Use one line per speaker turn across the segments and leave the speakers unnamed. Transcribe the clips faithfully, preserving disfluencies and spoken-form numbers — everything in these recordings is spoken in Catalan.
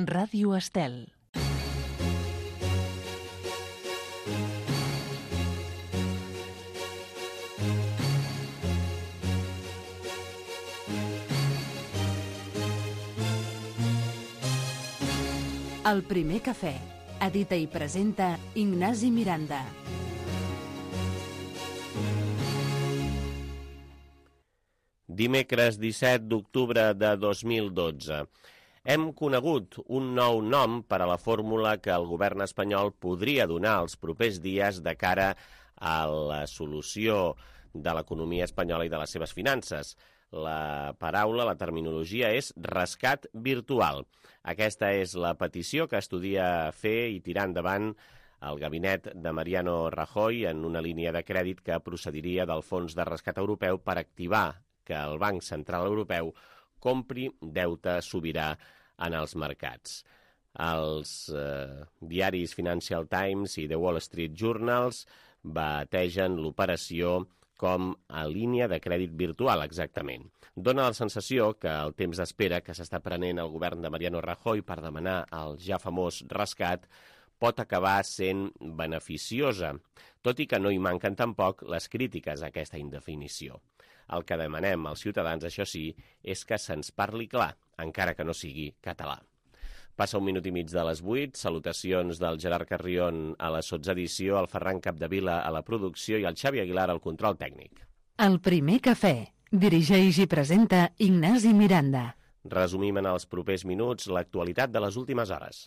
Ràdio Estel. El primer cafè. Edita i presenta Ignasi Miranda.
Dimecres disset d'octubre de dos mil dotze. Hem conegut un nou nom per a la fórmula que el govern espanyol podria donar els propers dies de cara a la solució de l'economia espanyola i de les seves finances. La paraula, la terminologia és rescat virtual. Aquesta és la petició que estudia fer i tirar endavant el gabinet de Mariano Rajoy en una línia de crèdit que procediria del Fons de Rescat Europeu per activar que el Banc Central Europeu compri deute sobirà en els mercats. Els eh, diaris Financial Times i The Wall Street Journals bategen l'operació com a línia de crèdit virtual, exactament. Dóna la sensació que el temps d'espera que s'està prenent el govern de Mariano Rajoy per demanar el ja famós rescat pot acabar sent beneficiosa, tot i que no hi manquen tampoc les crítiques a aquesta indefinició. El que demanem als ciutadans, això sí, és que se'ns parli clar, encara que no sigui català. Passa un minut i mig de les vuit, salutacions del Gerard Carrion a la sotsedició, el Ferran Capdevila a la producció i el Xavi Aguilar al control tècnic.
El primer cafè. Dirigeix i presenta Ignasi Miranda.
Resumim en els propers minuts l'actualitat de les últimes hores.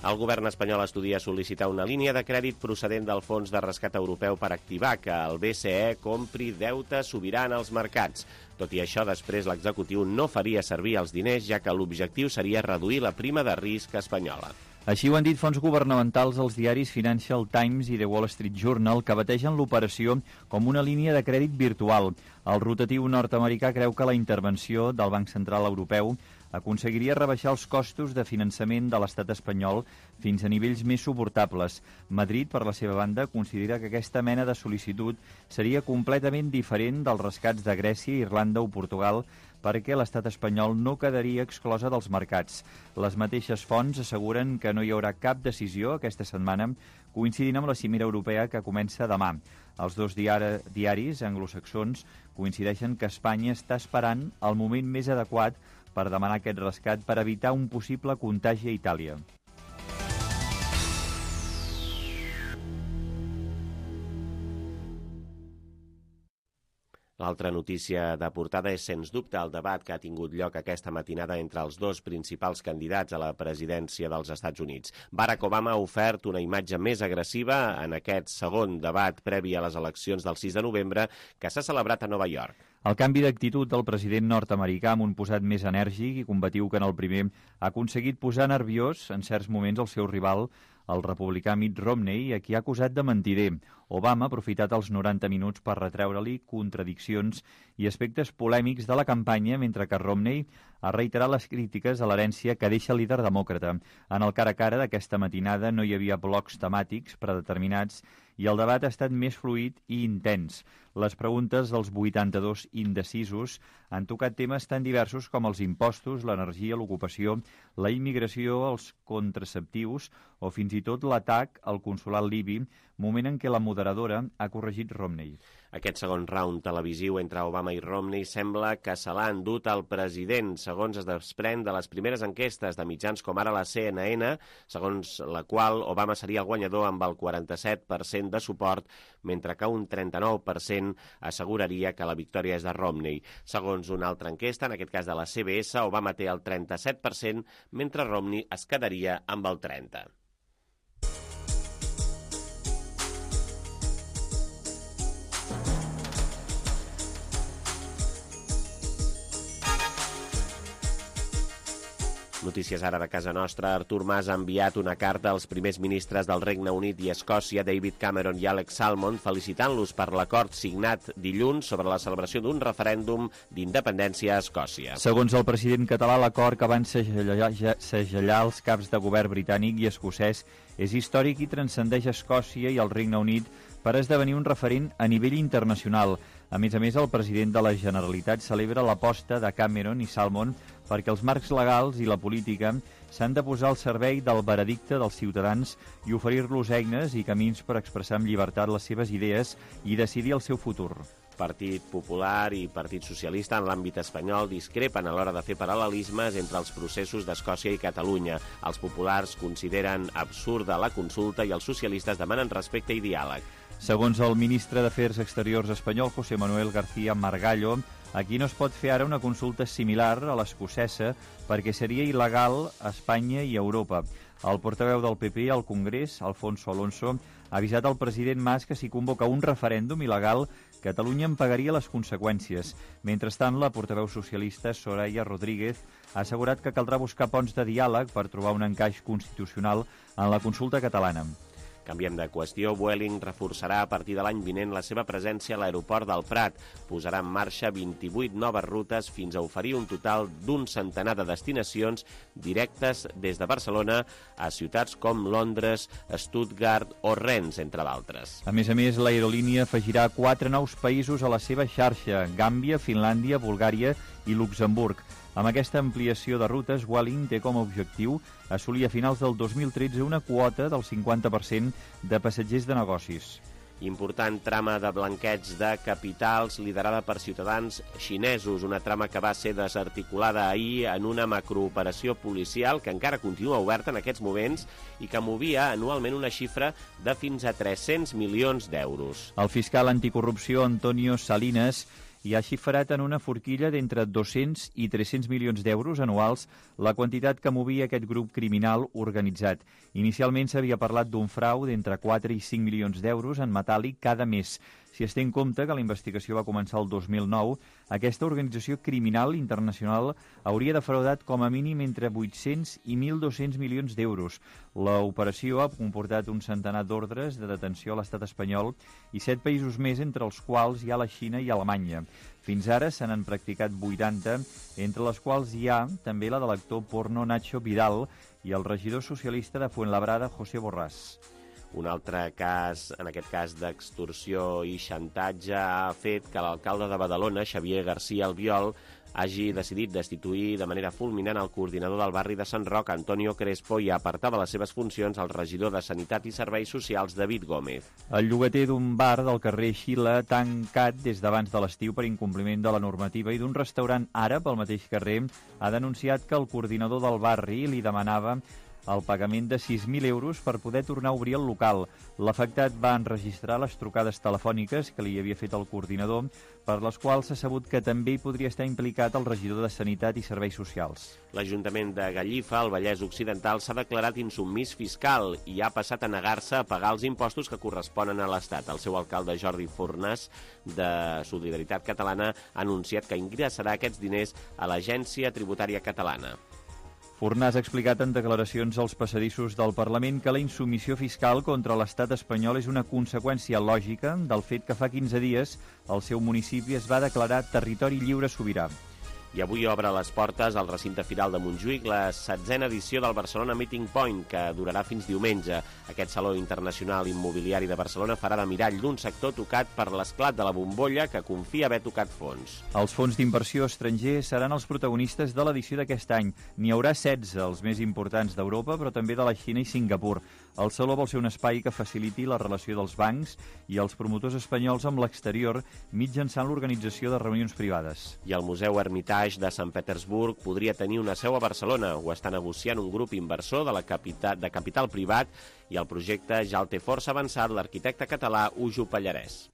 El govern espanyol estudia sol·licitar una línia de crèdit procedent del Fons de Rescat Europeu per activar que el B C E compri deute sobirà en els mercats. Tot i això, després l'executiu no faria servir els diners, ja que l'objectiu seria reduir la prima de risc espanyola.
Així ho han dit fons governamentals als diaris Financial Times i The Wall Street Journal, que bategen l'operació com una línia de crèdit virtual. El rotatiu nord-americà creu que la intervenció del Banc Central Europeu aconseguiria rebaixar els costos de finançament de l'estat espanyol fins a nivells més suportables. Madrid, per la seva banda, considera que aquesta mena de sol·licitud seria completament diferent dels rescats de Grècia, Irlanda o Portugal, perquè l'estat espanyol no quedaria exclosa dels mercats. Les mateixes fonts asseguren que no hi haurà cap decisió aquesta setmana, coincidint amb la cimera europea que comença demà. Els dos diaris anglosaxons coincideixen que Espanya està esperant el moment més adequat per demanar aquest rescat per evitar un possible contagi a Itàlia.
L'altra notícia de portada és, sens dubte, el debat que ha tingut lloc aquesta matinada entre els dos principals candidats a la presidència dels Estats Units. Barack Obama ha ofert una imatge més agressiva en aquest segon debat previ a les eleccions del sis de novembre que s'ha celebrat a Nova York.
El canvi d'actitud del president nord-americà amb un posat més enèrgic i combatiu que en el primer ha aconseguit posar nerviós en certs moments el seu rival, el republicà Mitt Romney, a qui ha acusat de mentider. Obama ha aprofitat els noranta minuts per retreure-li contradiccions i aspectes polèmics de la campanya, mentre que Romney ha reiterat les crítiques a l'herència que deixa el líder demòcrata. En el cara a cara d'aquesta matinada no hi havia blocs temàtics predeterminats i el debat ha estat més fluid i intens. Les preguntes dels vuitanta-dos indecisos han tocat temes tan diversos com els impostos, l'energia, l'ocupació, la immigració, els contraceptius o fins i tot l'atac al consolat libi, moment en què la moderadora ha corregit Romney.
Aquest segon round televisiu entre Obama i Romney sembla que se l'ha endut el president, segons es desprèn de les primeres enquestes de mitjans com ara la C N N, segons la qual Obama seria el guanyador amb el quaranta-set per cent de suport, mentre que un trenta-nou per cent asseguraria que la victòria és de Romney. Segons una altra enquesta, en aquest cas de la C B S, Obama té el trenta-set per cent, mentre Romney es quedaria amb el trenta per cent. Notícies ara de casa nostra. Artur Mas ha enviat una carta als primers ministres del Regne Unit i Escòcia, David Cameron i Alex Salmond, felicitant-los per l'acord signat dilluns sobre la celebració d'un referèndum d'independència a Escòcia.
Segons el president català, l'acord que van segellar, segellar els caps de govern britànic i escocès és històric i transcendeix Escòcia i el Regne Unit per esdevenir un referent a nivell internacional. A més a més, el president de la Generalitat celebra l'aposta de Cameron i Salmond perquè els marcs legals i la política s'han de posar al servei del veredicte dels ciutadans i oferir-los eines i camins per expressar amb llibertat les seves idees i decidir el seu futur.
Partit Popular i Partit Socialista en l'àmbit espanyol discrepen a l'hora de fer paral·lelismes entre els processos d'Escòcia i Catalunya. Els populars consideren absurda la consulta i els socialistes demanen respecte i diàleg.
Segons el ministre d'Afers Exteriors espanyol, José Manuel García Margallo, aquí no es pot fer ara una consulta similar a l'escocesa perquè seria il·legal a Espanya i a Europa. El portaveu del P P al Congrés, Alfonso Alonso, ha avisat al president Mas que si convoca un referèndum il·legal, Catalunya en pagaria les conseqüències. Mentrestant, la portaveu socialista Soraya Rodríguez ha assegurat que caldrà buscar ponts de diàleg per trobar un encaix constitucional en la consulta catalana.
Canviem de qüestió. Vueling reforçarà a partir de l'any vinent la seva presència a l'aeroport del Prat. Posarà en marxa vint-i-vuit noves rutes fins a oferir un total d'un centenar de destinacions directes des de Barcelona a ciutats com Londres, Stuttgart o Rennes, entre d'altres.
A més a més, l'aerolínia afegirà quatre nous països a la seva xarxa: Gàmbia, Finlàndia, Bulgària i Luxemburg. Amb aquesta ampliació de rutes, Vueling té com a objectiu assolir a finals del dos mil tretze una quota del cinquanta per cent de passatgers de negocis.
Important trama de blanqueig de capitals liderada per ciutadans xinesos, una trama que va ser desarticulada ahir en una macrooperació policial que encara continua oberta en aquests moments i que movia anualment una xifra de fins a tres-cents milions d'euros.
El fiscal anticorrupció Antonio Salinas i ha xifrat en una forquilla d'entre dos-cents i tres-cents milions d'euros anuals la quantitat que movia aquest grup criminal organitzat. Inicialment s'havia parlat d'un frau d'entre quatre i cinc milions d'euros en metàl·lic cada mes. Si es té en compte que la investigació va començar el dos mil nou, aquesta organització criminal internacional hauria defraudat com a mínim entre vuit-cents i mil dos-cents milions d'euros. L'operació ha comportat un centenar d'ordres de detenció a l'estat espanyol i set països més, entre els quals hi ha la Xina i Alemanya. Fins ara se n'han practicat vuitanta, entre les quals hi ha també la de l'actor porno Nacho Vidal i el regidor socialista de Fuenlabrada, José Borràs.
Un altre cas, en aquest cas d'extorsió i xantatge, ha fet que l'alcalde de Badalona, Xavier García Albiol, hagi decidit destituir de manera fulminant el coordinador del barri de Sant Roc, Antonio Crespo, i apartar de les seves funcions el regidor de Sanitat i Serveis Socials, David Gómez.
El llogater d'un bar del carrer Xile, tancat des d'abans de l'estiu per incompliment de la normativa, i d'un restaurant àrab al mateix carrer, ha denunciat que el coordinador del barri li demanava el pagament de sis mil euros per poder tornar a obrir el local. L'afectat va enregistrar les trucades telefòniques que li havia fet el coordinador, per les quals s'ha sabut que també hi podria estar implicat el regidor de Sanitat i Serveis Socials.
L'Ajuntament de Gallifa, al Vallès Occidental, s'ha declarat insubmís fiscal i ha passat a negar-se a pagar els impostos que corresponen a l'Estat. El seu alcalde, Jordi Fornàs, de Solidaritat Catalana, ha anunciat que ingressarà aquests diners a l'Agència Tributària Catalana.
Fornàs ha explicat en declaracions als passadissos del Parlament que la insubmissió fiscal contra l'estat espanyol és una conseqüència lògica del fet que fa quinze dies el seu municipi es va declarar territori lliure sobirà.
I avui obre les portes al recinte firal de Montjuïc la setzena edició del Barcelona Meeting Point, que durarà fins diumenge. Aquest Saló Internacional Immobiliari de Barcelona farà de mirall d'un sector tocat per l'esclat de la bombolla que confia haver tocat fons.
Els fons d'inversió estrangers seran els protagonistes de l'edició d'aquest any. N'hi haurà setze, els més importants d'Europa, però també de la Xina i Singapur. El Saló vol ser un espai que faciliti la relació dels bancs i els promotors espanyols amb l'exterior mitjançant l'organització de reunions privades.
I el Museu Hermitage de Sant Petersburg podria tenir una seu a Barcelona. Ho està negociant un grup inversor de, la capital, de capital privat i el projecte ja el té força avançat l'arquitecte català Ujo Pallarès.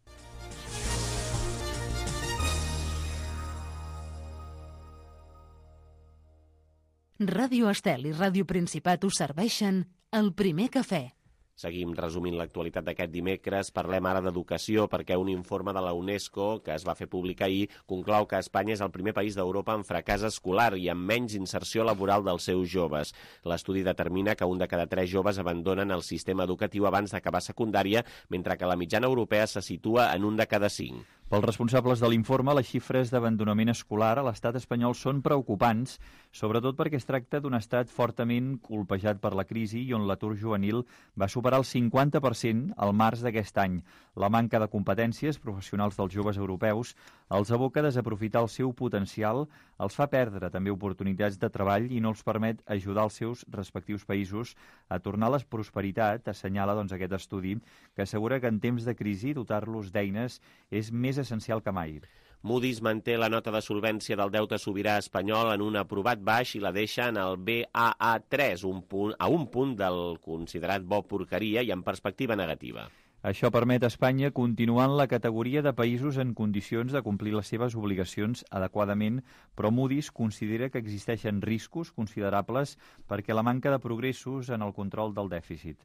Ràdio Estel i Ràdio Principat us serveixen El Primer Cafè.
Seguim resumint l'actualitat d'aquest dimecres. Parlem ara d'educació perquè un informe de la UNESCO que es va fer públic ahir conclou que Espanya és el primer país d'Europa amb fracàs escolar i amb menys inserció laboral dels seus joves. L'estudi determina que un de cada tres joves abandonen el sistema educatiu abans d'acabar secundària, mentre que la mitjana europea se situa en un de cada cinc.
Pels responsables de l'informe, les xifres d'abandonament escolar a l'estat espanyol són preocupants, sobretot perquè es tracta d'un estat fortament colpejat per la crisi i on l'atur juvenil va superar el cinquanta per cent al març d'aquest any. La manca de competències professionals dels joves europeus els aboca a desaprofitar el seu potencial, els fa perdre també oportunitats de treball i no els permet ajudar els seus respectius països a tornar a la prosperitat, assenyala doncs, aquest estudi, que assegura que en temps de crisi dotar-los d'eines és més essencial que mai.
Moody's manté la nota de solvència del deute sobirà espanyol en un aprovat baix i la deixa en el B A A tres, un punt, a un punt del considerat bo porqueria i en perspectiva negativa.
Això permet a Espanya continuar en la categoria de països en condicions de complir les seves obligacions adequadament, però Moody's considera que existeixen riscos considerables perquè la manca de progressos en el control del dèficit.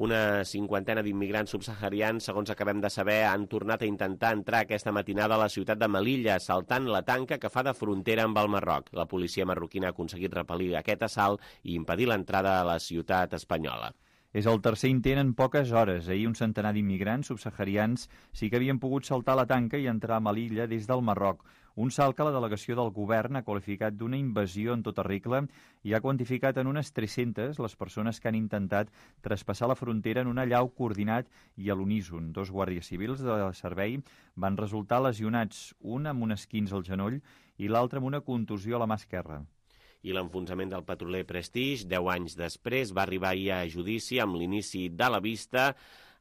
Una cinquantena d'immigrants subsaharians, segons acabem de saber, han tornat a intentar entrar aquesta matinada a la ciutat de Melilla, saltant la tanca que fa de frontera amb el Marroc. La policia marroquina ha aconseguit repel·lir aquest assalt i impedir l'entrada a la ciutat espanyola.
És el tercer intent en poques hores. Ahir un centenar d'immigrants subsaharians sí que havien pogut saltar la tanca i entrar a Melilla des del Marroc. Un salt que la delegació del govern ha qualificat d'una invasió en tota regla i ha quantificat en unes tres-centes les persones que han intentat traspassar la frontera en un allau coordinat i a l'uníson. Dos guàrdies civils de servei van resultar lesionats, un amb un esquinç al genoll i l'altre amb una contusió a la mà esquerra.
I l'enfonsament del petroler Prestige, deu anys després, va arribar ahir a judici amb l'inici de la vista,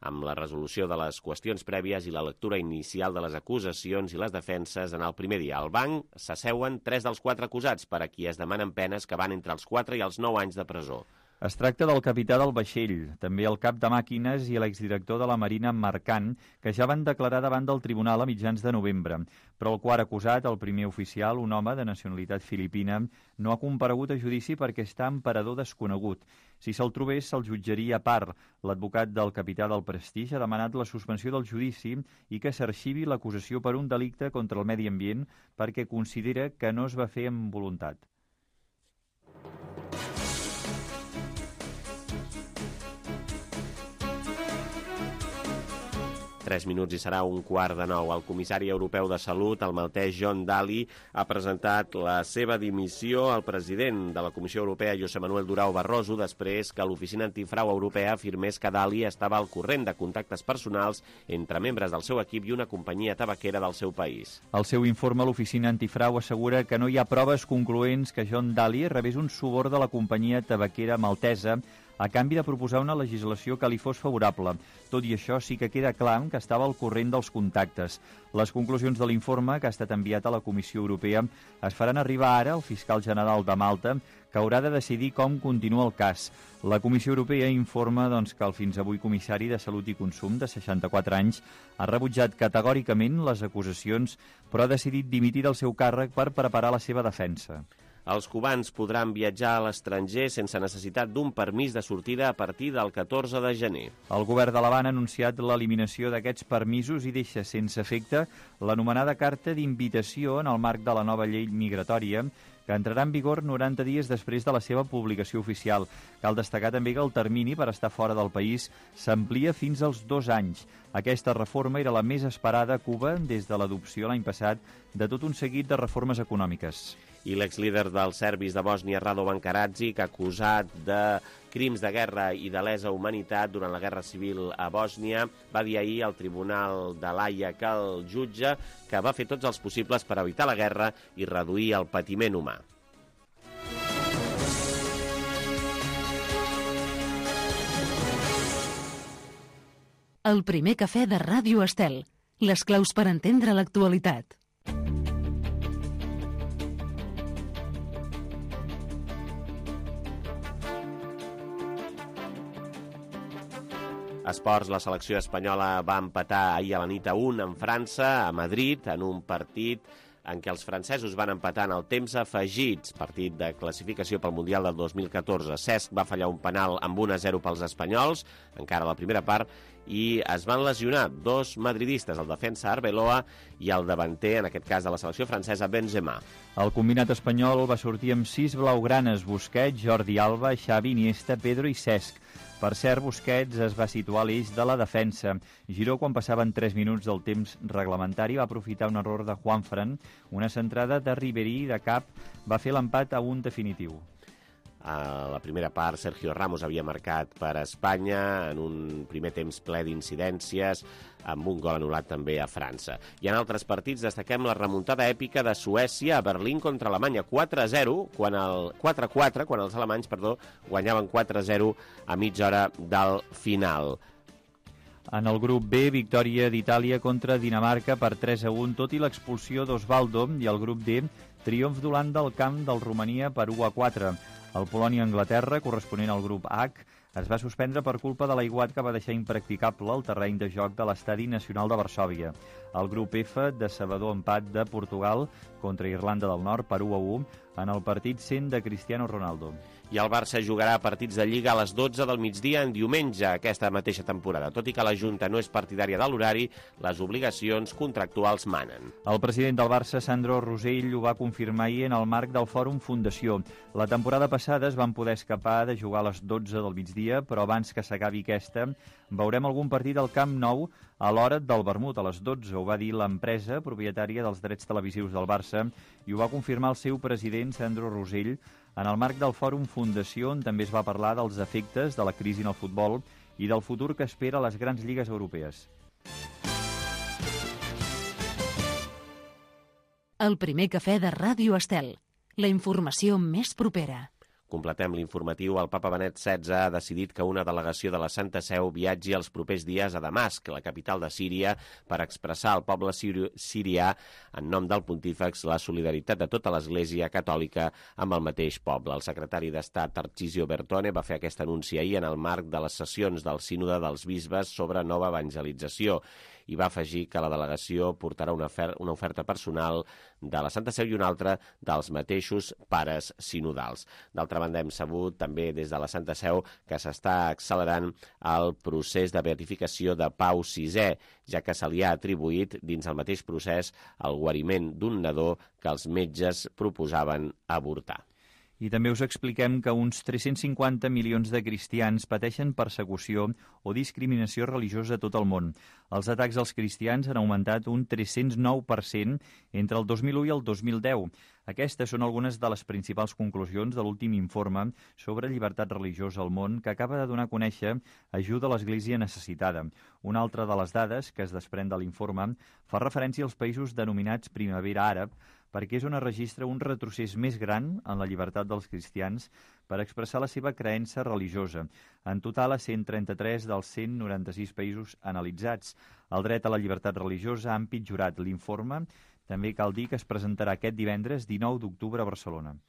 amb la resolució de les qüestions prèvies i la lectura inicial de les acusacions i les defenses en el primer dia. Al banc s'asseuen tres dels quatre acusats, per a qui es demanen penes que van entre els quatre i els nou anys de presó.
Es tracta del capità del vaixell, també el cap de màquines i l'exdirector de la Marina Mercant, que ja van declarar davant del tribunal a mitjans de novembre. Però el quart acusat, el primer oficial, un home de nacionalitat filipina, no ha comparegut a judici perquè està en parador desconegut. Si se'l trobés, se'l jutjaria a part. L'advocat del capità del Prestige ha demanat la suspensió del judici i que s'arxivi l'acusació per un delicte contra el medi ambient perquè considera que no es va fer amb voluntat.
Tres minuts i serà un quart de nou. El comissari europeu de Salut, el maltès John Dalli, ha presentat la seva dimissió al president de la Comissió Europea, José Manuel Durão Barroso, després que l'Oficina Antifrau Europea afirmés que Dalli estava al corrent de contactes personals entre membres del seu equip i una companyia tabaquera del seu país.
Al seu informe, l'Oficina Antifrau assegura que no hi ha proves concloents que John Dalli rebés un suborn de la companyia tabaquera maltesa a canvi de proposar una legislació que li fos favorable. Tot i això, sí que queda clar que estava al corrent dels contactes. Les conclusions de l'informe, que ha estat enviat a la Comissió Europea, es faran arribar ara al fiscal general de Malta, que haurà de decidir com continua el cas. La Comissió Europea informa doncs, que el fins avui comissari de Salut i Consum, de seixanta-quatre anys, ha rebutjat categòricament les acusacions, però ha decidit dimitir del seu càrrec per preparar la seva defensa.
Els cubans podran viatjar a l'estranger sense necessitat d'un permís de sortida a partir del catorze de gener.
El govern de l'Havana ha anunciat l'eliminació d'aquests permisos i deixa sense efecte l'anomenada carta d'invitació en el marc de la nova llei migratòria, que entrarà en vigor noranta dies després de la seva publicació oficial. Cal destacar també que el termini per estar fora del país s'amplia fins als dos anys. Aquesta reforma era la més esperada a Cuba des de l'adopció l'any passat de tot un seguit de reformes econòmiques.
I l'exlíder dels serbis de Bòsnia, Radovan Karadzic, acusat de crims de guerra i de lesa humanitat durant la guerra civil a Bòsnia, va dir ahir al Tribunal de l'Haia que el jutge que va fer tots els possibles per evitar la guerra i reduir el patiment humà.
El primer cafè de Ràdio Estel. Les claus per entendre l'actualitat.
Esports, la selecció espanyola va empatar ahir a la nit a un amb França, a Madrid, en un partit en què els francesos van empatar en el temps afegits, partit de classificació pel Mundial del dos mil catorze. Cesc va fallar un penal amb un a zero pels espanyols, encara a la primera part, i es van lesionar dos madridistes, el defensa Arbeloa i el davanter, en aquest cas de la selecció francesa, Benzema.
El combinat espanyol va sortir amb sis blaugranes: Busquets, Jordi Alba, Xavi, Iniesta, Pedro i Cesc. Per cert, Busquets es va situar a l'eix de la defensa. Giró, quan passaven tres minuts del temps reglamentari, va aprofitar un error de Juanfran. Una centrada de Ribéry de cap va fer l'empat a un definitiu.
A la primera part, Sergio Ramos havia marcat per Espanya en un primer temps ple d'incidències, amb un gol anul·lat també a França. I en altres partits destaquem la remuntada èpica de Suècia a Berlín contra Alemanya, quatre a zero, quan el quatre a quatre, quan els alemanys, perdó, guanyaven quatre a zero a mitja hora del final.
En el grup B, victòria d'Itàlia contra Dinamarca per tres a un, tot i l'expulsió d'Osvaldo, i el grup D, triomf d'Holanda al camp del Romania per u a quatre. El Polònia-Anglaterra, corresponent al grup H, es va suspendre per culpa de l'aiguat que va deixar impracticable el terreny de joc de l'Estadi Nacional de Varsòvia. El grup F, decebedor empat de Portugal contra Irlanda del Nord per u a u en el partit cent de Cristiano Ronaldo.
I el Barça jugarà partits de Lliga a les dotze del migdia en diumenge aquesta mateixa temporada. Tot i que la Junta no és partidària de l'horari, les obligacions contractuals manen.
El president del Barça, Sandro Rosell, ho va confirmar ahir en el marc del Fòrum Fundació. La temporada passada es van poder escapar de jugar a les dotze del migdia, però abans que s'acabi aquesta, veurem algun partit al Camp Nou a l'hora del vermut, a les dotze. Ho va dir l'empresa propietària dels drets televisius del Barça i ho va confirmar el seu president, Sandro Rosell, en el marc del Fòrum Fundació, on també es va parlar dels efectes de la crisi en el futbol i del futur que espera a les grans lligues europees.
El primer cafè de Ràdio Estel. La informació més propera.
Completem l'informatiu. El papa Benet setze ha decidit que una delegació de la Santa Seu viatgi els propers dies a Damasc, la capital de Síria, per expressar al poble siri sirià, en nom del pontífex, la solidaritat de tota l'Església catòlica amb el mateix poble. El secretari d'Estat, Tarcisio Bertone, va fer aquest anunci ahir en el marc de les sessions del Sínode dels Bisbes sobre nova evangelització, i va afegir que la delegació portarà una, una oferta personal de la Santa Seu i una altra dels mateixos pares sinodals. D'altra banda, hem sabut també des de la Santa Seu que s'està accelerant el procés de beatificació de Pau sisè, ja que se li ha atribuït dins el mateix procés el guariment d'un nadó que els metges proposaven avortar.
I també us expliquem que uns tres-cents cinquanta milions de cristians pateixen persecució o discriminació religiosa a tot el món. Els atacs als cristians han augmentat un tres-cents nou per cent entre el dos mil u i el dos mil deu. Aquestes són algunes de les principals conclusions de l'últim informe sobre llibertat religiosa al món que acaba de donar a conèixer Ajuda a l'Església Necessitada. Una altra de les dades que es desprèn de l'informe fa referència als països denominats Primavera Àrab, perquè és on es registra un retrocés més gran en la llibertat dels cristians per expressar la seva creença religiosa. En total, a cent trenta-tres dels cent noranta-sis països analitzats. El dret a la llibertat religiosa ha empitjorat. L'informe també cal dir que es presentarà aquest divendres dinou d'octubre a Barcelona.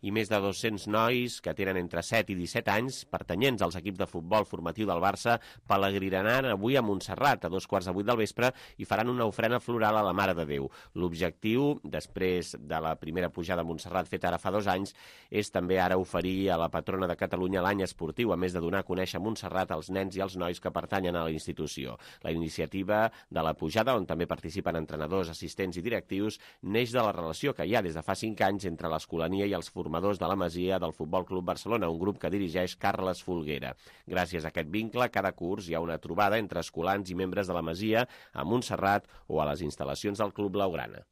I més de dos-cents nois que tenen entre set i disset anys, pertanyents als equips de futbol formatiu del Barça, pelegrinaran avui a Montserrat a dos quarts de vuit del vespre i faran una ofrena floral a la Mare de Déu. L'objectiu, després de la primera pujada a Montserrat feta ara fa dos anys, és també ara oferir a la patrona de Catalunya l'any esportiu, a més de donar a conèixer Montserrat als nens i als nois que pertanyen a la institució. La iniciativa de la pujada, on també participen entrenadors, assistents i directius, neix de la relació que hi ha des de fa cinc anys entre l'Escolania i els formadors de la Masia del Futbol Club Barcelona, un grup que dirigeix Carles Folguera. Gràcies a aquest vincle, cada curs hi ha una trobada entre escolans i membres de la Masia a Montserrat o a les instal·lacions del Club Blaugrana.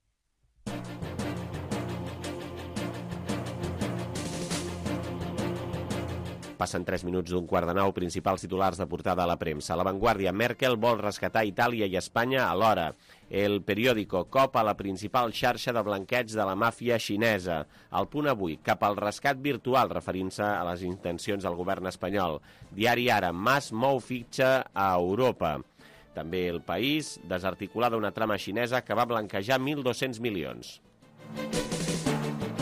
Passen tres minuts d'un quart de nou, principals titulars de portada a la premsa. La Vanguardia, Merkel vol rescatar Itàlia i Espanya alhora. El periòdico, cop a la principal xarxa de blanqueig de la màfia xinesa. El Punt avui, cap al rescat virtual, referint-se a les intencions del govern espanyol. Diari Ara, Mas mou fitxa a Europa. També El País, desarticulada una trama xinesa que va blanquejar mil dos-cents milions.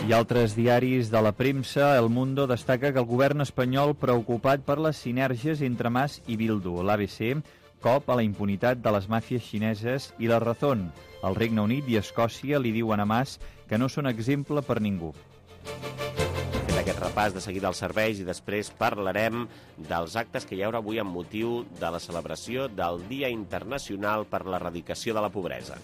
I altres diaris de la premsa, El Mundo destaca que el govern espanyol preocupat per les sinergies entre Mas i Bildu. L'A B C, cop a la impunitat de les màfies xineses i la Razón. El Regne Unit i Escòcia li diuen a Mas que no són exemple per ningú.
Fet aquest repàs, de seguida als serveis, i després parlarem dels actes que hi haurà avui amb motiu de la celebració del Dia Internacional per l'Erradicació de la Pobresa.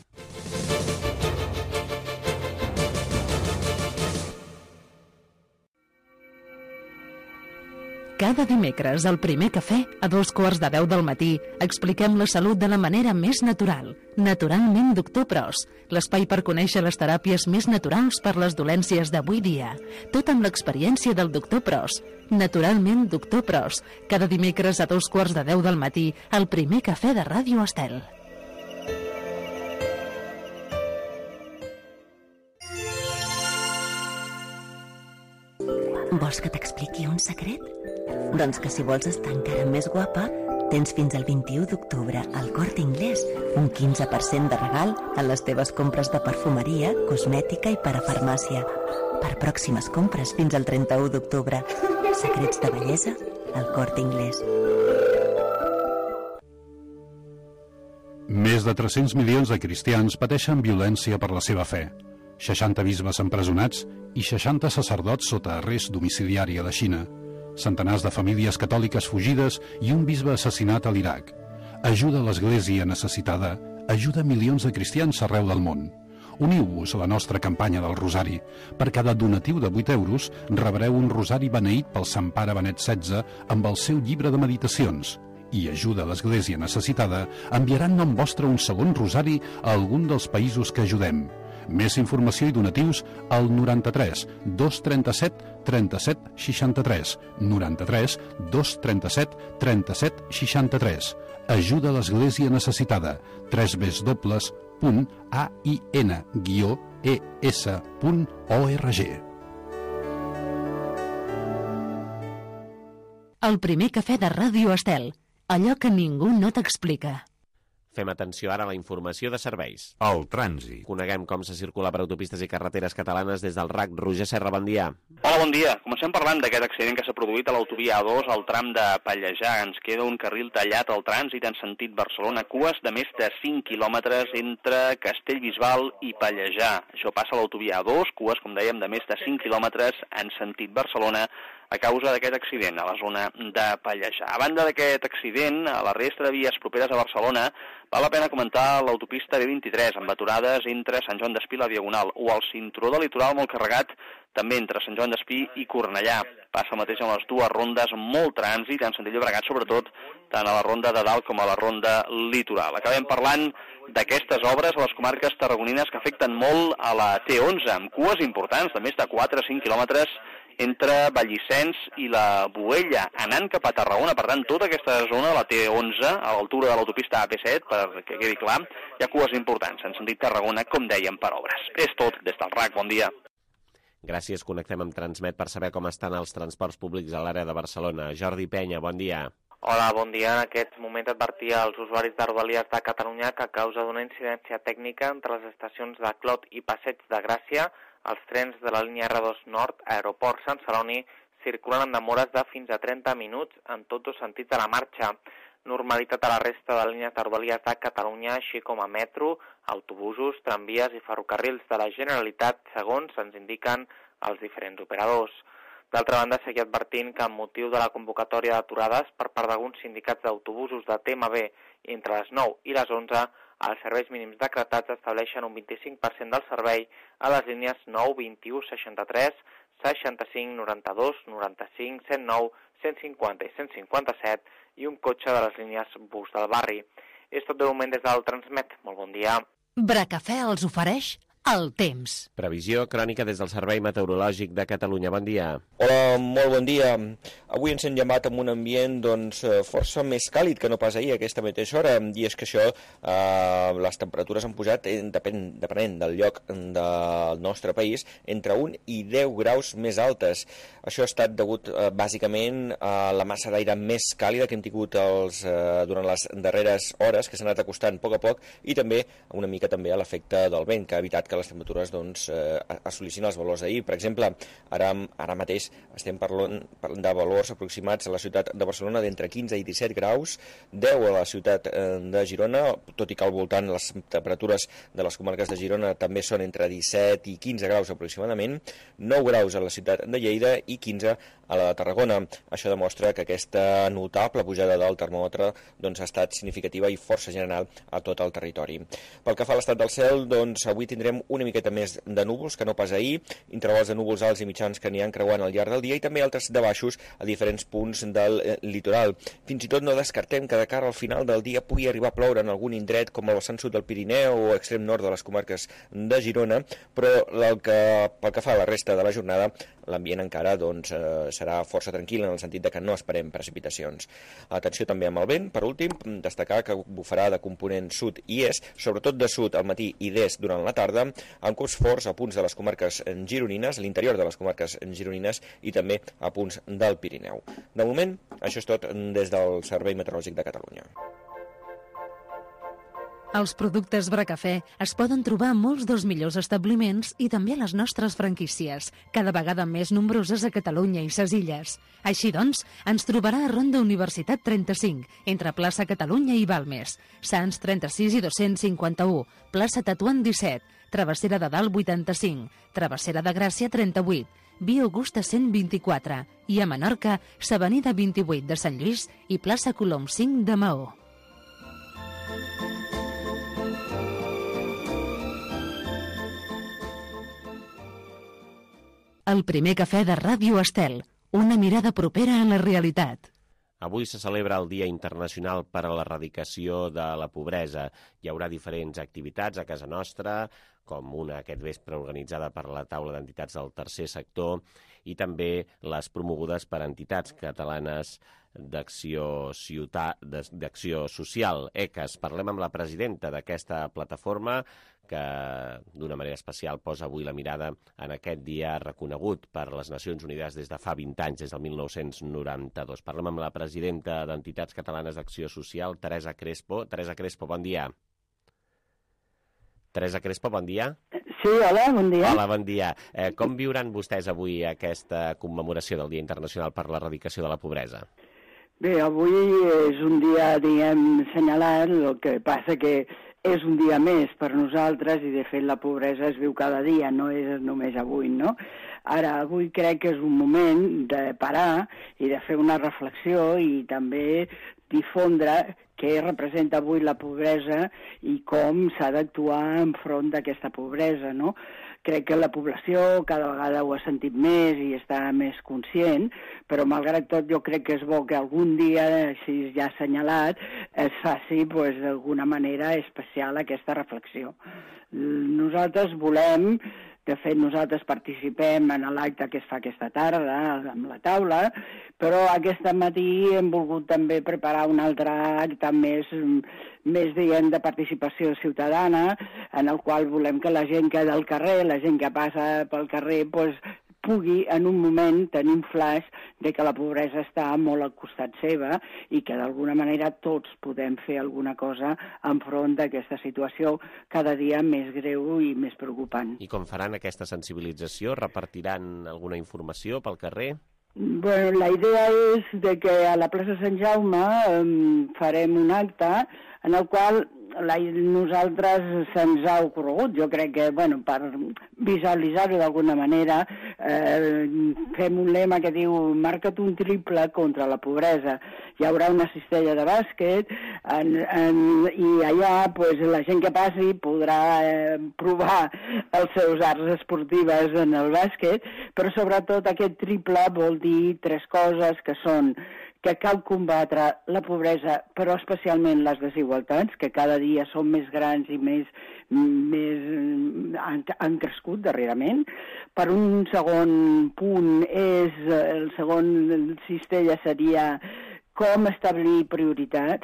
Cada dimecres, al Primer Cafè, a dos quarts de deu del matí, expliquem la salut de la manera més natural. Naturalment, doctor Pros, l'espai per conèixer les teràpies més naturals per les dolències d'avui dia. Tot amb l'experiència del doctor Pros. Naturalment, doctor Pros, cada dimecres a dos quarts de deu del matí, al Primer Cafè de Ràdio Estel.
Vols que t'expliqui un secret? Doncs que si vols estar encara més guapa, tens fins al vint-i-u d'octubre al Corte Inglés un quinze per cent de regal en les teves compres de perfumeria, cosmètica i parafarmàcia. Per pròximes compres fins al trenta-u d'octubre. Secrets de bellesa al Corte Inglés.
Més de tres-cents milions de cristians pateixen violència per la seva fe. seixanta bisbes empresonats i seixanta sacerdots sota arrest domiciliari a la Xina. Centenars de famílies catòliques fugides i un bisbe assassinat a l'Iraq. Ajuda a l'Església necessitada, ajuda milions de cristians arreu del món. Uniu-vos a la nostra campanya del Rosari. Per cada donatiu de vuit euros rebreu un rosari beneït pel Sant Pare Benet setze amb el seu llibre de meditacions. I ajuda a l'Església necessitada enviarà en nom vostre un segon rosari a algun dels països que ajudem. Més informació i donatius al noranta-tres dos trenta-set trenta-set seixanta-tres, noranta-tres dos trenta-set trenta-set seixanta-tres. Ajuda a l'Església necessitada. tres w w w punt a i n guió e s punt org.
El Primer Cafè de Ràdio Estel. Allò que ningú no t'explica.
Fem atenció ara a la informació de serveis.
El trànsit.
Coneguem com se circula per autopistes i carreteres catalanes des del R A C. Roger Serra, bon dia.
Hola, bon dia. Comencem parlant d'aquest accident que s'ha produït a l'autovia A dos al tram de Pallejà. Ens queda un carril tallat al trànsit en sentit Barcelona, cues de més de cinc quilòmetres entre Castellbisbal i Pallejà. Això passa a l'autovia A dos, cues, com dèiem, de més de cinc quilòmetres en sentit Barcelona, a causa d'aquest accident a la zona de Pallejà. A banda d'aquest accident, a la resta de vies properes a Barcelona, val la pena comentar l'autopista B vint-i-tres, amb aturades entre Sant Joan d'Espí i la Diagonal, o el cinturó de litoral molt carregat, també entre Sant Joan d'Espí i Cornellà. Passa el mateix amb les dues rondes, molt trànsit, en sentit Llobregat, sobretot, tant a la ronda de dalt com a la ronda litoral. Acabem parlant d'aquestes obres a les comarques tarragonines que afecten molt a la T onze, amb cues importants de més de quatre a cinc quilòmetres entre Vallicens i la Boella, anant cap a Tarragona. Per tant, tota aquesta zona de la T onze, a l'altura de l'autopista A P set, perquè quedi clar, hi ha cues importants en sentit Tarragona, com dèiem, per obres. És tot des del R A C. Bon dia.
Gràcies. Connectem amb Transmet per saber com estan els transports públics a l'àrea de Barcelona. Jordi Penya, bon dia.
Hola, bon dia. En aquest moment advertia als usuaris de Rodalies de Catalunya que a causa d'una incidència tècnica entre les estacions de Clot i Passeig de Gràcia, els trens de la línia R dos Nord, Aeroport Sant Celoni, circulen amb demores de fins a trenta minuts en tots dos sentits de la marxa. Normalitat a la resta de línies de Rodalies de Catalunya, així com a metro, autobusos, tramvies i ferrocarrils de la Generalitat, segons ens indiquen els diferents operadors. D'altra banda, seguir advertint que amb motiu de la convocatòria d'aturades per part d'alguns sindicats d'autobusos de T M B entre les nou i les onze, els serveis mínims decretats estableixen un vint-i-cinc per cent del servei a les línies nou, vint-i-u, seixanta-tres, seixanta-cinc, noranta-dos, noranta-cinc, cent nou, cent cinquanta i cent cinquanta-set i un cotxe de les línies bus del barri. És tot de moment des del Transmet. Molt bon dia.
Bracafè els ofereix el temps.
Previsió crònica des del Servei Meteorològic de Catalunya. Bon dia.
Hola, molt bon dia. Avui ens hem llevat amb un ambient doncs, força més càlid que no pas ahir a aquesta mateixa hora, i és que això, eh, les temperatures han pujat, eh, depèn, depenent del lloc del nostre país, entre un i deu graus més altes. Això ha estat degut eh, bàsicament a la massa d'aire més càlida que hem tingut els, eh, durant les darreres hores, que s'ha anat acostant a poc a poc, i també una mica també a l'efecte del vent, que ha evitat que que les temperatures doncs, eh, assolissin els valors d'ahir. Per exemple, ara, ara mateix estem parlant, parlant de valors aproximats a la ciutat de Barcelona d'entre quinze i disset graus, deu a la ciutat eh, de Girona, tot i que al voltant les temperatures de les comarques de Girona també són entre disset i quinze graus aproximadament, nou graus a la ciutat de Lleida i quinze a la de Tarragona. Això demostra que aquesta notable pujada del termòmetre doncs, ha estat significativa i força general a tot el territori. Pel que fa a l'estat del cel, doncs, avui tindrem una miqueta més de núvols que no pas ahir, intervals de núvols alts i mitjans que aniran creuant al llarg del dia i també altres de baixos a diferents punts del eh, litoral. Fins i tot no descartem que de cara al final del dia pugui arribar a ploure en algun indret com el vessant sud del Pirineu o extrem nord de les comarques de Girona, però el que, pel que fa a la resta de la jornada, l'ambient encara doncs, eh, serà força tranquil en el sentit de que no esperem precipitacions. Atenció també amb el vent. Per últim, destacar que bufarà de component sud i est, sobretot de sud al matí i d'est durant la tarda, amb cops forts a punts de les comarques gironines, a l'interior de les comarques gironines i també a punts del Pirineu. De moment, això és tot des del Servei Meteorològic de Catalunya.
Els productes Bracafè es poden trobar a molts dels millors establiments i també a les nostres franquícies, cada vegada més nombroses a Catalunya i ses illes. Així doncs, ens trobarà a Ronda Universitat trenta-cinc, entre plaça Catalunya i Balmes, Sants trenta-sis i dos-cents cinquanta-u, plaça Tatuant disset, Travessera de Dalt vuitanta-cinc, Travessera de Gràcia trenta-vuit, Via Augusta cent vint-i-quatre i a Menorca, s'Avenida vint-i-vuit de Sant Lluís i plaça Colom cinc de Maó. El primer cafè de Ràdio Estel, una mirada propera a la realitat.
Avui se celebra el Dia Internacional per a l'Erradicació de la Pobresa. Hi haurà diferents activitats a casa nostra, com una aquest vespre organitzada per la taula d'entitats del tercer sector i també les promogudes per entitats catalanes d'acció ciutat, d'acció social, E C A S. Parlem amb la presidenta d'aquesta plataforma que d'una manera especial posa avui la mirada en aquest dia reconegut per les Nacions Unides des de fa vint anys, des del mil nou-cents noranta-dos. Parlem amb la presidenta d'Entitats Catalanes d'Acció Social, Teresa Crespo. Teresa Crespo, bon dia. Teresa Crespo, bon dia.
Sí, hola, bon dia.
Hola, bon dia. Eh, com viuran vostès avui aquesta commemoració del Dia Internacional per l'Erradicació de la Pobresa?
Bé, avui és un dia, diguem, assenyalat, el que passa que és un dia més per nosaltres i, de fet, la pobresa es viu cada dia, no és només avui, no? Ara, avui crec que és un moment de parar i de fer una reflexió i també difondre què representa avui la pobresa i com s'ha d'actuar enfront d'aquesta pobresa, no? Crec que la població cada vegada ho ha sentit més i està més conscient, però malgrat tot jo crec que és bo que algun dia, així ja assenyalat, es faci pues, d'alguna manera especial aquesta reflexió. Nosaltres volem, de fet nosaltres participem en l'acte que es fa aquesta tarda amb la taula, però aquest matí hem volgut també preparar un altre acte més, més diguem, de participació ciutadana, en el qual volem que la gent que del carrer, la gent que passa pel carrer, pues, pugui en un moment tenir un flash de que la pobresa està molt al costat seva i que d'alguna manera tots podem fer alguna cosa enfront d'aquesta situació cada dia més greu i més preocupant.
I com faran aquesta sensibilització? Repartiran alguna informació pel carrer?
Bueno, la idea és de que a la plaça Sant Jaume um, farem un acte en el qual la, nosaltres se'ns ha ocorregut, jo crec que, bueno, per visualitzar-ho d'alguna manera, eh, fem un lema que diu marca't un triple contra la pobresa. Hi haurà una cistella de bàsquet en, en, i allà pues, la gent que passi podrà eh, provar els seus arts esportives en el bàsquet, però sobretot aquest triple vol dir tres coses que són que cal combatre la pobresa, però especialment les desigualtats, que cada dia són més grans i més, més han, han crescut darrerament. Per un segon punt, és el segon cistella seria com establir prioritats,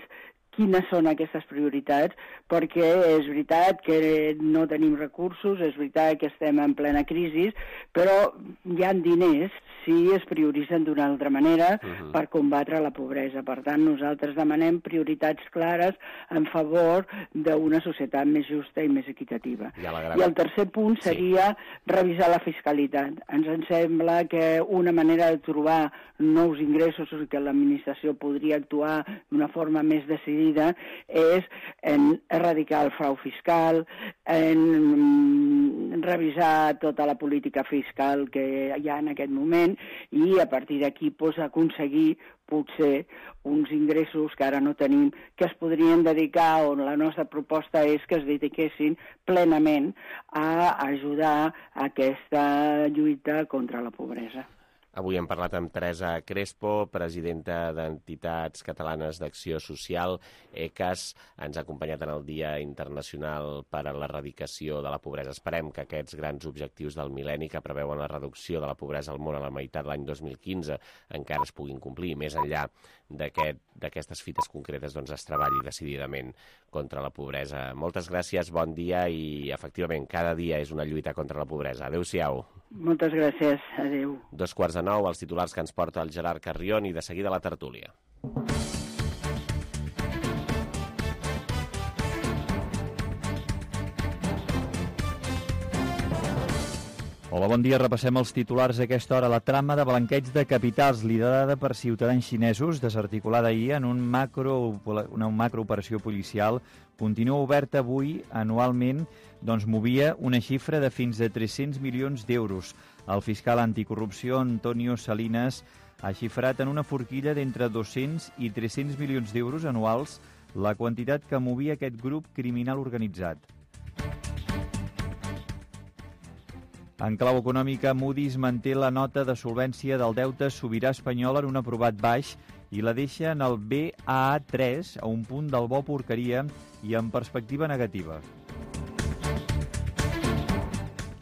quines són aquestes prioritats, perquè és veritat que no tenim recursos, és veritat que estem en plena crisi, però hi ha diners si es prioritzen d'una altra manera uh-huh. per combatre la pobresa. Per tant, nosaltres demanem prioritats clares en favor d'una societat més justa i més equitativa. I, I el tercer punt seria sí. revisar la fiscalitat. Ens en sembla que una manera de trobar nous ingressos i que l'administració podria actuar d'una forma més decidida és en erradicar el frau fiscal, en revisar tota la política fiscal que hi ha en aquest moment i a partir d'aquí pues, aconseguir potser uns ingressos que ara no tenim, que es podrien dedicar, on la nostra proposta és que es dediquessin plenament a ajudar a aquesta lluita contra la pobresa.
Avui hem parlat amb Teresa Crespo, presidenta d'Entitats Catalanes d'Acció Social, E C A S. Ens ha acompanyat en el Dia Internacional per a l'Erradicació de la Pobresa. Esperem que aquests grans objectius del mil·lenni que preveuen la reducció de la pobresa al món a la meitat de l'any dos mil quinze encara es puguin complir. Més enllà d'aquestes fites concretes doncs, es treballi decididament contra la pobresa. Moltes gràcies, bon dia i efectivament cada dia és una lluita contra la pobresa. Adéu-siau.
Moltes gràcies, adéu.
Dos quarts de nou, els titulars que ens porta el Gerard Carrion i de seguida la tertúlia.
Hola, bon dia. Repassem els titulars a aquesta hora. La trama de blanqueig de capitals liderada per ciutadans xinesos, desarticulada ahir en un macro, una macrooperació policial, continua oberta avui anualment, doncs movia una xifra de fins a tres-cents milions d'euros. El fiscal anticorrupció Antonio Salinas ha xifrat en una forquilla d'entre dos-cents i tres-cents milions d'euros anuals la quantitat que movia aquest grup criminal organitzat. En clau econòmica, Moody's manté la nota de solvència del deute sobirà espanyol en un aprovat baix i la deixa en el B A A tres, a un punt del bo porqueria i en perspectiva negativa.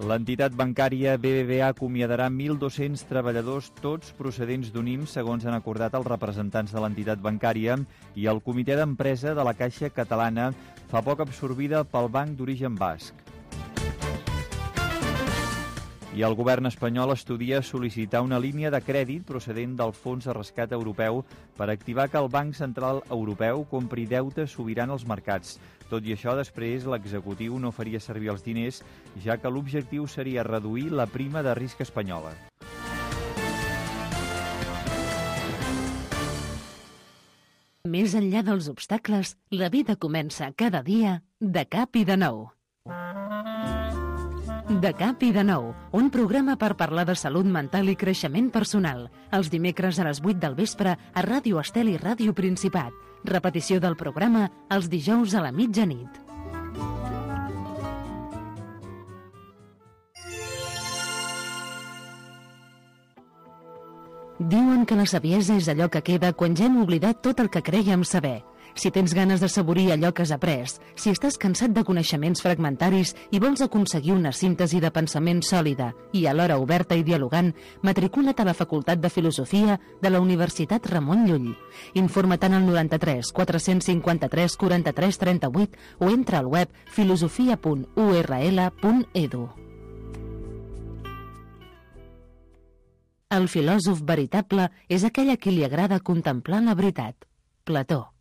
L'entitat bancària B B V A acomiadarà mil dos-cents treballadors, tots procedents d'U N I M, segons han acordat els representants de l'entitat bancària i el comitè d'empresa de la Caixa Catalana, fa poc absorbida pel banc d'origen basc. I el govern espanyol estudia sol·licitar una línia de crèdit procedent del Fons de Rescat Europeu per activar que el Banc Central Europeu compri deute sobirà als mercats. Tot i això, després l'executiu no faria servir els diners, ja que l'objectiu seria reduir la prima de risc espanyola.
Més enllà dels obstacles, la vida comença cada dia de cap i de nou. De cap i de nou, un programa per parlar de salut mental i creixement personal. Els dimecres a les vuit del vespre a Ràdio Estel i Ràdio Principat. Repetició del programa els dijous a la mitjanit. Diuen que la saviesa és allò que queda quan ja hem oblidat tot el que crèiem saber. Si tens ganes de saborir allò que has après, si estàs cansat de coneixements fragmentaris i vols aconseguir una síntesi de pensament sòlida i alhora oberta i dialogant, matricula't a la Facultat de Filosofia de la Universitat Ramon Llull. Informa't en el noranta-tres quatre-cents cinquanta-tres quaranta-tres trenta-vuit o entra al web filosofia punt u erra ele punt edu. El filòsof veritable és aquell a qui li agrada contemplar la veritat. Plató.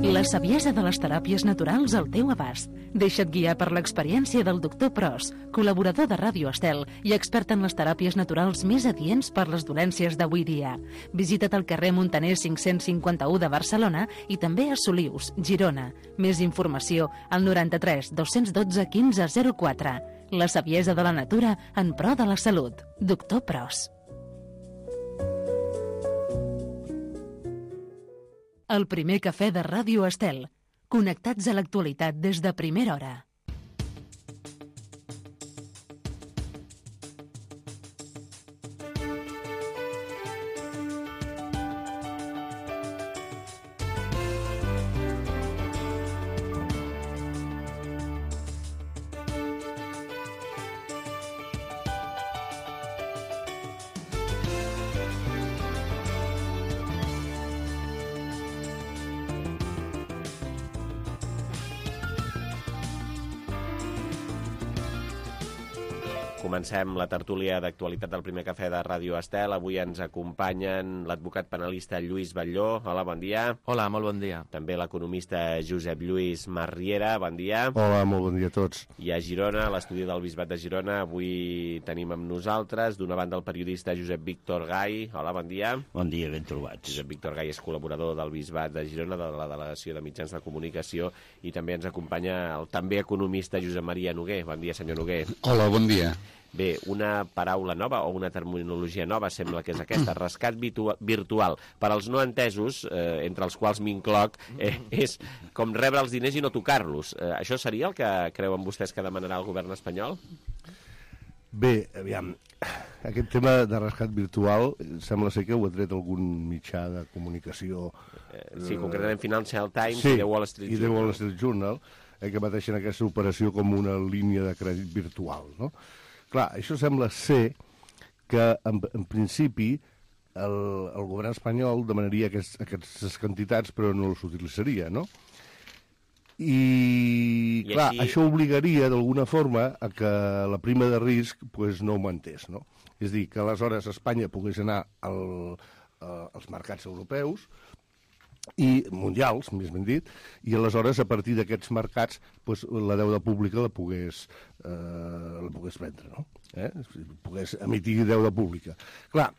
La saviesa de les teràpies naturals al teu abast. Deixa't guiar per l'experiència del doctor Pros, col·laborador de Ràdio Estel i expert en les teràpies naturals més adients per les dolències d'avui dia. Visita't al carrer Montaner cinc-cents cinquanta-u de Barcelona i també a Solius, Girona. Més informació al noranta-tres dos-cents dotze quinze zero quatre. La saviesa de la natura en pro de la salut. Doctor Pros. El primer cafè de Ràdio Estel. Connectats a l'actualitat des de primera hora.
Comencem la tertúlia d'actualitat del Primer Cafè de Ràdio Estel. Avui ens acompanyen l'advocat penalista Lluís Batlló. Hola, bon dia.
Hola, molt bon dia.
També l'economista Josep Lluís Marriera. Bon dia.
Hola, molt bon dia a tots.
I a Girona, a l'estudi del Bisbat de Girona, avui tenim amb nosaltres, d'una banda, el periodista Josep Víctor Gai. Hola, bon dia.
Bon dia, ben trobats.
Josep Víctor Gai és col·laborador del Bisbat de Girona, de la Delegació de Mitjans de Comunicació, i també ens acompanya el també economista Josep Maria Noguer. Bon dia, senyor Noguer.
Hola, bon dia.
Bé, una paraula nova o una terminologia nova sembla que és aquesta, rescat virtual. Per als no entesos, eh, entre els quals m'incloc, eh, és com rebre els diners i no tocar-los. Eh, això seria el que creuen vostès que demanarà el govern espanyol?
Bé, aviam, aquest tema de rescat virtual sembla ser que ho ha tret algun mitjà de comunicació.
Eh, sí, concretament Financial Times
sí,
i The Wall Street
i
Journal.
The Wall Street Journal, eh, que pateixen aquesta operació com una línia de crèdit virtual, no? Clar, això sembla ser que, en, en principi, el, el govern espanyol demanaria aquests, aquestes quantitats, però no els utilitzaria, no? I, I clar, així... això obligaria, d'alguna forma, a que la prima de risc pues, no augmentés, no? És a dir, que aleshores Espanya pogués anar al, a, als mercats europeus, i mundials, més ben dit, i aleshores, a partir d'aquests mercats, pues, la deuda pública la pogués, eh, la pogués prendre, no? Eh? Pogués emitir deuda pública. Clar,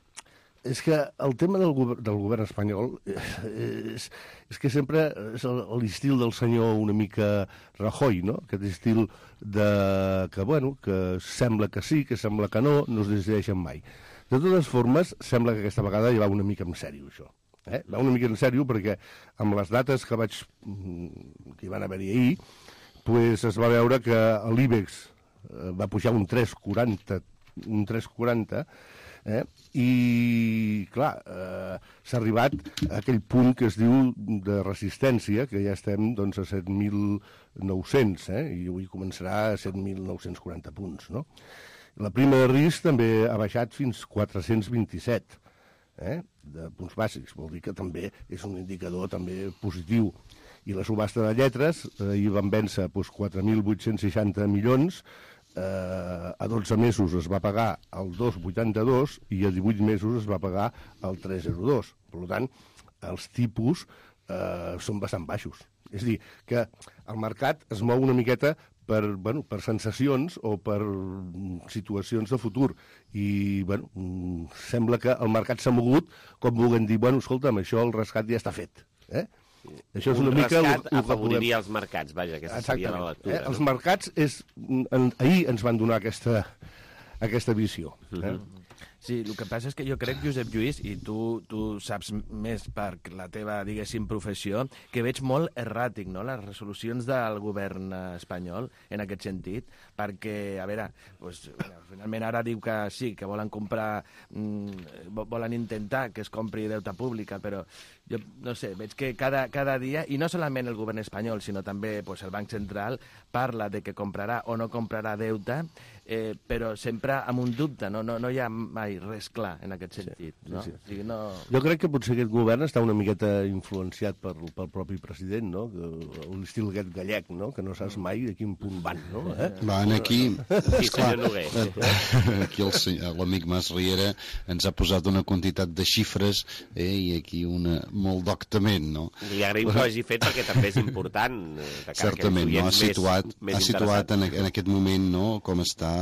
és que el tema del, govern, del govern espanyol és, és que sempre és l'estil del senyor una mica Rajoy, no? Aquest estil de, que, bueno, que sembla que sí, que sembla que no, no es decideixen mai. De totes formes, sembla que aquesta vegada ja va una mica en sèrio, això. Eh? Va una mica en sèrio perquè amb les dates que vaig que hi van haver-hi ahir pues es va veure que l'IBEX va pujar un tres coma quaranta un tres coma quaranta eh? I clar eh, s'ha arribat a aquell punt que es diu de resistència, que ja estem doncs, a set mil nou-cents eh? I avui començarà a set mil nou-cents quaranta punts, no? La prima de risc també ha baixat fins a quatre-cents vint-i-set Eh, de punts bàsics, vol dir que també és un indicador també positiu. I la subhasta de lletres, eh, hi van vèncer doncs, quatre mil vuit-cents seixanta milions, eh, a dotze mesos es va pagar el dos coma vuitanta-dos i a divuit mesos es va pagar el tres coma zero dos. Per tant, els tipus eh, són bastant baixos. És a dir, que el mercat es mou una miqueta per, bueno, per sensacions o per situacions de futur. I, bueno, sembla que el mercat s'ha mogut com vulguem dir, bueno, escolta'm, això el rescat ja està fet. Eh? Això és
un
una mica
rescat
el, el
afavoriria els mercats, vaja, aquesta seria la lectura.
Eh?
No?
Els mercats, és, en, ahir ens van donar aquesta, aquesta visió. Eh?
Mm-hmm. Sí, el que passa és que jo crec, Josep Lluís, i tu, tu saps més per la teva, diguéssim, professió, que veig molt erràtic, no?, les resolucions del govern espanyol en aquest sentit, perquè, a veure, doncs, bueno, finalment ara diu que sí, que volen comprar, mmm, volen intentar que es compri deute pública, però jo no sé, veig que cada, cada dia, i no solament el govern espanyol, sinó també pues, el Banc Central, parla de que comprarà o no comprarà deute, eh, però sempre amb un dubte, no, no, no hi ha mai res clar en aquest sentit.
Sí,
no?
sí.
O sigui, no...
Jo crec que potser aquest govern està una miqueta influenciat per, pel propi president, no? L'estil aquest gallec, no? Que no saps mai de quin punt van, no? Eh?
Van aquí...
Sí, senyor Noguer.
Aquí l'amic Mas Riera ens ha posat una quantitat de xifres eh, i aquí una molt doctament, no?
Li agraïm que ho hagi fet perquè també és important. De cara
certament, no? Ha situat,
més, més
ha situat en, en aquest moment no? Com està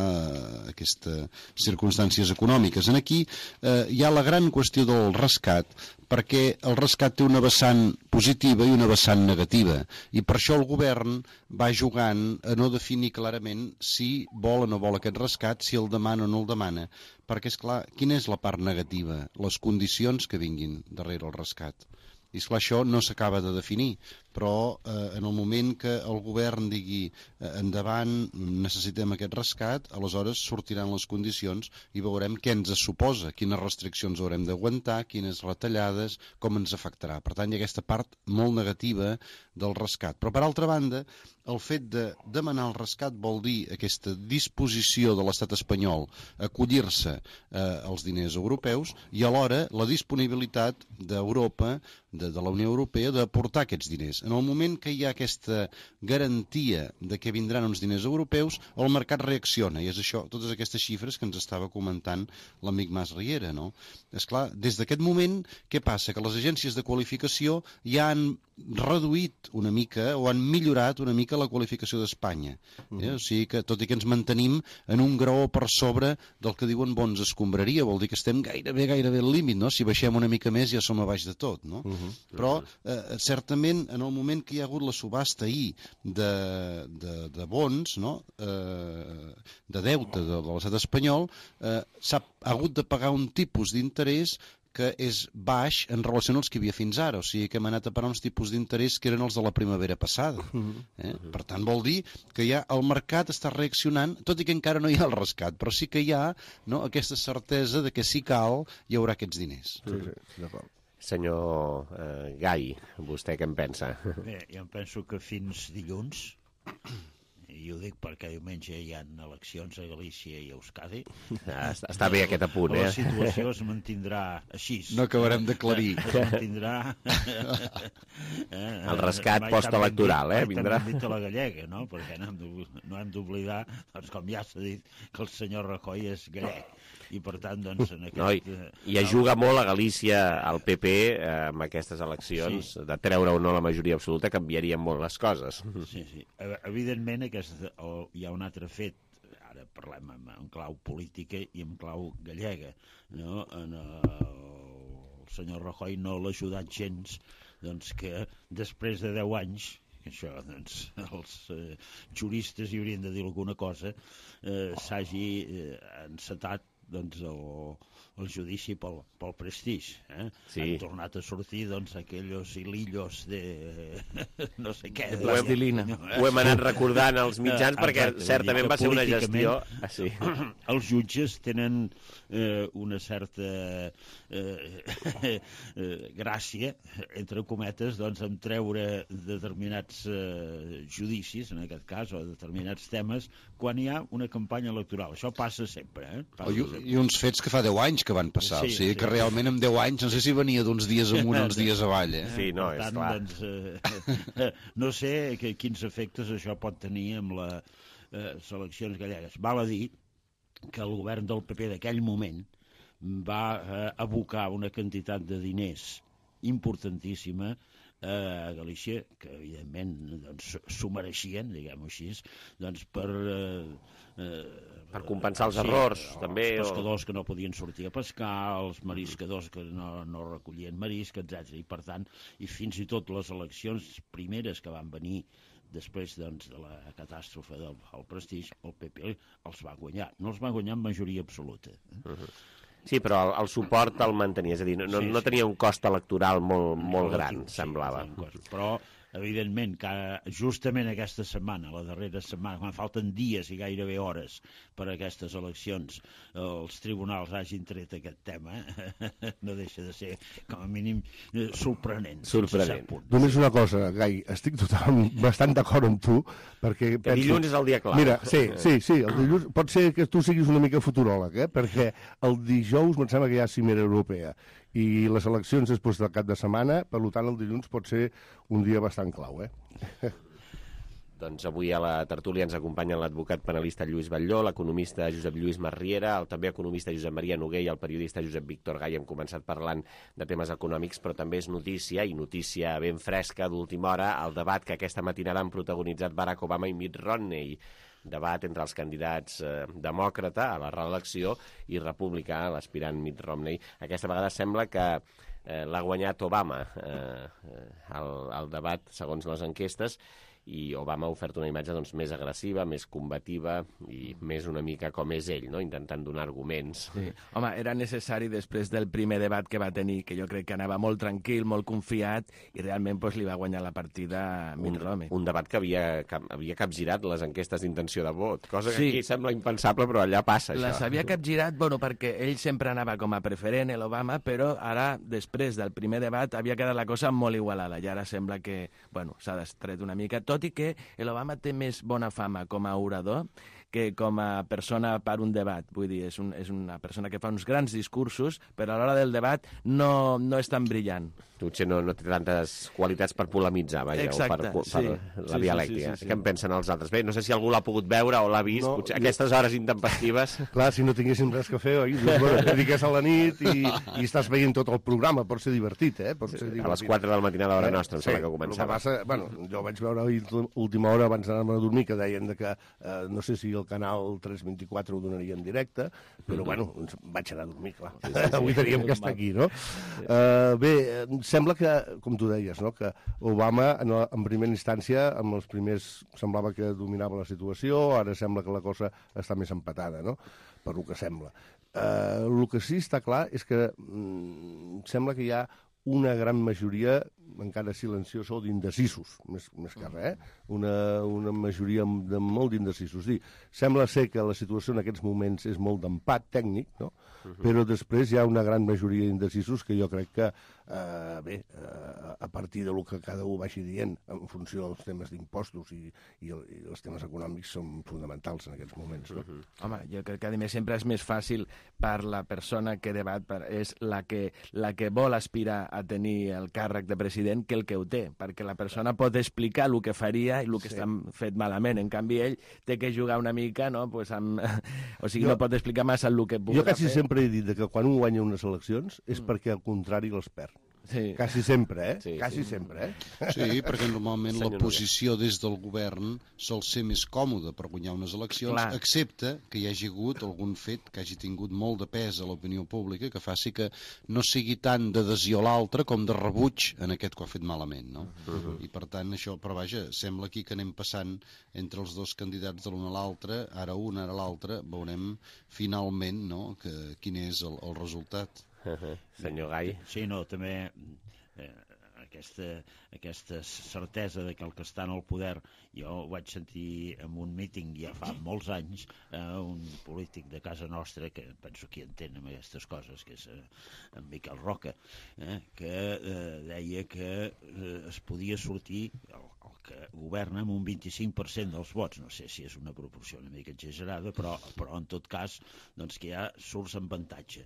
aquestes circumstàncies econòmiques. En aquí eh, hi ha la gran qüestió del rescat, perquè el rescat té una vessant positiva i una vessant negativa, i per això el govern va jugant a no definir clarament si vol o no vol aquest rescat, si el demana o no el demana, perquè, és clar, quina és la part negativa? Les condicions que vinguin darrere el rescat. I esclar, això no s'acaba de definir, però eh, en el moment que el govern digui eh, endavant, necessitem aquest rescat, aleshores sortiran les condicions i veurem què ens suposa, quines restriccions haurem d'aguantar, quines retallades, com ens afectarà. Per tant, hi ha aquesta part molt negativa del rescat. Però, per altra banda, el fet de demanar el rescat vol dir aquesta disposició de l'estat espanyol a acollir-se eh, als diners europeus i alhora la disponibilitat d'Europa, de, de la Unió Europea, d'aportar aquests diners.
en el moment que hi ha aquesta garantia de que vindran uns diners europeus, el mercat reacciona, i és això, totes aquestes xifres que ens estava comentant l'amic Mas Riera, no? Esclar, des d'aquest moment, què passa? Que les agències de qualificació ja han reduït una mica o han millorat una mica la qualificació d'Espanya. Eh? O sigui que, tot i que ens mantenim en un graó per sobre del que diuen bons escombraria, vol dir que estem gairebé, gairebé al límit, no? Si baixem una mica més ja som a baix de tot, no? Uh -huh. Però, eh, certament, en el moment que hi ha hagut la subhasta ahir de, de, de bons, no? eh, de deute de, de l'estat espanyol, eh, s'ha hagut de pagar un tipus d'interès que és baix en relació als que hi havia fins ara, o sigui que hem anat a parar uns tipus d'interès que eren els de la primavera passada. Eh? Per tant, vol dir que ja el mercat està reaccionant, tot i que encara no hi ha el rescat, però sí que hi ha, no, aquesta certesa de que si cal hi haurà aquests diners.
Sí, sí, d'acord.
Senyor eh, Gai, vostè què en pensa?
Bé, jo em penso que fins dilluns, i ho dic perquè diumenge hi ha eleccions a Galícia i a Euskadi.
Està bé aquest apunt, eh?
La situació es mantindrà així.
No acabarem d'aclarir.
Es mantindrà...
El rescat postelectoral, eh? Vindrà.
Mai dit a la gallega, no? Perquè no hem d'oblidar, doncs, com ja s'ha dit, que el senyor Rajoy és gallec. I per tant, doncs, en aquest...
No, i, i ajuda molt a Galícia al P P eh, amb aquestes eleccions, sí. De treure o no la majoria absoluta canviarien molt les coses.
Sí, sí. Evidentment, aquest, o, hi ha un altre fet, ara parlem en, en clau política i en clau gallega, no? En, el, el senyor Rajoy no l'ha ajudat gens, doncs que després de deu anys, això, doncs, els eh, juristes hi haurien de dir alguna cosa, eh, s'hagi eh, encetat doncs, el, el judici pel, pel prestigi. Eh? Sí. Han tornat a sortir doncs, aquells hilillos de no sé què.
De plastilina. De... Ho hem anat recordant als mitjans uh, perquè exacte, certament va ser una gestió... Ah, sí.
Els jutges tenen eh, una certa eh, eh, gràcia, entre cometes, doncs, en treure determinats eh, judicis, en aquest cas, o determinats temes, quan hi ha una campanya electoral. Això passa sempre. Eh? Passa
I, sempre. I uns fets que fa deu anys que van passar, sí, o sigui sí, que realment en deu anys no sé si venia d'uns dies amunt o uns dies avall. Eh?
Sí, no, és
tant,
clar.
Doncs, eh, no sé que, quins efectes això pot tenir amb les eh, eleccions gallegues. Val a dir que el govern del P P d'aquell moment va eh, abocar una quantitat de diners importantíssima a Galícia, que evidentment doncs, s'ho mereixien, diguem-ho així, doncs per... Eh, eh,
per compensar els sí, errors,
els
també.
Els pescadors o... que no podien sortir a pescar, els mariscadors que no, no recollien marisc, etcètera. I per tant, i fins i tot les eleccions primeres que van venir després doncs, de la catàstrofe del el prestigi, el P P els va guanyar. No els va guanyar amb majoria absoluta. Eh? Uh-huh.
Sí, però el, el suport el mantenia, és a dir, no, sí, no tenia un cost electoral molt, molt gran, sí, semblava.
Sí, però, evidentment, que justament aquesta setmana, la darrera setmana, quan falten dies i gairebé hores per a aquestes eleccions, els tribunals hagin tret aquest tema, no deixa de ser, com a mínim, sorprenent.
Sorprenent.
Només una cosa, Gai, estic totalment, bastant d'acord amb tu, perquè...
Que penso... dilluns és el dia clar.
Mira, sí, sí, sí, el dilluns... Pot ser que tu siguis una mica futuròleg, eh? Perquè el dijous em sembla que hi ha cimera europea i les eleccions després del cap de setmana, per tant el dilluns pot ser un dia bastant clau, eh?
Doncs avui a la tertúlia ens acompanya l'advocat penalista Lluís Batlló, l'economista Josep Lluís Masriera, el també economista Josep Maria Noguer i el periodista Josep Víctor Gai. Hem començat parlant de temes econòmics, però també és notícia, i notícia ben fresca d'última hora, el debat que aquesta matinada han protagonitzat Barack Obama i Mitt Romney, debat entre els candidats eh, demòcrata a la reelecció i republicà, l'aspirant Mitt Romney. Aquesta vegada sembla que eh, l'ha guanyat Obama eh, el, el debat, segons les enquestes, i Obama ha ofert una imatge doncs, més agressiva, més combativa i més una mica com és ell, no? Intentant donar arguments.
Sí. Home, era necessari després del primer debat que va tenir, que jo crec que anava molt tranquil, molt confiat, i realment pues, li va guanyar la partida a Mitt Romney.
Un debat que havia, cap, havia capgirat les enquestes d'intenció de vot, cosa que
sí.
Aquí sembla impensable, però allà passa
Les
això.
havia capgirat, bueno, perquè ell sempre anava com a preferent, l'Obama, però ara, després del primer debat, havia quedat la cosa molt igualada, i ara sembla que, bueno, s'ha destret una mica, tot i que l'Obama té més bona fama com a orador que com a persona per un debat. Vull dir, és, un, és una persona que fa uns grans discursos, però a l'hora del debat no, no és tan brillant.
Potser no, no té tantes qualitats per polemitzar, vaja,
Exacte,
o per,
sí.
per la
Sí,
dialèctica.
sí, sí, sí, sí.
Què en pensen els altres? Bé, no sé si algú l'ha pogut veure o l'ha vist,
No,
potser
jo-
aquestes hores intempestives...
Clar, si no tinguéssim res que fer, oi? Doncs, bueno, et dediques a la nit i, i estàs veient tot el programa. Pot ser divertit, eh? Pot ser divertit.
A les quatre del matí a l'hora nostra, em sembla que
El
començava.
que passa, bueno, jo vaig veure ahir última hora abans d'anar-me a dormir que deien de que eh, no sé si el canal tres vint-i-quatre ho donaria en directe, però bueno, ens vaig anar a dormir, clar. Sí, sí, sí. Avui teníem que estar aquí, no? Uh, bé, em sembla que, com tu deies, no? que Obama en, en primera instància, amb els primers semblava que dominava la situació, ara sembla que la cosa està més empatada, no? Per lo que sembla. Uh, el que sí està clar és que mm, sembla que hi ha una gran majoria, encara silenciosa, o d'indecisos, més, més que res, eh? una, una majoria de molt d'indecisos. Dir, sembla ser que la situació en aquests moments és molt d'empat tècnic, no? Uh-huh. Però després hi ha una gran majoria d'indecisos que jo crec que, eh, bé, eh, a partir de lo que cada un vagi dient, en funció dels temes d'impostos i, i, el, i els temes econòmics són fonamentals en aquests moments. No?
Uh-huh. Home, jo crec que a més sempre és més fàcil per la persona que debat, per, és la que, la que vol aspirar a tenir el càrrec de president que el que ho té, perquè la persona pot explicar el que faria i el que sí. està fet malament. En canvi, ell té que jugar una mica, no? Pues amb... o sigui, jo, no pot explicar massa el que pugui
fer. Jo quasi
fer.
sempre he dit que quan un guanya unes eleccions és mm. perquè al contrari les perd.
Sí.
Quasi sempre, eh?
Sí,
Quasi
sí.
sempre, eh?
Sí, perquè normalment
Senyor
la posició des del govern sol ser més còmoda per guanyar unes eleccions,
Clar.
excepte que hi hagi hagut algun fet que hagi tingut molt de pes a l'opinió pública que faci que no sigui tant d'adhesió a l'altre com de rebuig en aquest que ho ha fet malament, no? Uh-huh. I per tant això, però vaja, sembla aquí que anem passant entre els dos candidats de l'un a l'altre, ara un, ara l'altre, veurem finalment, no?, que, quin és el, el resultat.
Uh-huh. Senyor Gai.
Sí, no, també eh, aquesta, aquesta certesa de que el que està en el poder, jo ho vaig sentir en un míting ja fa molts anys, eh, un polític de casa nostra, que penso que hi entén amb aquestes coses, que és eh, en Miquel Roca, eh, que eh, deia que eh, es podia sortir el, el que governa amb un vint-i-cinc per cent dels vots. No sé si és una proporció una mica exagerada, però, però en tot cas doncs que ja surts en avantatge.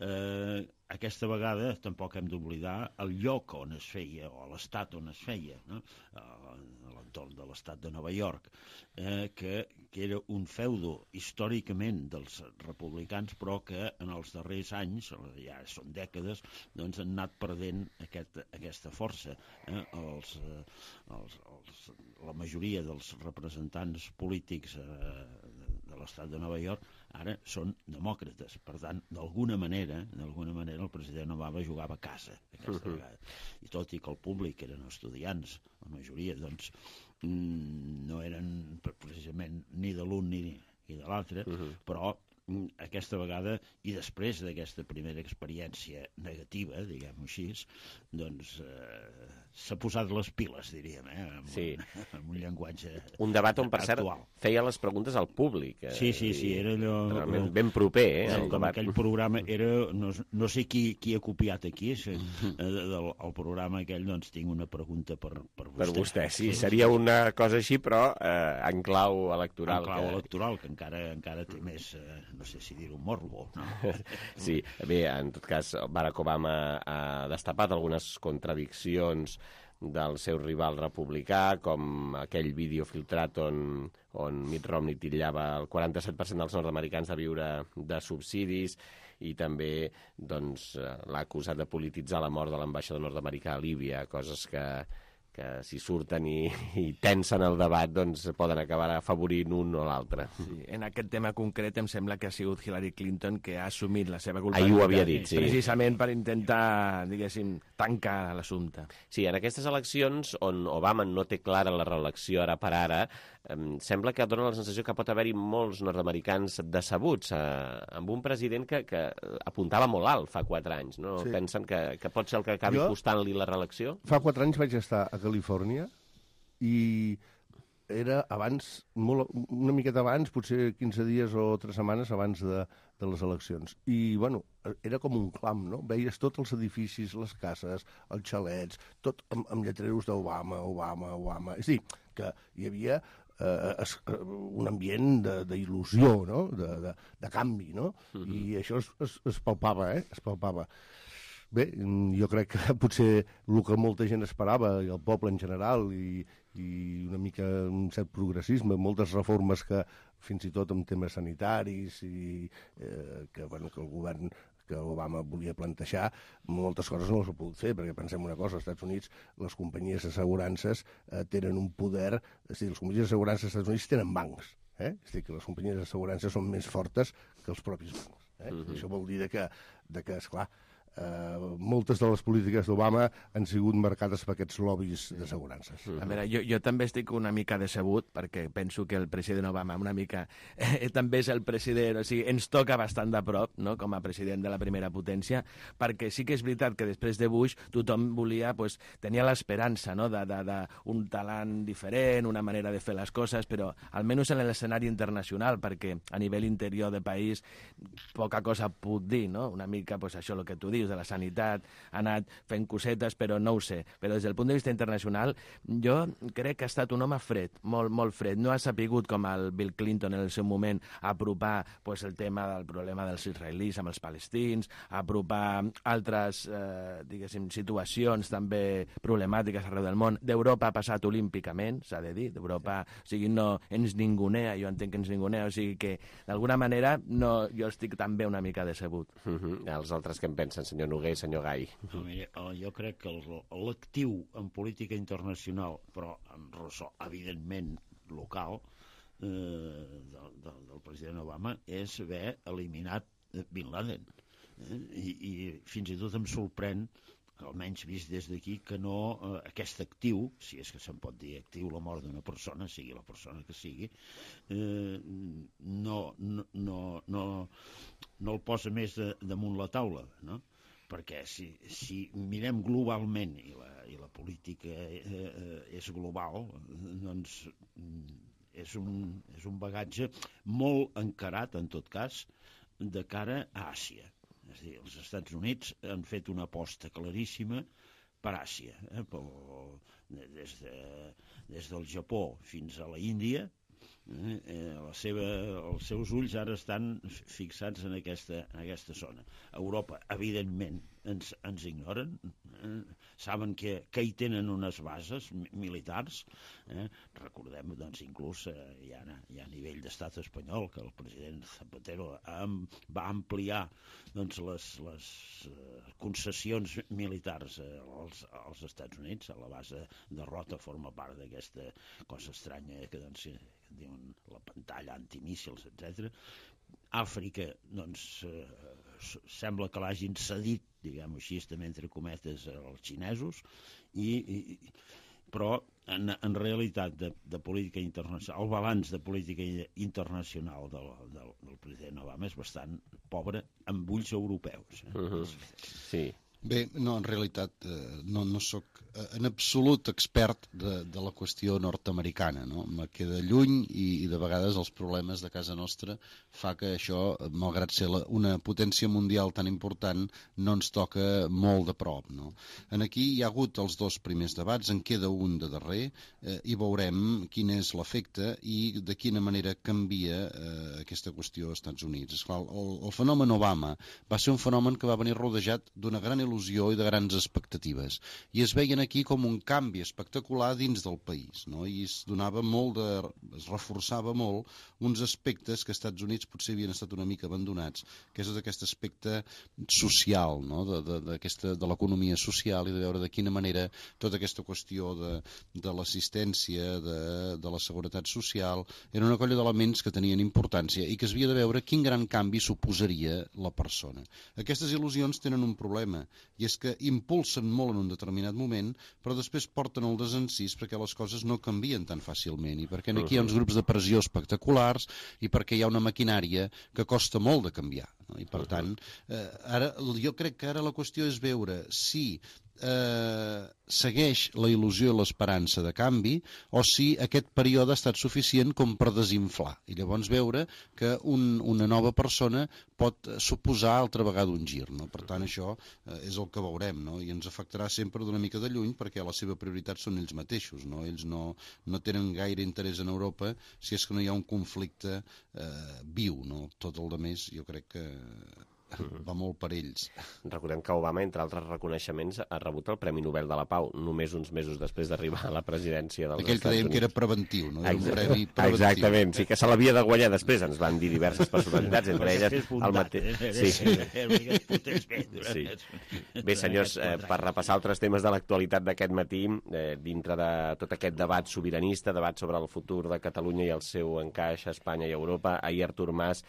Eh, aquesta vegada tampoc hem d'oblidar el lloc on es feia o l'estat on es feia, no? A l'entorn de l'estat de Nova York, eh, que, que era un feudo històricament dels republicans, però que en els darrers anys, ja són dècades, doncs han anat perdent aquest, aquesta força. Eh? Els, els, els, la majoria dels representants polítics eh, de l'estat de Nova York ara són demòcrates. Per tant, d'alguna manera, d'alguna manera el president Obama jugava a casa aquesta uh-huh. vegada. I tot i que el públic eren estudiants, la majoria, doncs, mm, no eren precisament ni de l'un ni, ni de l'altre, uh-huh. però mm, aquesta vegada, i després d'aquesta primera experiència negativa, diguem-ho així, doncs eh, s'ha posat les piles, diríem, eh, amb,
sí.
un, amb un llenguatge
un debat on, per cert,
actual.
Feia les preguntes al públic. Eh,
sí, sí, sí, era allò...
Realment ben proper, eh?
Sí,
el
com
debat.
aquell programa era... No, no sé qui, qui ha copiat aquí, eh, del el programa aquell, doncs tinc una pregunta per, per vostè.
Per vostè, sí, sí, seria una cosa així, però eh, en clau electoral.
En clau
que...
electoral, que encara, encara té més, eh, no sé si dir-ho, morbo, no?
Sí, bé, en tot cas, Barack Obama ha destapat algunes contradiccions del seu rival republicà, com aquell vídeo filtrat on, on Mitt Romney titllava el quaranta-set per cent dels nord-americans de viure de subsidis, i també doncs, l'ha acusat de polititzar la mort de l'ambaixador nord-americà a Líbia, coses que, que si surten i, i tensen el debat doncs poden acabar afavorint un o l'altre.
Sí, en aquest tema concret em sembla que ha sigut Hillary Clinton que ha assumit la seva culpa.
Ahir ho havia dit, sí.
Precisament per intentar, diguéssim, tancar l'assumpte.
Sí, en aquestes eleccions on Obama no té clara la reelecció ara per ara, em sembla que dona la sensació que pot haver-hi molts nord-americans decebuts eh, amb un president que, que apuntava molt alt fa quatre anys. No? Sí. Pensen que, que pot ser el que acabi jo, costant-li la reelecció?
Fa quatre anys vaig estar a Califòrnia i era abans, molt, una miqueta abans, potser quinze dies o tres setmanes abans de, de les eleccions. I, bueno, era com un clam, no? Veies tots els edificis, les cases, els xalets, tot amb, amb lletreros d'Obama, Obama, Obama. És a dir, que hi havia eh, es, un ambient d'il·lusió, no? de, de, de canvi, no? Uh-huh. I això es, es, es palpava, eh? Es palpava. Bé, jo crec que potser el que molta gent esperava, i el poble en general, i, i una mica un cert progressisme, moltes reformes que fins i tot en temes sanitaris i eh, que, bueno, que el govern que Obama volia plantejar, moltes coses no s'ha pogut fer, perquè pensem una cosa, als Estats Units les companyies d'assegurances eh, tenen un poder, és a dir, les companyies d'assegurances als Estats Units tenen bancs, eh? És a dir, que les companyies d'assegurances són més fortes que els propis bancs. Eh? Uh-huh. Això vol dir de que, de que esclar, Uh, moltes de les polítiques d'Obama han sigut marcades per aquests lobbies d'assegurances.
A veure, jo, jo també estic una mica decebut perquè penso que el president Obama una mica eh, també és el president, o sigui, ens toca bastant de prop, no?, com a president de la primera potència, perquè sí que és veritat que després de Bush tothom volia, pues, tenia l'esperança, no?, d'un talent diferent, una manera de fer les coses, però almenys en l'escenari internacional, perquè a nivell interior de país poca cosa puc dir, no?, una mica, pues, això, el que tu dius, de la sanitat, ha anat fent cosetes, però no ho sé. Però des del punt de vista internacional, jo crec que ha estat un home fred, molt, molt fred. No ha sapigut, com el Bill Clinton en el seu moment, apropar pues, el tema del problema dels israelis amb els palestins, apropar altres, eh, diguéssim, situacions també problemàtiques arreu del món. D'Europa ha passat olímpicament, s'ha de dir. D'Europa, o sigui, no ens ningunea, jo entenc que ens ningunea, o sigui que, d'alguna manera, no, jo estic també una mica decebut.
Uh-huh. Els altres que en pensen, senyor Noguer i senyor Gai?
No, mira, jo crec que l'actiu en política internacional, però amb ressò, evidentment, local, eh, del, del, del president Obama, és haver eliminat Bin Laden. Eh? I, I fins i tot em sorprèn, almenys vist des d'aquí, que no eh, aquest actiu, si és que se'n pot dir actiu la mort d'una persona, sigui la persona que sigui, eh, no, no, no, no, no el posa més de, damunt la taula, no? Perquè si, si mirem globalment, i la, i la política eh, és global, doncs és un, és un bagatge molt encarat, en tot cas, de cara a Àsia. És a dir, els Estats Units han fet una aposta claríssima per Àsia, eh? des, de, des del Japó fins a la Índia. Eh, la seva, els seus ulls ara estan fixats en aquesta, en aquesta zona. Europa, evidentment, ens, ens ignoren, eh? Saben que, que hi tenen unes bases militars, eh? Recordem, doncs, inclús eh, ja, ja a nivell d'estat espanyol, que el president Zapatero am, va ampliar doncs, les, les eh, concessions militars eh, als, als Estats Units. A la base de Rota forma part d'aquesta cosa estranya que, doncs, que diuen la pantalla antimíssils, etcètera. Àfrica, doncs, eh, sembla que l'hagin cedit, diguem-ho així, també entre cometes, als xinesos, i, i, però en, en realitat de, de política internacional, el balanç de política internacional del, del, del president Obama és bastant pobre amb ulls europeus. Eh? Uh-huh.
Sí.
Bé, no, en realitat eh, no, no sóc eh, en absolut expert de, de la qüestió nord-americana, no? Me queda lluny i, i de vegades els problemes de casa nostra fa que això, malgrat ser la, una potència mundial tan important, no ens toca molt de prop, no? En aquí hi ha hagut els dos primers debats, en queda un de darrer, eh, i veurem quin és l'efecte i de quina manera canvia eh, aquesta qüestió als Estats Units. Esclar, el, el fenomen Obama va ser un fenomen que va venir rodejat d'una gran il·lusió i de grans expectatives, i es veien aquí com un canvi espectacular dins del país, no? I es donava molt de, es reforçava molt uns aspectes que als Estats Units potser havien estat una mica abandonats, que és aquest aspecte social, no? de, de, de, de l'economia social, i de veure de quina manera tota aquesta qüestió de, de l'assistència, de, de la seguretat social, era una colla d'elements que tenien importància i que es havia de veure quin gran canvi suposaria la persona. Aquestes il·lusions tenen un problema, i és que impulsen molt en un determinat moment, però després porten el desencís perquè les coses no canvien tan fàcilment, i perquè aquí hi ha uns grups de pressió espectaculars, i perquè hi ha una maquinària que costa molt de canviar, no? I per tant, eh, ara, jo crec que ara la qüestió és veure si eh, segueix la il·lusió i l'esperança de canvi o si aquest període ha estat suficient com per desinflar i llavors veure que un, una nova persona pot suposar altra vegada un gir, no? Per tant, això eh, és el que veurem, no? I ens afectarà sempre d'una mica de lluny perquè la seva prioritat són ells mateixos, no? Ells no, no tenen gaire interès en Europa si és que no hi ha un conflicte eh, viu, no? Tot el de més jo crec que va molt per ells.
Recordem que Obama, entre altres reconeixements, ha rebut el Premi Nobel de la Pau, només uns mesos després d'arribar a la presidència dels
Aquell
Estats Units.
Aquell que dèiem que era preventiu, no? Era un premi preventiu.
Exactament, sí que se l'havia de guanyar després, ens van dir diverses personalitats, entre elles el mateix... Sí. Sí. Bé, senyors, eh, per repassar altres temes de l'actualitat d'aquest matí, eh, dintre de tot aquest debat sobiranista, debat sobre el futur de Catalunya i el seu encaix a Espanya i a Europa, ahir Artur Mas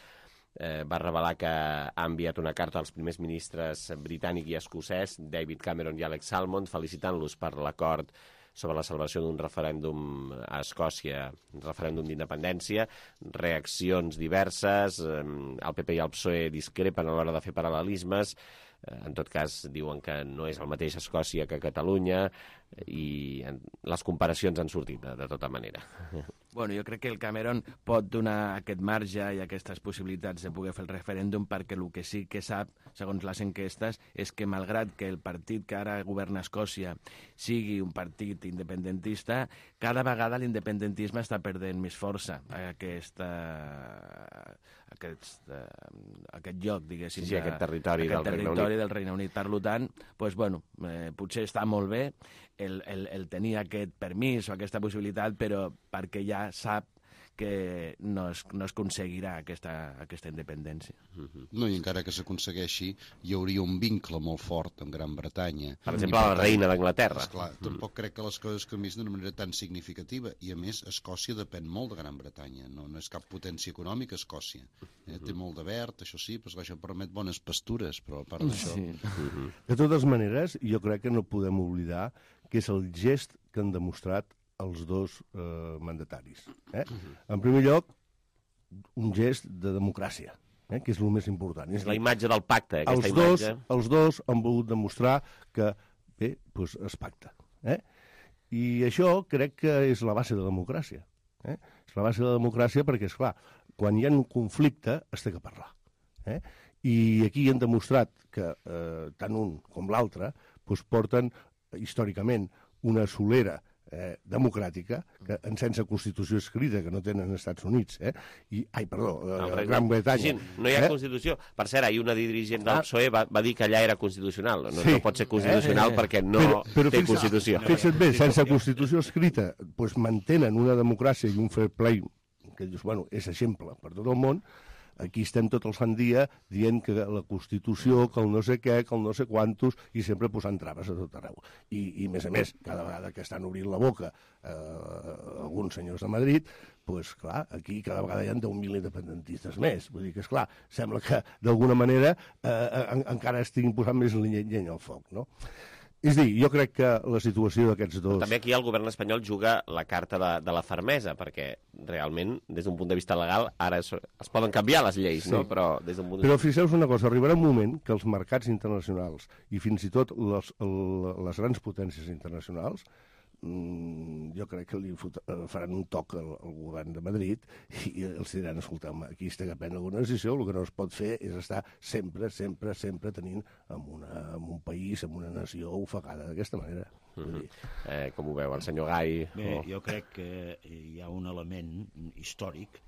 Eh, va revelar que ha enviat una carta als primers ministres britànic i escocès, David Cameron i Alex Salmond, felicitant-los per l'acord sobre la celebració d'un referèndum a Escòcia, un referèndum d'independència, reaccions diverses, eh, el P P i el P S O E discrepen a l'hora de fer paral·lelismes, eh, en tot cas diuen que no és el mateix Escòcia que Catalunya, i les comparacions han sortit de, de tota manera.
Bueno, jo crec que el Cameron pot donar aquest marge i aquestes possibilitats de poder fer el referèndum perquè el que sí que sap, segons les enquestes, és que malgrat que el partit que ara governa Escòcia sigui un partit independentista, cada vegada l'independentisme està perdent més força a aquesta, aquest, aquest lloc, diguéssim.
Sí, sí, aquest territori,
aquest
del,
territori
Regne
del Regne Unit. Per tant, doncs, bueno, eh, potser està molt bé el, el, el tenir aquest permís o aquesta possibilitat, però perquè ja sap que no es, no es aconseguirà aquesta, aquesta independència.
No, i encara que s'aconsegueixi, hi hauria un vincle molt fort amb Gran Bretanya.
Per exemple, per la tant, reina d'Anglaterra.
Esclar, mm. tampoc crec que les coses canviïn d'una manera tan significativa, i a més, Escòcia depèn molt de Gran Bretanya, no, no és cap potència econòmica, Escòcia. Eh, té molt de verd, això sí, però això permet bones pastures, però a part d'això...
Sí. De totes maneres, jo crec que no podem oblidar que és el gest que han demostrat els dos eh, mandataris. Eh? En primer lloc, un gest de democràcia, eh? que és el més important.
És la imatge del pacte, aquesta
els dos,
imatge.
Els dos han volgut demostrar que, bé, doncs es pacta. Eh? I això crec que és la base de la democràcia. Eh? És la base de la democràcia perquè, esclar, quan hi ha un conflicte, es té que parlar. Eh? I aquí han demostrat que eh, tant un com l'altre doncs porten, històricament, una solera Eh, democràtica, que en sense Constitució escrita, que no tenen als Estats Units, eh? I, ai, perdó, eh, Gran Bretanya.
Sí, no hi ha eh? Constitució. Per cert, ahir una dirigent del P S O E va, va dir que allà era constitucional. No, sí. no pot ser constitucional eh? perquè no però, però té Constitució.
Fixa't bé, sense Constitució escrita, doncs mantenen una democràcia i un fair play, que dius, bueno, és exemple per tot el món. Aquí estem tot el sant dia dient que la Constitució, que el no sé què, que el no sé quantos, i sempre posant traves a tot arreu. I, i a més a més, cada vegada que estan obrint la boca eh, alguns senyors de Madrid, doncs, clar, aquí cada vegada hi ha deu mil independentistes més. Vull dir que, esclar, sembla que d'alguna manera eh, en, encara estiguin posant més llenya al foc, no? És dir, jo crec que la situació d'aquests dos...
També aquí el govern espanyol juga la carta de, de la fermesa, perquè realment, des d'un punt de vista legal, ara es, es poden canviar les lleis, sí. no? Però des d'un punt de
vista... Però fixeu-vos una cosa, arribarà un moment que els mercats internacionals i fins i tot les, les grans potències internacionals, jo crec que li faran un toc al, al govern de Madrid i els diran, escolteu, aquí es té que prendre alguna decisió, el que no es pot fer és estar sempre, sempre, sempre tenint en, una, en un país, en una nació ofegada d'aquesta manera.
Mm-hmm. eh, com ho veu el senyor Gai?
Bé,
o...
jo crec que hi ha un element històric,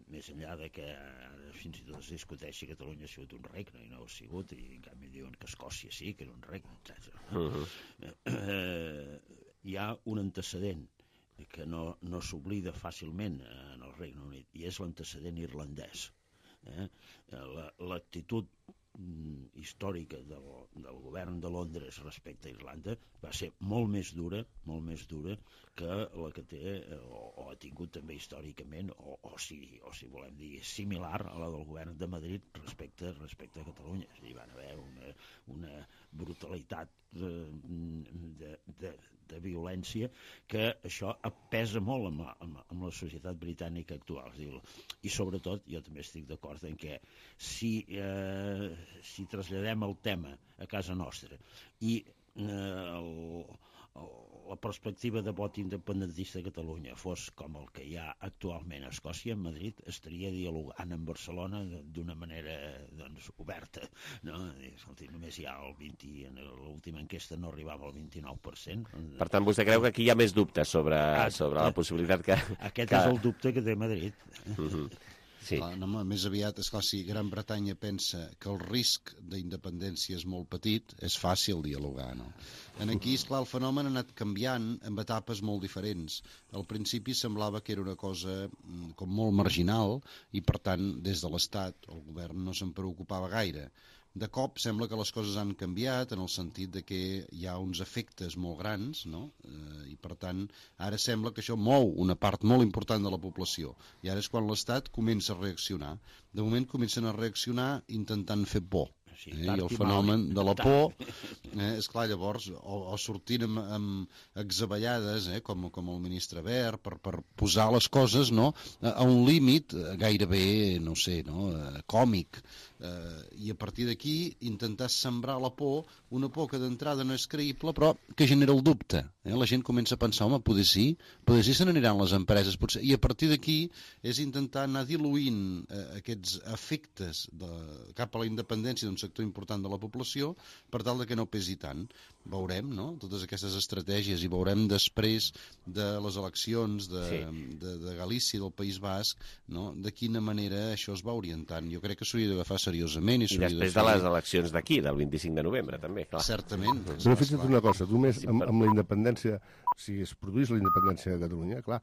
més enllà de que fins i tot es discuteixi que Catalunya ha sigut un regne i no ho ha sigut, i en canvi diuen que Escòcia sí, que era un regne, etcètera. Uh-huh. eh, hi ha un antecedent que no, no s'oblida fàcilment en el Regne Unit, i és l'antecedent irlandès. Eh? L'actitud històrica del, del govern de Londres respecte a Irlanda va ser molt més dura, molt més dura que la que té, o, o ha tingut també històricament, o, o, si, o si volem dir similar a la del govern de Madrid respecte, respecte a Catalunya. Hi va haver una, una brutalitat de, de, de, de violència que això pesa molt amb la, amb, amb la societat britànica actual. I sobretot, jo també estic d'acord en què si, eh, si traslladem el tema a casa nostra i el, la perspectiva de vot independentista a Catalunya fos com el que hi ha actualment a Escòcia, Madrid estaria dialogant amb Barcelona d'una manera doncs, oberta. No? Escolti, només hi ha el vint, en l'última enquesta no arribava al vint-i-nou per cent.
Per tant, vostè creu que aquí hi ha més dubtes sobre, sobre la possibilitat que...
Aquest
que...
és el dubte que té Madrid.
Uh-huh. Sí.
Clar, no, més aviat, esclar, si Gran Bretanya pensa que el risc d'independència és molt petit, és fàcil dialogar, no? En aquí, esclar, el fenomen ha anat canviant en etapes molt diferents. Al principi semblava que era una cosa com molt marginal i, per tant, des de l'Estat, el govern no se'n preocupava gaire. De cop sembla que les coses han canviat en el sentit de que hi ha uns efectes molt grans, no? Eh, i per tant ara sembla que això mou una part molt important de la població i ara és quan l'Estat comença a reaccionar. De moment comencen a reaccionar intentant fer por. Eh? I el fenomen de la por, eh, esclar, llavors, o, o sortint amb, amb exabellades, eh, com, com el ministre Wert, per, per posar les coses, no?, a, a un límit gairebé, no sé, no?, eh, còmic, eh, i a partir d'aquí intentar sembrar la por, una por que d'entrada no és creïble, però que genera el dubte. Eh? La gent comença a pensar, home, poder sí, poder sí se n'aniran les empreses, potser, i a partir d'aquí és intentar anar diluint eh, aquests efectes de, cap a la independència d'un sector important de la població per tal de que no pesi tant. Veurem, no?, totes aquestes estratègies i veurem després de les eleccions de, sí. de, de Galícia, del País Basc, no?, de quina manera això es va orientant. Jo crec que s'hauria d'agafar seriosament. I,
I després de, de les eleccions d'aquí, del vint-i-cinc de novembre, també, clar.
Certament.
Però fixa't una cosa, tu més amb, amb la independència, si es produís la independència de Catalunya, clar,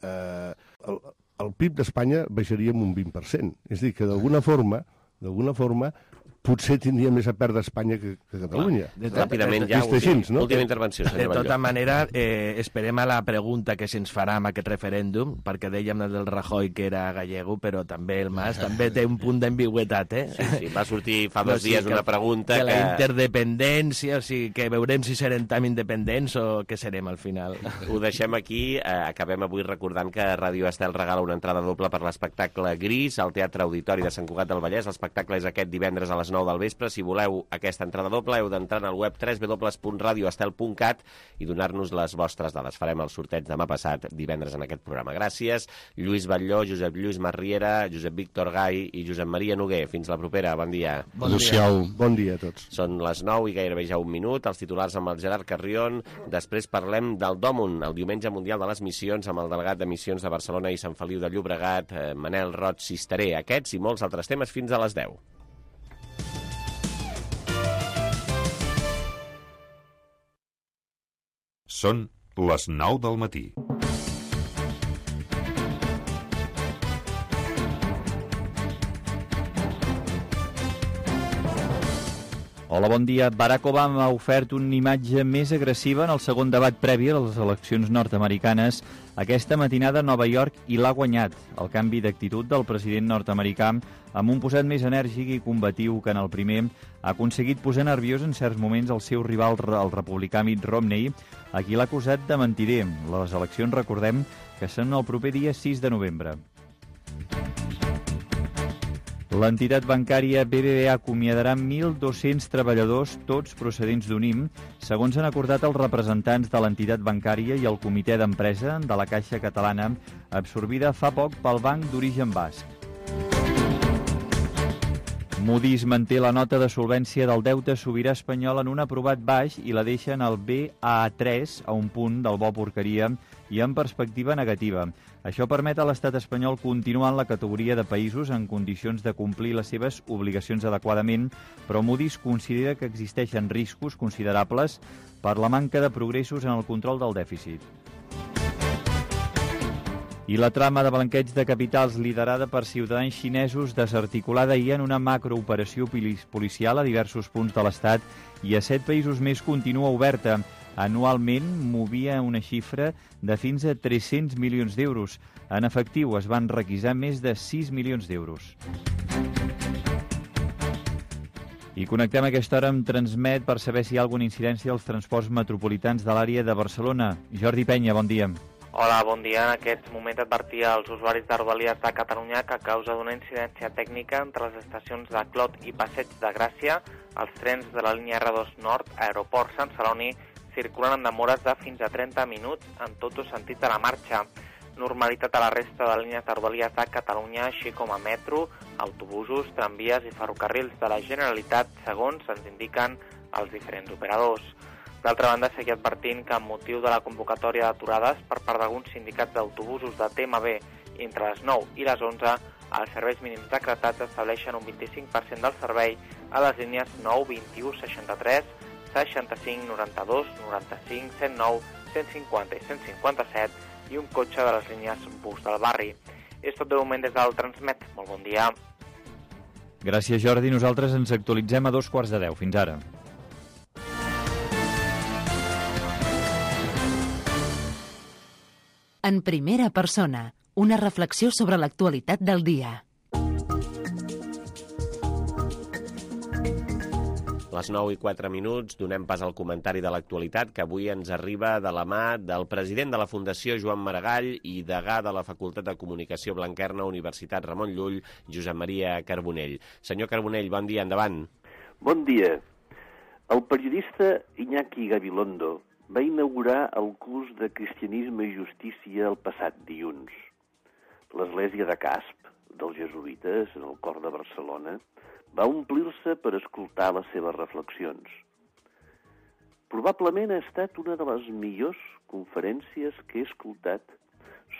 eh, el, el P I B d'Espanya baixaria en un vint per cent. És a dir, que d'alguna forma, d'alguna forma, potser tindria més a perdre Espanya que, que Catalunya.
De Ràpidament, ja,
així, no?
última intervenció, senyor
De
Batlló.
tota manera, eh, esperem a la pregunta que se'ns farà amb aquest referèndum, perquè dèiem del Rajoy que era gallego, però també el Mas també té un punt d'ambigüetat, eh?
Sí, sí, va sortir fa dos
no, sí,
dies
que,
una pregunta
que...
que...
la interdependència, o sigui, que veurem si serem tan independents o què serem al final.
Ho deixem aquí, eh, acabem avui recordant que Ràdio Estel regala una entrada doble per l'espectacle Gris al Teatre Auditori de Sant Cugat del Vallès. L'espectacle és aquest divendres a les nou del vespre. Si voleu aquesta entrada doble, heu d'entrar al web w w w punt radio estel punt cat i donar-nos les vostres dades. Farem el sorteig demà passat, divendres, en aquest programa. Gràcies, Lluís Batlló, Josep Lluís Masriera, Josep Víctor Gai i Josep Maria Noguer. Fins la propera, bon dia.
Bon dia. Bon dia a tots.
Són les nou i gairebé ja un minut, els titulars amb el Gerard Carrion. Després parlem del Dòmun, el Diumenge Mundial de les Missions, amb el delegat de Missions de Barcelona i Sant Feliu de Llobregat, eh, Manel Roig Cisteré. Aquests i molts altres temes fins a les deu.
Són les nou del matí.
Hola, bon dia. Barack Obama ha ofert una imatge més agressiva en el segon debat previ a les eleccions nord-americanes aquesta matinada a Nova York i l'ha guanyat. El canvi d'actitud del president nord-americà, amb un posat més enèrgic i combatiu que en el primer, ha aconseguit posar nerviós en certs moments el seu rival, el republicà Mitt Romney, a qui l'ha acusat de mentider. Les eleccions, recordem, que són el proper dia sis de novembre. L'entitat bancària B B V A acomiadarà mil dos-cents treballadors, tots procedents d'U N I M, segons han acordat els representants de l'entitat bancària i el comitè d'empresa de la Caixa Catalana, absorbida fa poc pel banc d'origen basc. Moody's manté la nota de solvència del deute sobirà espanyol en un aprovat baix i la deixa en el B A tres, a un punt del bo porqueria i en perspectiva negativa. Això permet a l'estat espanyol continuar en la categoria de països en condicions de complir les seves obligacions adequadament, però Moody's considera que existeixen riscos considerables per la manca de progressos en el control del dèficit. I la trama de blanqueig de capitals liderada per ciutadans xinesos desarticulada ahir en una macrooperació policial a diversos punts de l'Estat i a set països més continua oberta. Anualment movia una xifra de fins a tres-cents milions d'euros. En efectiu es van requisar més de sis milions d'euros. I connectem a aquesta hora amb Transmet per saber si hi ha alguna incidència als transports metropolitans de l'àrea de Barcelona. Jordi Penya, bon dia.
Hola, bon dia. En aquest moment advertia als usuaris de Rodalies de Catalunya que a causa d'una incidència tècnica entre les estacions de Clot i Passeig de Gràcia Els trens de la línia erre dos Nord, Aeroport Sant Celoni, circulen amb demores de fins a trenta minuts en tots els sentits de la marxa. Normalitat a la resta de línies de Rodalies de Catalunya, així com a metro, autobusos, tramvies i ferrocarrils de la Generalitat, segons ens indiquen els diferents operadors. D'altra banda, seguir advertint que amb motiu de la convocatòria d'aturades per part d'alguns sindicats d'autobusos de T M B entre les nou i les onze, els serveis mínims decretats estableixen un vint-i-cinc per cent del servei a les línies nou, vint-i-u, seixanta-tres, seixanta-cinc, noranta-dos, noranta-cinc, cent nou, cent cinquanta i cent cinquanta-set i un cotxe de les línies bus del barri. És tot de moment des del Transmet. Molt bon dia.
Gràcies, Jordi. Nosaltres ens actualitzem a dos quarts de deu. Fins ara.
En primera persona, una reflexió sobre l'actualitat del dia.
A les nou i quatre minuts donem pas al comentari de l'actualitat que avui ens arriba de la mà del president de la Fundació Joan Maragall i degà de la Facultat de Comunicació Blanquerna, Universitat Ramon Llull, Josep Maria Carbonell. Senyor Carbonell, bon dia, endavant.
Bon dia. El periodista Iñaki Gabilondo va inaugurar el curs de Cristianisme i Justícia el passat dilluns. L'església de Casp, dels jesuïtes, en el cor de Barcelona, va omplir-se per escoltar les seves reflexions. Probablement ha estat una de les millors conferències que he escoltat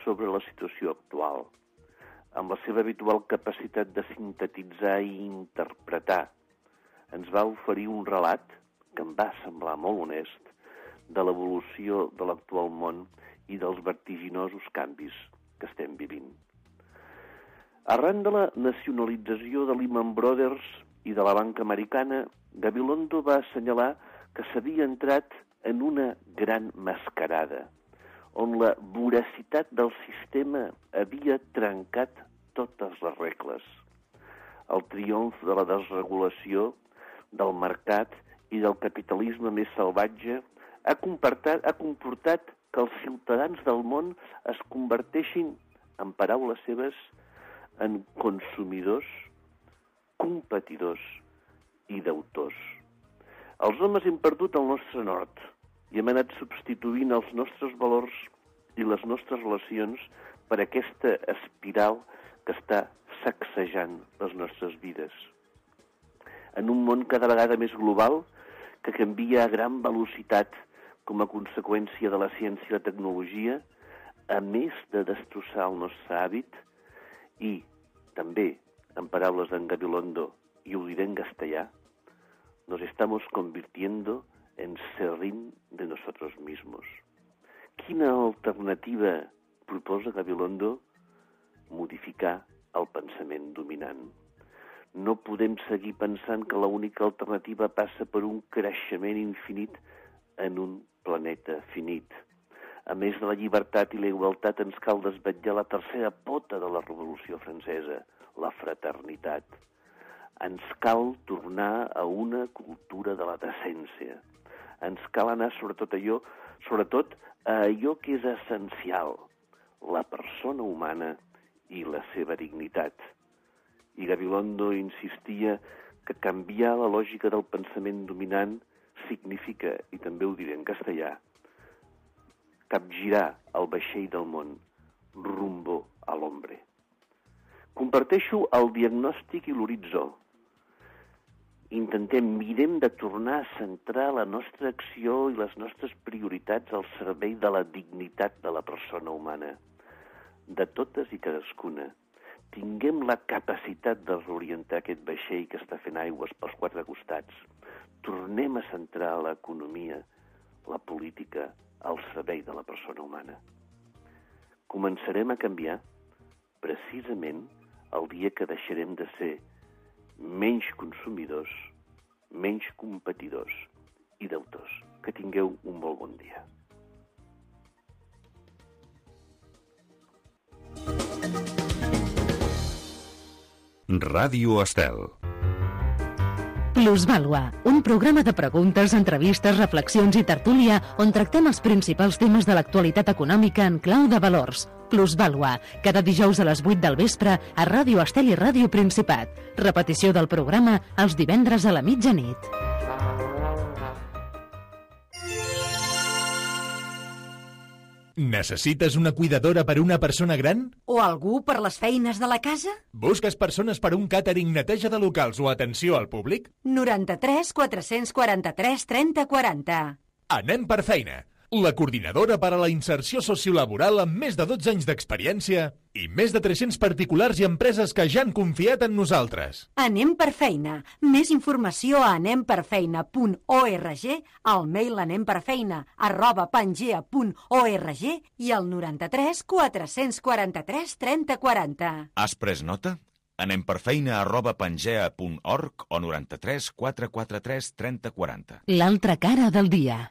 sobre la situació actual, amb la seva habitual capacitat de sintetitzar i interpretar. Ens va oferir un relat, que em va semblar molt honest, de l'evolució de l'actual món i dels vertiginosos canvis que estem vivint. Arran de la nacionalització de Lehman Brothers i de la banca americana, Gabilondo va assenyalar que s'havia entrat en una gran mascarada, on la voracitat del sistema havia trencat totes les regles. El triomf de la desregulació, del mercat i del capitalisme més salvatge ha comportat, ha comportat que els ciutadans del món es converteixin, en paraules seves, en consumidors, competidors i deutors. Els homes hem perdut el nostre nord i hem anat substituint els nostres valors i les nostres relacions per aquesta espiral que està sacsejant les nostres vides. En un món cada vegada més global que canvia a gran velocitat com a conseqüència de la ciència i la tecnologia, a més de destrossar el nostre hàbit, i també, en paraules d'en Gabilondo, i ho diré en castellà, nos estamos convirtiendo en serrín de nosotros mismos. Quina alternativa proposa Gabilondo? Modificar el pensament dominant. No podem seguir pensant que l'única alternativa passa per un creixement infinit en un planeta finit. A més de la llibertat i la igualtat, ens cal desvetllar la tercera pota de la Revolució Francesa, la fraternitat. Ens cal tornar a una cultura de la decència. Ens cal anar sobretot allò, sobretot a allò que és essencial, la persona humana i la seva dignitat. I Gabilondo insistia que canviar la lògica del pensament dominant significa, i també ho diré en castellà, capgirar el vaixell del món rumbo a l'hombre. Comparteixo el diagnòstic i l'horitzó. Intentem, mirem de tornar a centrar la nostra acció i les nostres prioritats al servei de la dignitat de la persona humana, de totes i cadascuna. Tinguem la capacitat de reorientar aquest vaixell que està fent aigües pels quatre costats. Tornem a centrar l'economia, la política, al servei de la persona humana. Començarem a canviar precisament el dia que deixarem de ser menys consumidors, menys competidors i deutors. Que tingueu un molt bon dia.
Ràdio Estel.
Plusvàlua, un programa de preguntes, entrevistes, reflexions i tertúlia on tractem els principals temes de l'actualitat econòmica en clau de valors. Plusvàlua, cada dijous a les vuit del vespre a Ràdio Estel i Ràdio Principat. Repetició del programa els divendres a la mitjanit.
Necessites una cuidadora per a una persona gran?
O algú per les feines de la casa?
Busques persones per a un càtering, neteja de locals o atenció al públic?
noranta-tres quatre-cents quaranta-tres trenta quaranta.
Anem per feina. La coordinadora per a la inserció sociolaboral amb més de dotze anys d'experiència i més de tres-cents particulars i empreses que ja han confiat en nosaltres.
Anem per feina. Més informació a anem per feina punt org, al mail anemperfeina arroba pangea punt org i al noranta-tres quatre-cents quaranta-tres trenta quaranta.
Has pres nota? anemperfeina arroba pangea punt org o noranta-tres quatre-cents quaranta-tres trenta quaranta.
L'altra cara del dia.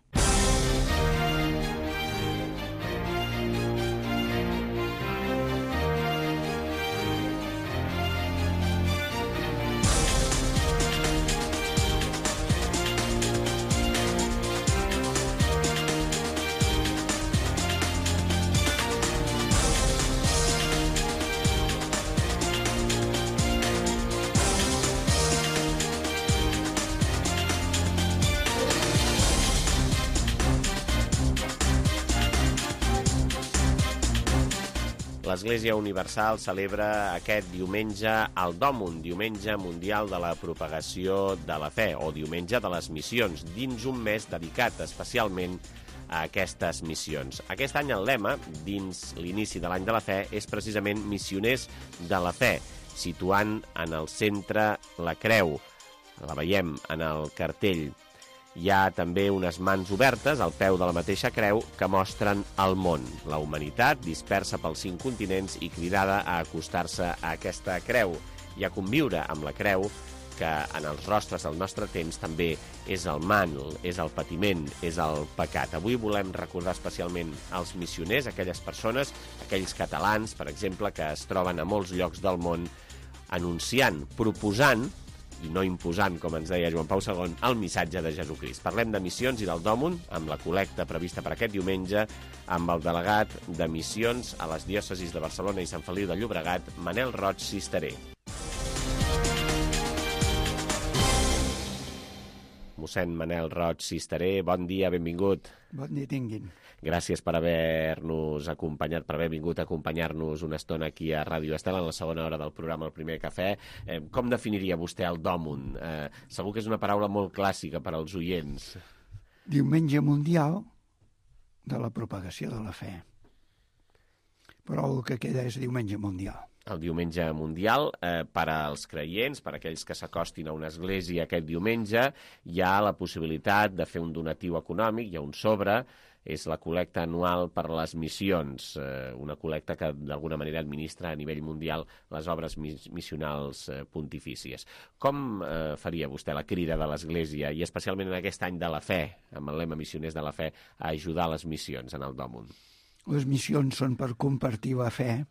L'Església Universal celebra aquest diumenge el Dòmun, Diumenge Mundial de la Propagació de la Fe, o Diumenge de les Missions, dins un mes dedicat especialment a aquestes missions. Aquest any el lema, dins l'inici de l'any de la Fe, és precisament Missioners de la Fe, situant en el centre la creu. La veiem en el cartell. Hi ha també unes mans obertes al peu de la mateixa creu que mostren el món, la humanitat dispersa pels cinc continents i cridada a acostar-se a aquesta creu i a conviure amb la creu, que en els rostres del nostre temps també és el mal, és el patiment, és el pecat. Avui volem recordar especialment els missioners, aquelles persones, aquells catalans, per exemple, que es troben a molts llocs del món anunciant, proposant i no imposant, com ens deia Joan Pau segon, el missatge de Jesucrist. Parlem de missions i del Dòmun, amb la col·lecta prevista per aquest diumenge, amb el delegat de missions a les diòcesis de Barcelona i Sant Feliu de Llobregat, Manel Roig Cisteré. Mossèn Manel Roig Cisteré, bon dia, benvingut.
Bon dia tinguin.
Gràcies per haver-nos acompanyat, per haver vingut a acompanyar-nos una estona aquí a Ràdio Estel en la segona hora del programa El Primer Cafè. Eh, com definiria vostè el Dòmun? Eh, segur que és una paraula molt clàssica per als oients.
Diumenge Mundial de la Propagació de la Fe. Però el que queda és Diumenge Mundial.
El Diumenge Mundial, eh, per als creients, per a aquells que s'acostin a una església aquest diumenge, hi ha la possibilitat de fer un donatiu econòmic, hi ha un sobre, és la col·lecta anual per les missions, eh, una col·lecta que d'alguna manera administra a nivell mundial les obres mis missionals eh, pontifícies. Com eh, faria vostè la crida de l'Església, i especialment en aquest any de la fe, amb el lema Missioners de la Fe, a ajudar les missions en el Dòmun?
Les missions són per compartir la fe,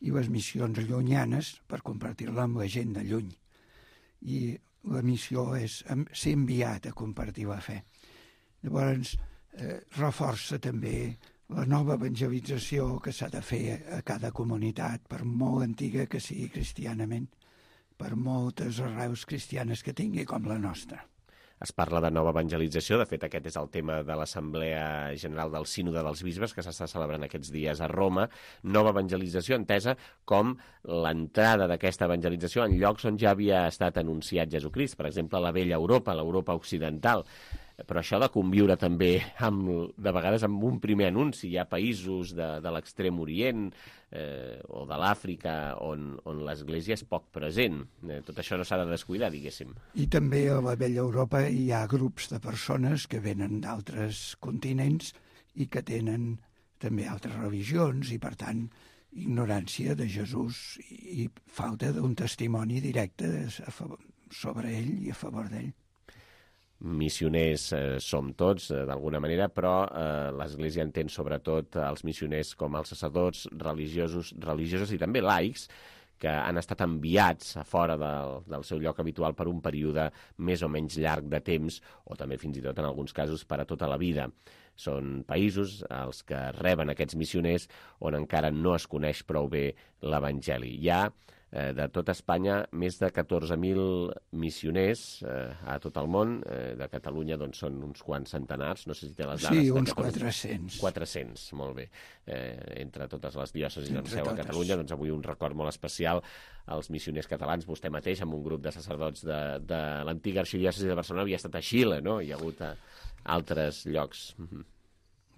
i les missions llunyanes per compartir-la amb la gent de lluny. I la missió és ser enviat a compartir la fe. Llavors, eh, reforça també la nova evangelització que s'ha de fer a cada comunitat, per molt antiga que sigui cristianament, per moltes arrels cristianes que tingui com la nostra.
Es parla de nova evangelització, de fet aquest és el tema de l'Assemblea General del Sínode dels Bisbes que s'està celebrant aquests dies a Roma, nova evangelització entesa com l'entrada d'aquesta evangelització en llocs on ja havia estat anunciat Jesucrist, per exemple a la vella Europa, l'Europa occidental. Però això de conviure també, amb, de vegades, amb un primer anunci. Hi ha països de, de l'extrem orient eh, o de l'Àfrica on, on l'Església és poc present. Eh, tot això no s'ha de descuidar, diguéssim.
I també a la vella Europa hi ha grups de persones que venen d'altres continents i que tenen també altres religions i, per tant, ignorància de Jesús i falta d'un testimoni directe sobre ell i a favor d'ell.
Missioners eh, som tots, eh, d'alguna manera, però eh, l'Església entén sobretot els missioners com els sacerdots religiosos, religiosos i també laics, que han estat enviats a fora del, del seu lloc habitual per un període més o menys llarg de temps, o també fins i tot en alguns casos per a tota la vida. Són països els que reben aquests missioners on encara no es coneix prou bé l'Evangeli. Hi ha eh, de tota Espanya més de catorze mil missioners eh, a tot el món. Eh, de Catalunya doncs, són uns quants centenars, no sé si té les dades.
Sí, uns quatre-cents.
quatre-cents, molt bé. Eh, entre totes les diòcesis amb seu a Catalunya, doncs avui un record molt especial als missioners catalans. Vostè mateix, amb un grup de sacerdots de, de l'antiga arxidiòcesi de Barcelona, havia estat a Xile, no? Hi ha hagut a altres llocs.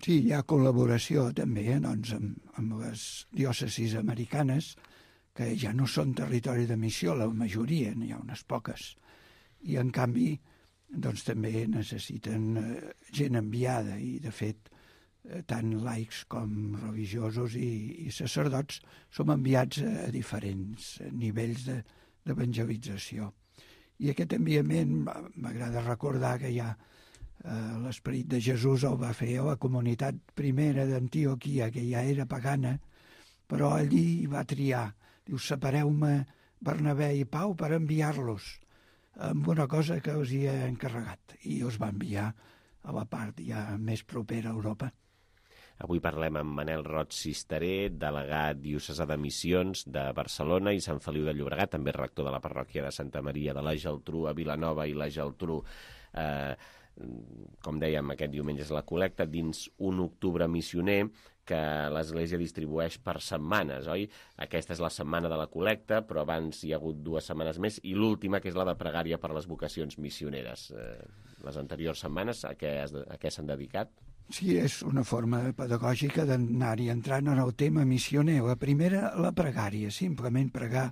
Sí, hi ha col·laboració també eh, doncs, amb, amb les diòcesis americanes, que ja no són territori de missió, la majoria, n'hi ha unes poques. I, en canvi, doncs, també necessiten eh, gent enviada, i, de fet, eh, tant laics com religiosos i, i sacerdots som enviats a, a diferents nivells de, d'evangelització. I aquest enviament, m'agrada recordar que ja eh, l'esperit de Jesús el va fer a la comunitat primera d'Antioquia, que ja era pagana, però allí va triar. Diu, separeu-me Bernabé i Pau per enviar-los amb una cosa que us hi he encarregat. I us va enviar a la part ja més propera a Europa.
Avui parlem amb Manel Roig Cisteré, delegat diocesà de Missions de Barcelona i Sant Feliu de Llobregat, també rector de la parròquia de Santa Maria de la Geltrú a Vilanova i la Geltrú. Eh, com dèiem, aquest diumenge és la col·lecta dins un octubre missioner que l'Església distribueix per setmanes, oi? Aquesta és la setmana de la col·lecta, però abans hi ha hagut dues setmanes més, i l'última, que és la de pregària per les vocacions missioneres. Eh, les anteriors setmanes, a què, a què s'han dedicat?
Sí, és una forma pedagògica d'anar-hi entrant en el tema missioner. La primera, la pregària, simplement pregar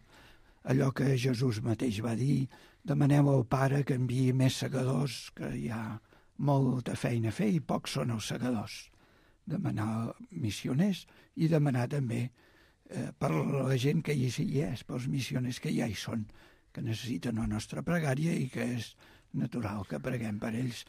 allò que Jesús mateix va dir: demaneu al Pare que enviï més segadors, que hi ha molta feina a fer i pocs són els segadors. Demanar missioners i demanar també eh, per la gent que hi és, pels missioners que ja hi són, que necessiten la nostra pregària i que és natural que preguem per ells.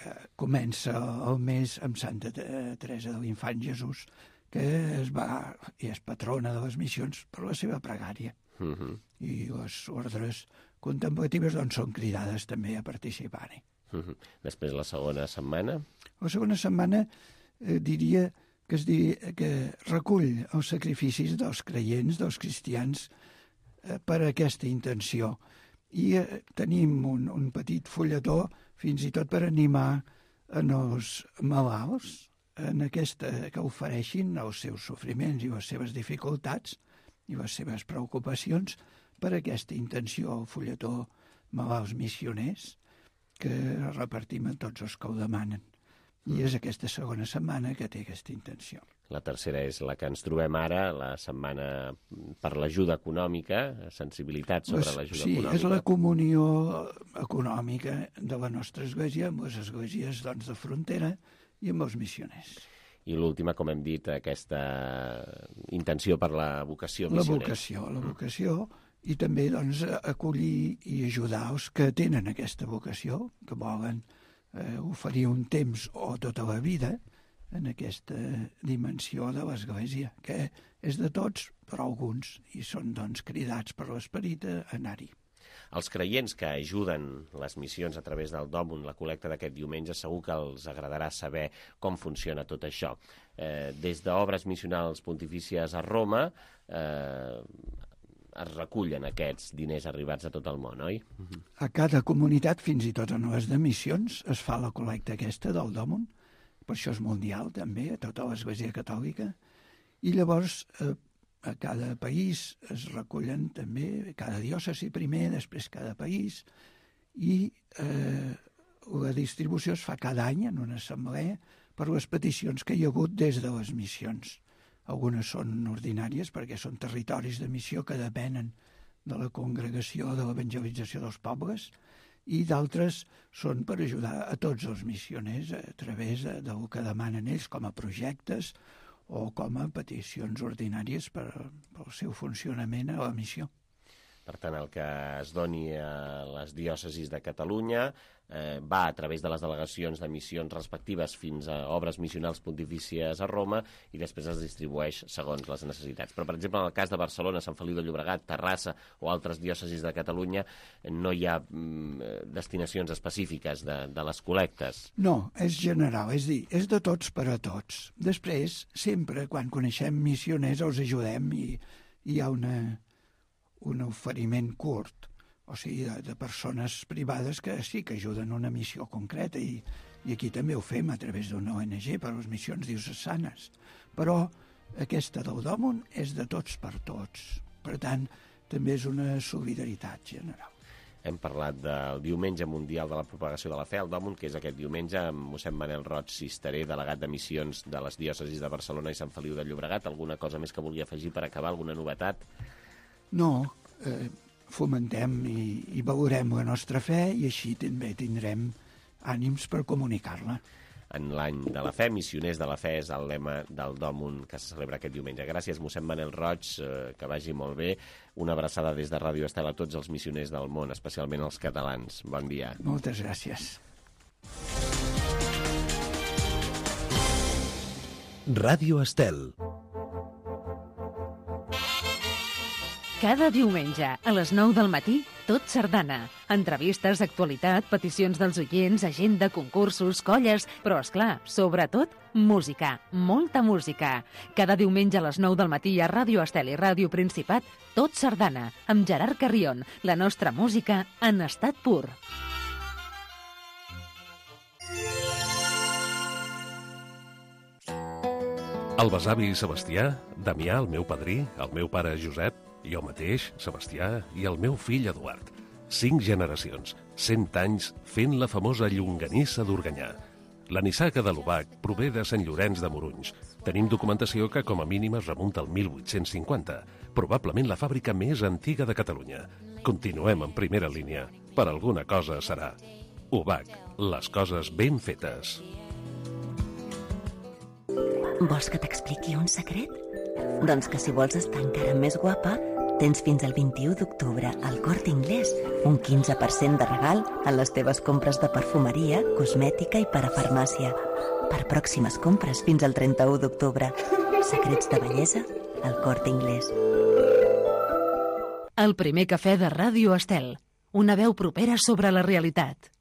Eh, comença el mes amb Santa Teresa de l'Infant Jesús, que es va, i és patrona de les missions per la seva pregària. Uh-huh. I les ordres contemplatives doncs, són cridades també a participar-hi.
Uh-huh. Després la segona setmana?
La segona setmana eh, diria que, es dir, que recull els sacrificis dels creients, dels cristians, eh, per a aquesta intenció. I eh, tenim un, un petit fulletó fins i tot per animar en els malalts en aquesta, que ofereixin els seus sofriments i les seves dificultats i les seves preocupacions per aquesta intenció, el fulletó Malalts Missioners, que repartim a tots els que ho demanen. I és aquesta segona setmana que té aquesta intenció.
La tercera és la que ens trobem ara, la setmana per l'ajuda econòmica, sensibilitat sobre l'ajuda
sí,
econòmica.
Sí, és la comunió econòmica de la nostra església amb les esglésies doncs, de frontera i amb els missioners.
I l'última, com hem dit, aquesta intenció per la vocació missionera.
La vocació, la vocació, i també doncs, acollir i ajudar els que tenen aquesta vocació, que volen eh, oferir un temps o tota la vida en aquesta dimensió de l'Església, que és de tots, però alguns, i són doncs, cridats per l'Esperit a anar-hi.
Els creients que ajuden les missions a través del Dòmum, la col·lecta d'aquest diumenge, segur que els agradarà saber com funciona tot això. Eh, des d'obres missionals pontifícies a Roma eh, es recullen aquests diners arribats a tot el món, oi?
A cada comunitat, fins i tot en les de missions, es fa la col·lecta aquesta del Dòmum, per això és mundial també, a tota l'Església Catòlica, i llavors eh, a cada país es recullen també, cada diòcesi primer, després cada país, i eh, la distribució es fa cada any en una assemblea per les peticions que hi ha hagut des de les missions. Algunes són ordinàries perquè són territoris de missió que depenen de la congregació de l'evangelització dels pobles, i d'altres són per ajudar a tots els missioners a través del que demanen ells com a projectes o com a peticions ordinàries per, pel seu funcionament a la missió.
Per tant, el que es doni a les diòcesis de Catalunya eh, va a través de les delegacions de missions respectives fins a obres missionals pontifícies a Roma i després es distribueix segons les necessitats. Però, per exemple, en el cas de Barcelona, Sant Feliu de Llobregat, Terrassa o altres diòcesis de Catalunya, no hi ha mm, destinacions específiques de, de les col·lectes.
No, és general, és dir, és de tots per a tots. Després, sempre, quan coneixem missioners, els ajudem i hi ha una... un oferiment curt, o sigui, de, de persones privades que sí que ajuden una missió concreta i, i aquí també ho fem a través d'una O N G per a les missions diocesanes. Però aquesta del Dòmun és de tots per tots. Per tant, també és una solidaritat general.
Hem parlat del Diumenge Mundial de la Propagació de la Fe, el Dòmun, que és aquest diumenge, amb mossèn Manel Roig Cisteré, delegat de missions de les diòcesis de Barcelona i Sant Feliu de Llobregat. Alguna cosa més que vulgui afegir per acabar, alguna novetat?
No, eh, fomentem i, i valorem la nostra fe i així també tindrem ànims per comunicar-la.
En l'any de la fe, missioners de la fe és el lema del Dòmun que se celebra aquest diumenge. Gràcies, mossèn Manel Roig, eh, que vagi molt bé. Una abraçada des de Ràdio Estel a tots els missioners del món, especialment els catalans. Bon dia.
Moltes gràcies.
Ràdio Estel.
Cada diumenge, a les nou del matí, Tot Sardana. Entrevistes, actualitat, peticions dels oients, agenda, concursos, colles, però, esclar, sobretot, música, molta música. Cada diumenge a les nou del matí a Ràdio Estel i Ràdio Principat, Tot Sardana, amb Gerard Carrion, la nostra música en estat pur.
El besavi Sebastià, Damià, el meu padrí, el meu pare Josep, jo mateix, Sebastià, i el meu fill Eduard. Cinc generacions, cent anys, fent la famosa llonganissa d'Organyà. La nissaga de l'Obac prové de Sant Llorenç de Morunys. Tenim documentació que com a mínim es remunta al mil vuit-cents cinquanta, probablement la fàbrica més antiga de Catalunya. Continuem en primera línia. Per alguna cosa serà. Obac, les coses ben fetes.
Vols que t'expliqui un secret? Doncs que si vols estar encara més guapa, tens fins al vint-i-u d'octubre al Corte Inglés un quinze per cent de regal a les teves compres de perfumeria, cosmètica i parafarmàcia. Per pròximes compres fins al trenta-u d'octubre. Secrets de bellesa al Corte Inglés.
El primer cafè de Ràdio Estel. Una veu propera sobre la realitat.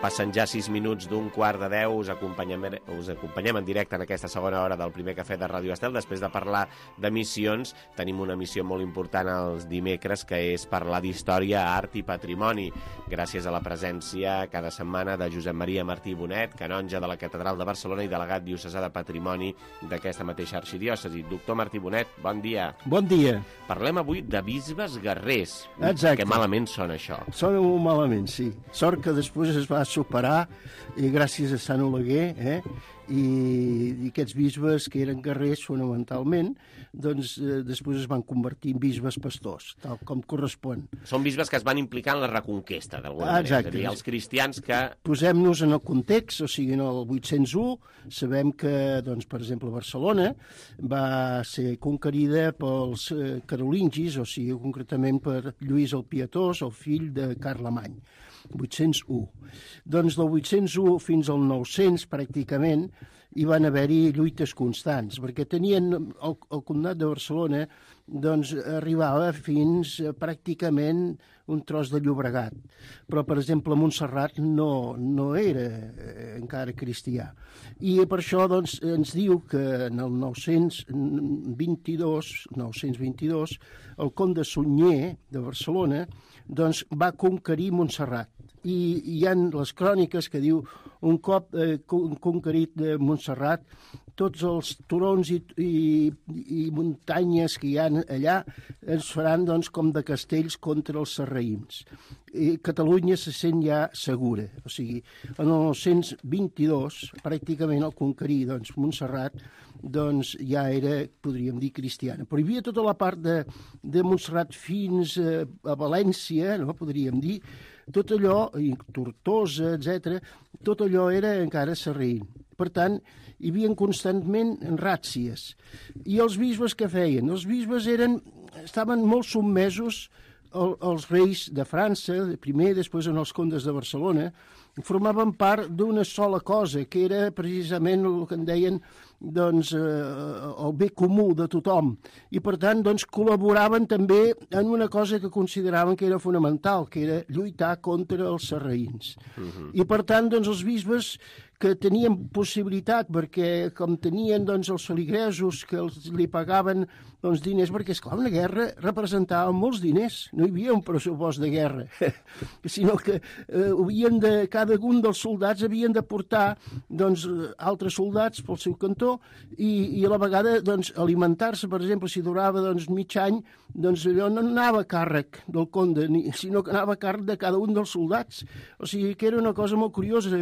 Passen ja sis minuts d'un quart de deu, us acompanyem, us acompanyem en directe en aquesta segona hora del primer cafè de Ràdio Estel. Després de parlar de missions, tenim una missió molt important els dimecres, que és parlar d'història, art i patrimoni. Gràcies a la presència cada setmana de Josep Maria Martí Bonet, canonge de la Catedral de Barcelona i delegat diocesà de Patrimoni d'aquesta mateixa arxidiòcesi. Doctor Martí Bonet, bon dia.
Bon dia.
Parlem avui de bisbes guerrers.
Exacte.
Que malament sona això.
Sona molt malament, sí. Sort que després es va superar i gràcies a Sant Oleguer, eh? I, i aquests bisbes que eren guerrers fonamentalment, doncs eh, després es van convertir en bisbes pastors, tal com correspon.
Són bisbes que es van implicar en la reconquesta, d'alguna
ah,
manera. És a dir, els cristians que...
Posem-nos en el context, o sigui, en el vuit-cents u, sabem que, doncs, per exemple, Barcelona va ser conquerida pels eh, carolingis, o sigui, concretament per Lluís el Pietós, el fill de Carlemany. vuit-cents u. Doncs del vuit-cents u fins al nou-cents, pràcticament, hi van haver-hi lluites constants, perquè tenien el, el comtat de Barcelona, doncs arribava fins a, pràcticament un tros de Llobregat. Però, per exemple, Montserrat no, no era eh, encara cristià. I per això doncs, ens diu que en el nou-cents vint-i-dos, nou-cents vint-i-dos, el comte Sunyer de Barcelona doncs, va conquerir Montserrat. I hi ha les cròniques que diu un cop eh, conquerit de Montserrat, tots els turons i, i, i muntanyes que hi ha allà ens faran doncs, com de castells contra els sarraïns. I Catalunya se sent ja segura. O sigui, en el nou-cents vint-i-dos, pràcticament al conquerir doncs, Montserrat, doncs ja era, podríem dir, cristiana. Però hi havia tota la part de, de Montserrat fins a, a València, no? Podríem dir, tot allò, i Tortosa, etcètera, tot allò era encara sarraïn. Per tant, hi havia constantment ràtzies. I els bisbes què feien? Els bisbes eren, estaven molt sotmesos als reis de França, primer, després en els condes de Barcelona, formaven part d'una sola cosa, que era precisament el que en deien doncs, eh, el bé comú de tothom. I, per tant, doncs, col·laboraven també en una cosa que consideraven que era fonamental, que era lluitar contra els sarraïns. Uh-huh. I, per tant, doncs, els bisbes que tenien possibilitat, perquè com tenien doncs, els feligresos que els, li pagaven doncs, diners, perquè, esclar, una guerra representava molts diners, no hi havia un pressupost de guerra, sinó que eh, havien de, cada un dels soldats havien de portar doncs, altres soldats pel seu cantó i, i a la vegada doncs, alimentar-se, per exemple, si durava doncs, mig any, doncs allò no anava a càrrec del conde, ni, sinó que anava a càrrec de cada un dels soldats. O sigui que era una cosa molt curiosa.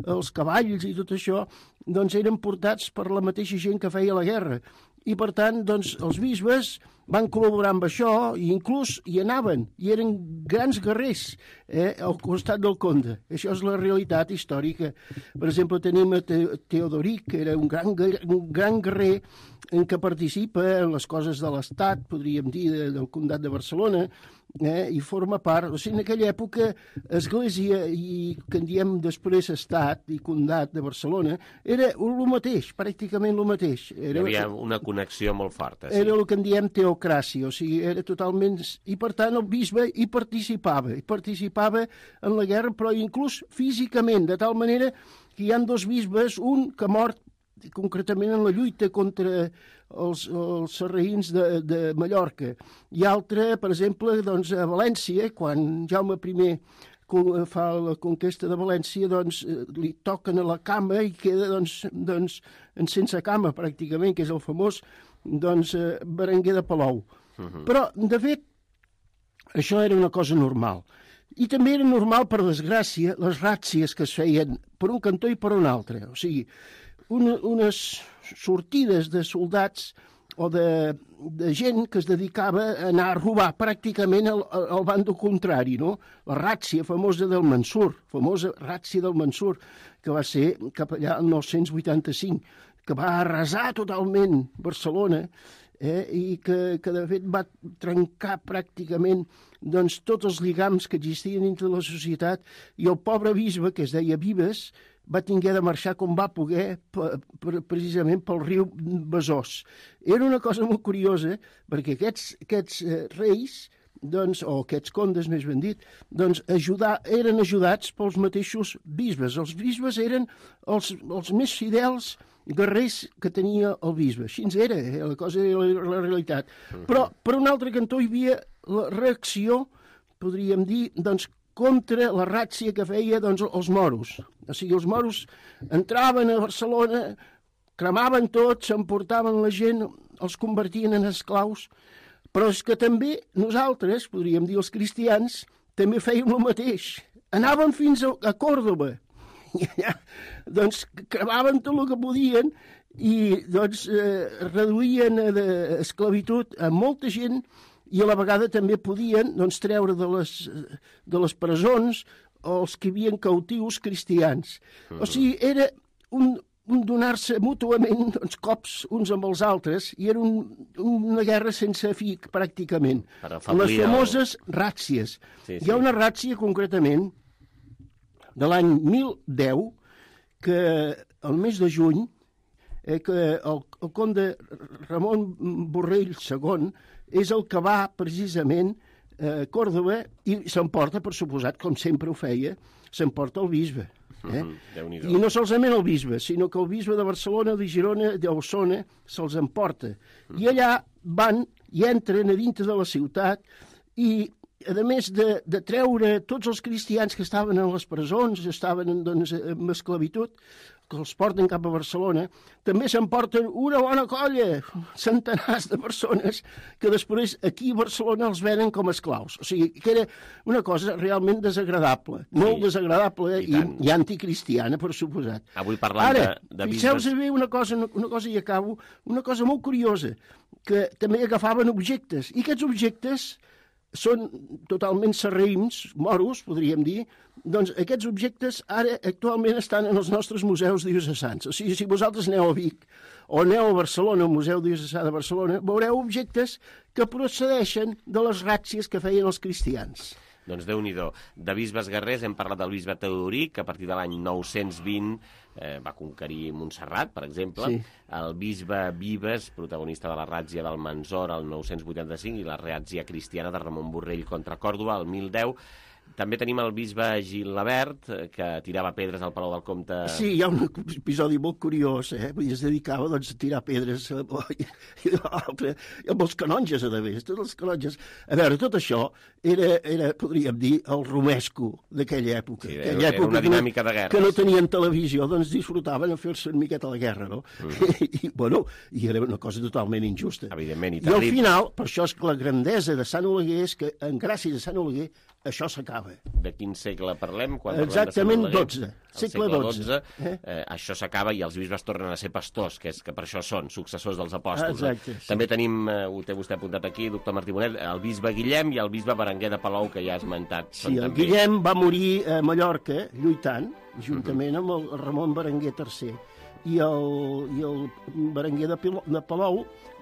Els cavalls i tot això doncs, eren portats per la mateixa gent que feia la guerra. I, per tant, doncs, els bisbes van col·laborar amb això i inclús hi anaven, i eren grans guerrers eh, al costat del conde. Això és la realitat històrica. Per exemple, tenim a Teodoric, que era un gran, un gran guerrer en què participa en les coses de l'Estat, podríem dir, del Comtat de Barcelona, eh, i forma part... O sigui, en aquella època, Església i que en diem després Estat i Comtat de Barcelona, era el mateix, pràcticament el mateix. Era,
Hi havia una connexió molt forta. Sí.
Era el que en diem teocràcia, o sigui, era totalment... I, per tant, el bisbe hi participava, hi participava en la guerra, però inclús físicament, de tal manera que hi ha dos bisbes, un que ha mort concretament en la lluita contra els, els sarraïns de, de Mallorca, i altre, per exemple, doncs, a València, quan Jaume I fa la conquesta de València, doncs, li toquen a la cama i queda doncs, doncs, sense cama, pràcticament, que és el famós doncs, Berenguer de Palou. Uh-huh. Però, de fet, això era una cosa normal. I també era normal, per desgràcia, les ràtzies que es feien per un cantó i per un altre. O sigui, una, unes sortides de soldats o de, de gent que es dedicava a anar a robar pràcticament al, al bando contrari, no? La ràtzia famosa del Mansur, famosa ràtzia del Mansur, que va ser cap allà el nou-cents vuitanta-cinc, que va arrasar totalment Barcelona, eh, i que, que de fet va trencar pràcticament doncs, tots els lligams que existien entre la societat, i el pobre bisbe, que es deia Vives, va tinguer de marxar com va poder precisament pel riu Besòs. Era una cosa molt curiosa, perquè aquests, aquests eh, reis, doncs, o aquests condes, més ben dit, doncs, ajudar, eren ajudats pels mateixos bisbes. Els bisbes eren els, els més fidels guerrers que tenia el bisbe. Així era, eh? La cosa era la, la realitat. Però, per un altre cantó, hi havia la reacció, podríem dir, doncs, contra la ràtzia que feia doncs, els moros. O sigui, els moros entraven a Barcelona, cremaven tot, s'emportaven la gent, els convertien en esclaus, però és que també nosaltres, podríem dir els cristians, també fèiem el mateix. Anàvem fins a, a Còrdova, i allà doncs, cremaven tot el que podien i doncs, eh, reduïen d'esclavitud a molta gent, i a la vegada també podien doncs, treure de les, de les presons els que hi havia cautius cristians. Uh-huh. O sigui, era un, un donar-se mútuament doncs, cops uns amb els altres, i era un, una guerra sense fi, pràcticament. Les famoses el... ràtzies. Sí, sí. Hi ha una ràtzia, concretament, de l'any mil deu, que el mes de juny, eh, que el, el conde Ramon Borrell segon és el que va precisament a Còrdova i s'emporta, per suposat, com sempre ho feia, s'emporta el bisbe. Eh? Mm-hmm. I no solament el bisbe, sinó que el bisbe de Barcelona, de Girona, d'Osona, se'ls emporta. Mm-hmm. I allà van i entren a dintre de la ciutat i a més de, de treure tots els cristians que estaven en les presons, estaven doncs, en esclavitud, que els porten cap a Barcelona, també s'emporten una bona colla, centenars de persones, que després aquí a Barcelona els venen com a esclaus. O sigui, que era una cosa realment desagradable, molt sí, desagradable i, i, i anticristiana, per suposat.
Avui parlant Ara, de, de bisbes...
fixeu-vos bé una cosa, una cosa i acabo, una cosa molt curiosa, que també agafaven objectes, i aquests objectes són totalment sarraïms, moros, podríem dir. Doncs aquests objectes ara actualment estan en els nostres museus diocesans. O sigui, si vosaltres aneu a Vic o aneu a Barcelona, al Museu Diocesà de Barcelona, veureu objectes que procedeixen de les ràtzies que feien els cristians.
Doncs Déu-n'hi-do. De bisbes guerrers hem parlat del bisbe Teodoric, que a partir de l'any nou-cents vint eh, va conquerir Montserrat, per exemple. Sí. El bisbe Vives, protagonista de la ràtzia del Manzor el nou-cents vuitanta-cinc, i la ràtzia cristiana de Ramon Borrell contra Còrdova el mil deu. També tenim el bisbe Gil-Labert, que tirava pedres al Palau del Comte.
Sí, hi ha un episodi molt curiós, eh? Vull dir, es dedicava doncs, a tirar pedres i, i, i amb els canonges, a més, tots els canonges. A veure, tot això era, era podríem dir, el romesco d'aquella època.
Sí, era, època era una dinàmica de guerres.
Que no tenien televisió, doncs disfrutaven a fer-se una miqueta la guerra, no? Mm. I, i, bueno, i era una cosa totalment injusta.
Evidentment, i
I al final, per això és que la grandesa de Sant Oleguer és que, en gràcies a Sant Oleguer, això s'acaba.
De quin segle parlem? Quan
Exactament dotze.
Segle dotze. Eh? Eh, això s'acaba i els bisbes tornen a ser pastors, que és que per això són successors dels apòstols.
Exacte,
no?
sí.
També tenim, eh, ho té vostè apuntat aquí, doctor Martí Bonet, el bisbe Guillem i el bisbe Berenguer de Palou, que ja ha esmentat.
Sí, el també... Guillem va morir a Mallorca lluitant, juntament amb el Ramon Berenguer tercer. I el, i el Berenguer de, Pilo, de Palou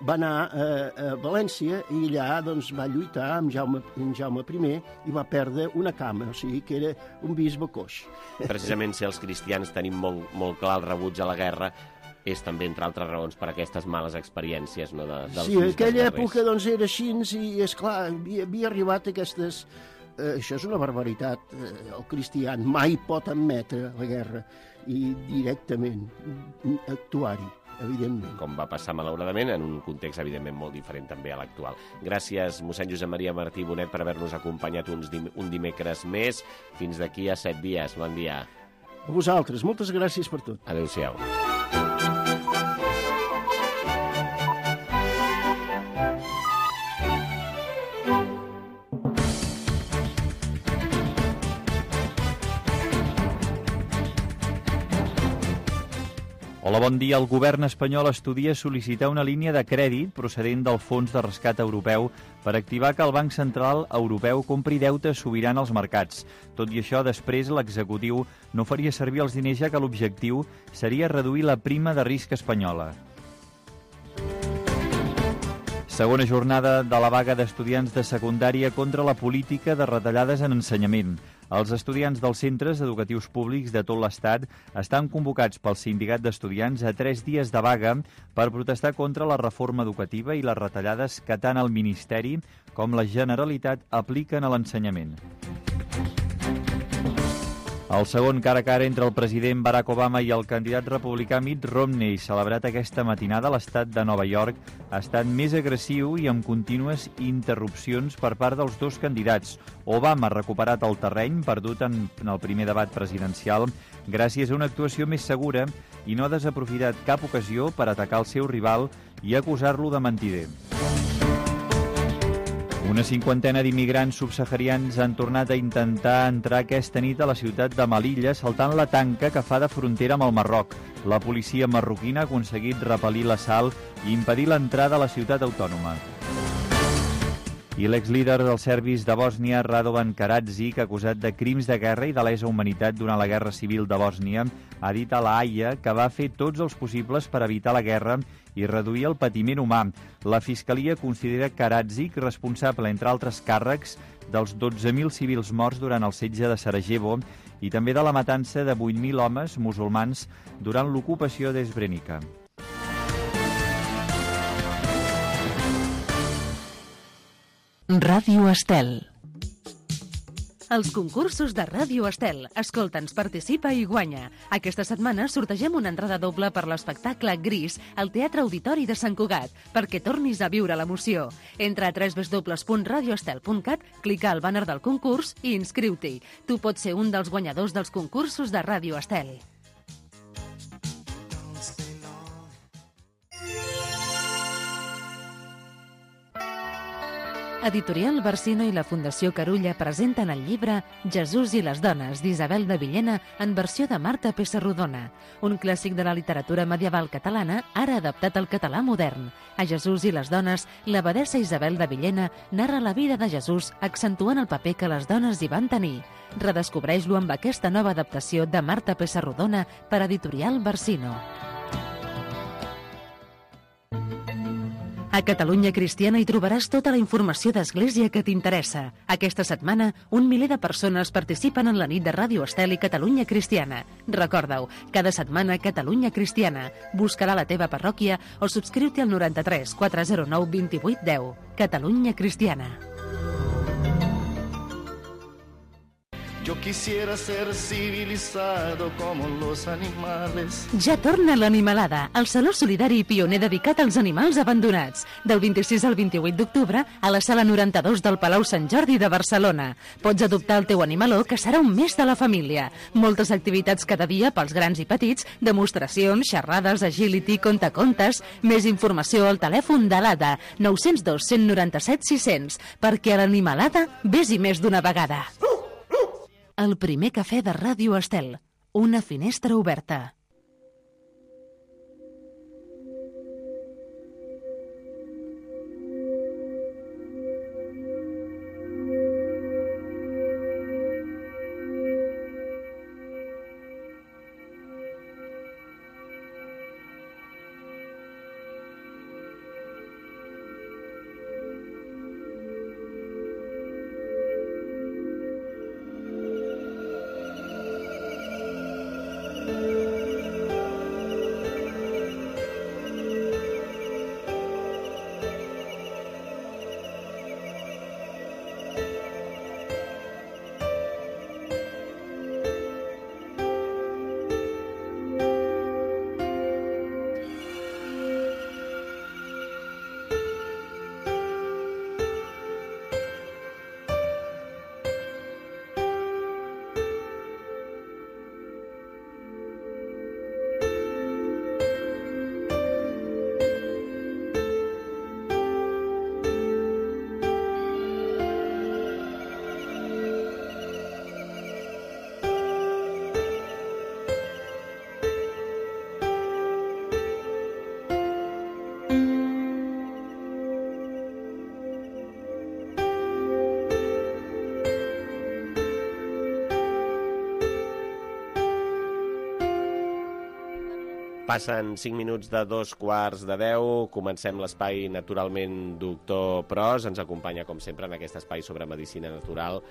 va anar a, a València i allà doncs, va lluitar amb Jaume, amb Jaume I i va perdre una cama, o sigui que era un bisbe coix.
Precisament si els cristians tenim molt, molt clar el rebuig a la guerra, és també, entre altres raons, per aquestes males experiències, no, de, dels
sí,
bisbes
aquella
guerrers.
Època doncs, era així i, esclar, havia, havia arribat aquestes... Eh, això és una barbaritat. Eh, el cristià mai pot admetre la guerra i directament actuar-hi, evidentment.
Com va passar, malauradament, en un context, evidentment, molt diferent també a l'actual. Gràcies, mossèn Josep Maria Martí Bonet, per haver-nos acompanyat uns dim un dimecres més. Fins d'aquí a set dies. Bon dia.
A vosaltres. Moltes gràcies per tot.
Adéu-siau.
Hola, bon dia. El govern espanyol estudia sol·licitar una línia de crèdit procedent del Fons de Rescat Europeu per activar que el Banc Central Europeu compri deute sobirà als mercats. Tot i això, després l'executiu no faria servir els diners, ja que l'objectiu seria reduir la prima de risc espanyola. Segona jornada de la vaga d'estudiants de secundària contra la política de retallades en ensenyament. Els estudiants dels centres educatius públics de tot l'Estat estan convocats pel Sindicat d'Estudiants a tres dies de vaga per protestar contra la reforma educativa i les retallades que tant el Ministeri com la Generalitat apliquen a l'ensenyament. El segon cara a cara entre el president Barack Obama i el candidat republicà Mitt Romney, celebrat aquesta matinada a l'estat de Nova York, ha estat més agressiu i amb contínues interrupcions per part dels dos candidats. Obama ha recuperat el terreny perdut en el primer debat presidencial gràcies a una actuació més segura i no ha desaprofitat cap ocasió per atacar el seu rival i acusar-lo de mentider. Una cinquantena d'immigrants subsaharians han tornat a intentar entrar aquesta nit a la ciutat de Melilla saltant la tanca que fa de frontera amb el Marroc. La policia marroquina ha aconseguit repel·lir l'assalt i impedir l'entrada a la ciutat autònoma. I l'exlíder dels serbis de Bòsnia, Radovan Karadzic, acusat de crims de guerra i de lesa humanitat durant la Guerra Civil de Bòsnia, ha dit a la Haia que va fer tots els possibles per evitar la guerra i reduir el patiment humà. La Fiscalia considera Karadzic responsable, entre altres càrrecs, dels dotze mil civils morts durant el setge de Sarajevo i també de la matança de vuit mil homes musulmans durant l'ocupació d'Srebrenica.
Ràdio Estel. Els concursos de Ràdio Estel. Escolta'ns, participa i guanya. Aquesta setmana sortegem una entrada doble per l'espectacle Gris al Teatre Auditori de Sant Cugat, perquè tornis a viure l'emoció. Entra a w w w punt radio estel punt cat, clica al bàner del concurs i inscriu-t'hi. Tu pots ser un dels guanyadors dels concursos de Ràdio Estel. Editorial Barsino i la Fundació Carulla presenten el llibre Jesús i les dones, d'Isabel de Villena, en versió de Marta Pessarrodona, un clàssic de la literatura medieval catalana, ara adaptat al català modern. A Jesús i les dones, l'abadessa Isabel de Villena narra la vida de Jesús, accentuant el paper que les dones hi van tenir. Redescobreix-lo amb aquesta nova adaptació de Marta Pessarrodona per Editorial Barsino. A Catalunya Cristiana hi trobaràs tota la informació d'Església que t'interessa. Aquesta setmana, un miler de persones participen en la nit de Ràdio Estel i Catalunya Cristiana. Recorda-ho, cada setmana Catalunya Cristiana. Busca-la a la teva parròquia o subscriu-te al noranta-tres quatre zero nou vint vuit deu. Catalunya Cristiana.
Yo quisiera ser civilizado como los animales.
Ja torna l'Animalada, el saló solidari i pioner dedicat als animals abandonats. Del vint-i-sis al vint-i-vuit d'octubre a la sala noranta-dos del Palau Sant Jordi de Barcelona. Pots adoptar el teu animaló, que serà un més de la família. Moltes activitats cada dia pels grans i petits, demostracions, xerrades, agility, contacontes. Més informació al telèfon de l'A D A, nou zero dos, cent noranta-set, sis cents, perquè a l'Animalada vés-hi més d'una vegada. El primer cafè de Ràdio Estel. Una finestra oberta.
Passen cinc minuts de dos quarts de deu, comencem l'espai Naturalment Doctor Pros. Ens acompanya, com sempre, en aquest espai sobre medicina natural,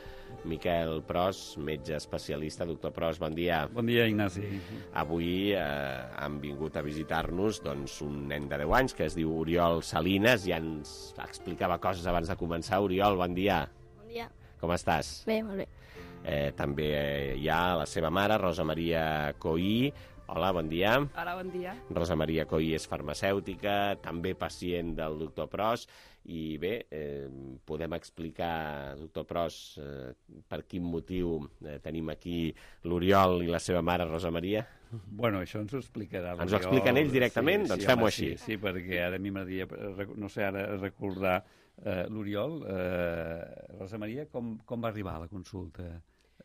Miquel Pros, metge especialista. Doctor Pros, bon dia.
Bon dia, Ignasi.
Avui eh, han vingut a visitar-nos doncs, un nen de deu anys que es diu Oriol Salines. Ja ens explicava coses abans de començar. Oriol, bon dia.
Bon dia.
Com estàs?
Bé, molt bé.
Eh, també eh, hi ha la seva mare, Rosa Maria Coí. Hola, bon dia.
Hola, bon dia.
Rosa Maria Coí és farmacèutica, també pacient del doctor Pros, i bé, eh, podem explicar, doctor Pros, eh, per quin motiu eh, tenim aquí l'Oriol i la seva mare, Rosa Maria?
Bueno, això ens ho explicarà l'Oriol.
Ens ho expliquen ells directament?
Sí,
doncs
sí,
fem-ho
home,
així.
Sí, sí, perquè ara a mi m'agradaria, no sé, ara recordar eh, l'Oriol. Eh, Rosa Maria, com, com va arribar a la consulta?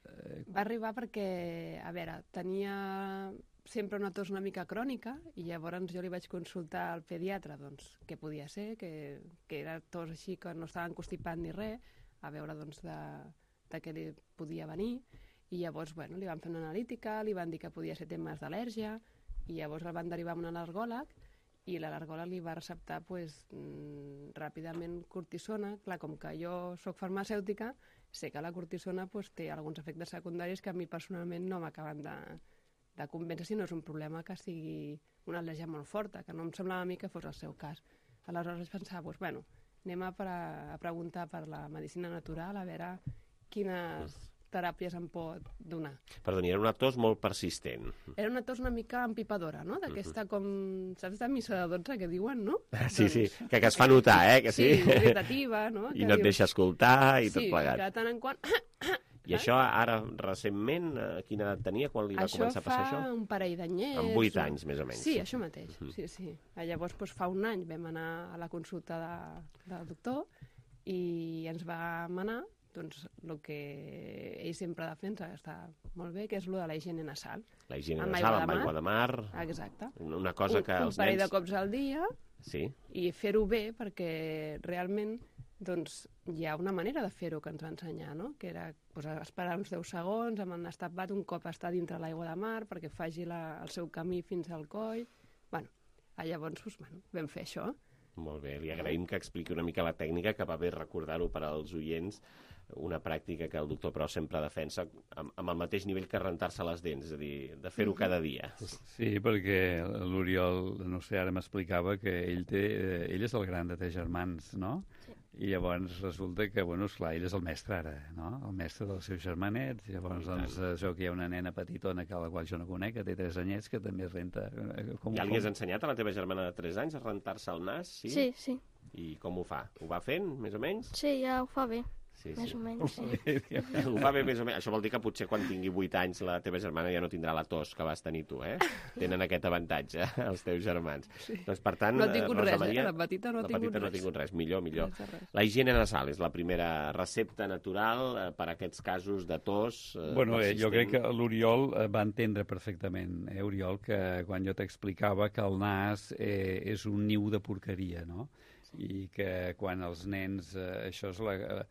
Eh... Va arribar perquè, a veure, tenia sempre una tos una mica crònica i llavors jo li vaig consultar al pediatre doncs, què podia ser, que, que era tos així que no estava encostipat ni res, a veure doncs, de, de què li podia venir, i llavors bueno, li van fer una analítica, li van dir que podia ser temes d'al·lèrgia, i llavors el van derivar a un al·lergòleg, i l'al·lergòleg li va receptar pues, mmm, ràpidament cortisona. Clar, com que jo sóc farmacèutica, sé que la cortisona pues, té alguns efectes secundaris que a mi personalment no m'acaben de de convèncer si no és un problema que sigui una al·lèrgia molt forta, que no em semblava a mi que fos el seu cas. Aleshores vaig pensar, doncs, bueno, anem a, pre a preguntar per la medicina natural, a veure quines, teràpies em pot donar.
Perdoni, era una tos molt persistent.
Era una tos una mica empipadora, no? D'aquesta com, saps, de missa de dotze que diuen, no?
Sí, sí, que, que es fa notar, eh? Que sí,
sí, irritativa, no?
I no et deixa escoltar i tot plegat.
Sí, que de tant en quant...
I això ara, recentment, quina edat tenia quan li va
això
començar a passar això?
Això fa un parell d'anyets.
Amb vuit anys, més o menys.
Sí, això mateix, uh -huh. sí, sí. Llavors, doncs, fa un any vam anar a la consulta de, del doctor i ens va manar doncs, el que ell sempre defensa, que està molt bé, que és el de la higiene nasal.
La higiene amb nasal, amb aigua de mar.
Exacte.
Una cosa que
un,
els
un parell
nens...
de cops al dia
sí.
I fer-ho bé perquè realment doncs, hi ha una manera de fer-ho que ens va ensenyar, no? Que era doncs, esperar uns deu segons amb el nas tapat un cop està dintre l'aigua de mar perquè faci la, el seu camí fins al coll. Bueno, llavors doncs, bueno, vam fer això.
Molt bé, li agraïm que expliqui una mica la tècnica, que va bé recordar-ho per als oients, una pràctica que el doctor Pros sempre defensa amb, amb el mateix nivell que rentar-se les dents, és a dir, de fer-ho cada dia.
Sí, perquè l'Oriol, no sé, ara m'explicava que ell, té, ell és el gran de tres germans, no? Sí. I llavors resulta que, bueno, esclar, ell és el mestre ara, no? El mestre dels seus germanets, i llavors, doncs, això que hi ha una nena petitona que a la qual jo no conec, que té tres anyets, que també es renta...
Com, ja li has com... ensenyat a la teva germana de tres anys a rentar-se el nas, sí?
Sí, sí.
I com ho fa? Ho va fent, més o menys?
Sí, ja ho fa bé.
Sí,
més
sí.
o menys, sí.
Ho fa bé més o menys. Això vol dir que potser quan tingui vuit anys la teva germana ja no tindrà la tos que vas tenir tu, eh? Tenen aquest avantatge, els teus germans.
Sí.
Doncs, per tant,
no ha tingut
Rosa
res,
Maria,
eh? La petita no ha tingut res.
La petita no ha tingut res. Millor, millor.
Res, res.
La higiene nasal és la primera recepta natural eh, per a aquests casos de tos eh,
bueno, eh,
persistent.
jo crec que l'Oriol eh, va entendre perfectament, eh, Oriol, que quan jo t'explicava que el nas eh, és un niu de porqueria, no? I que quan els nens... Eh, això és la... Eh,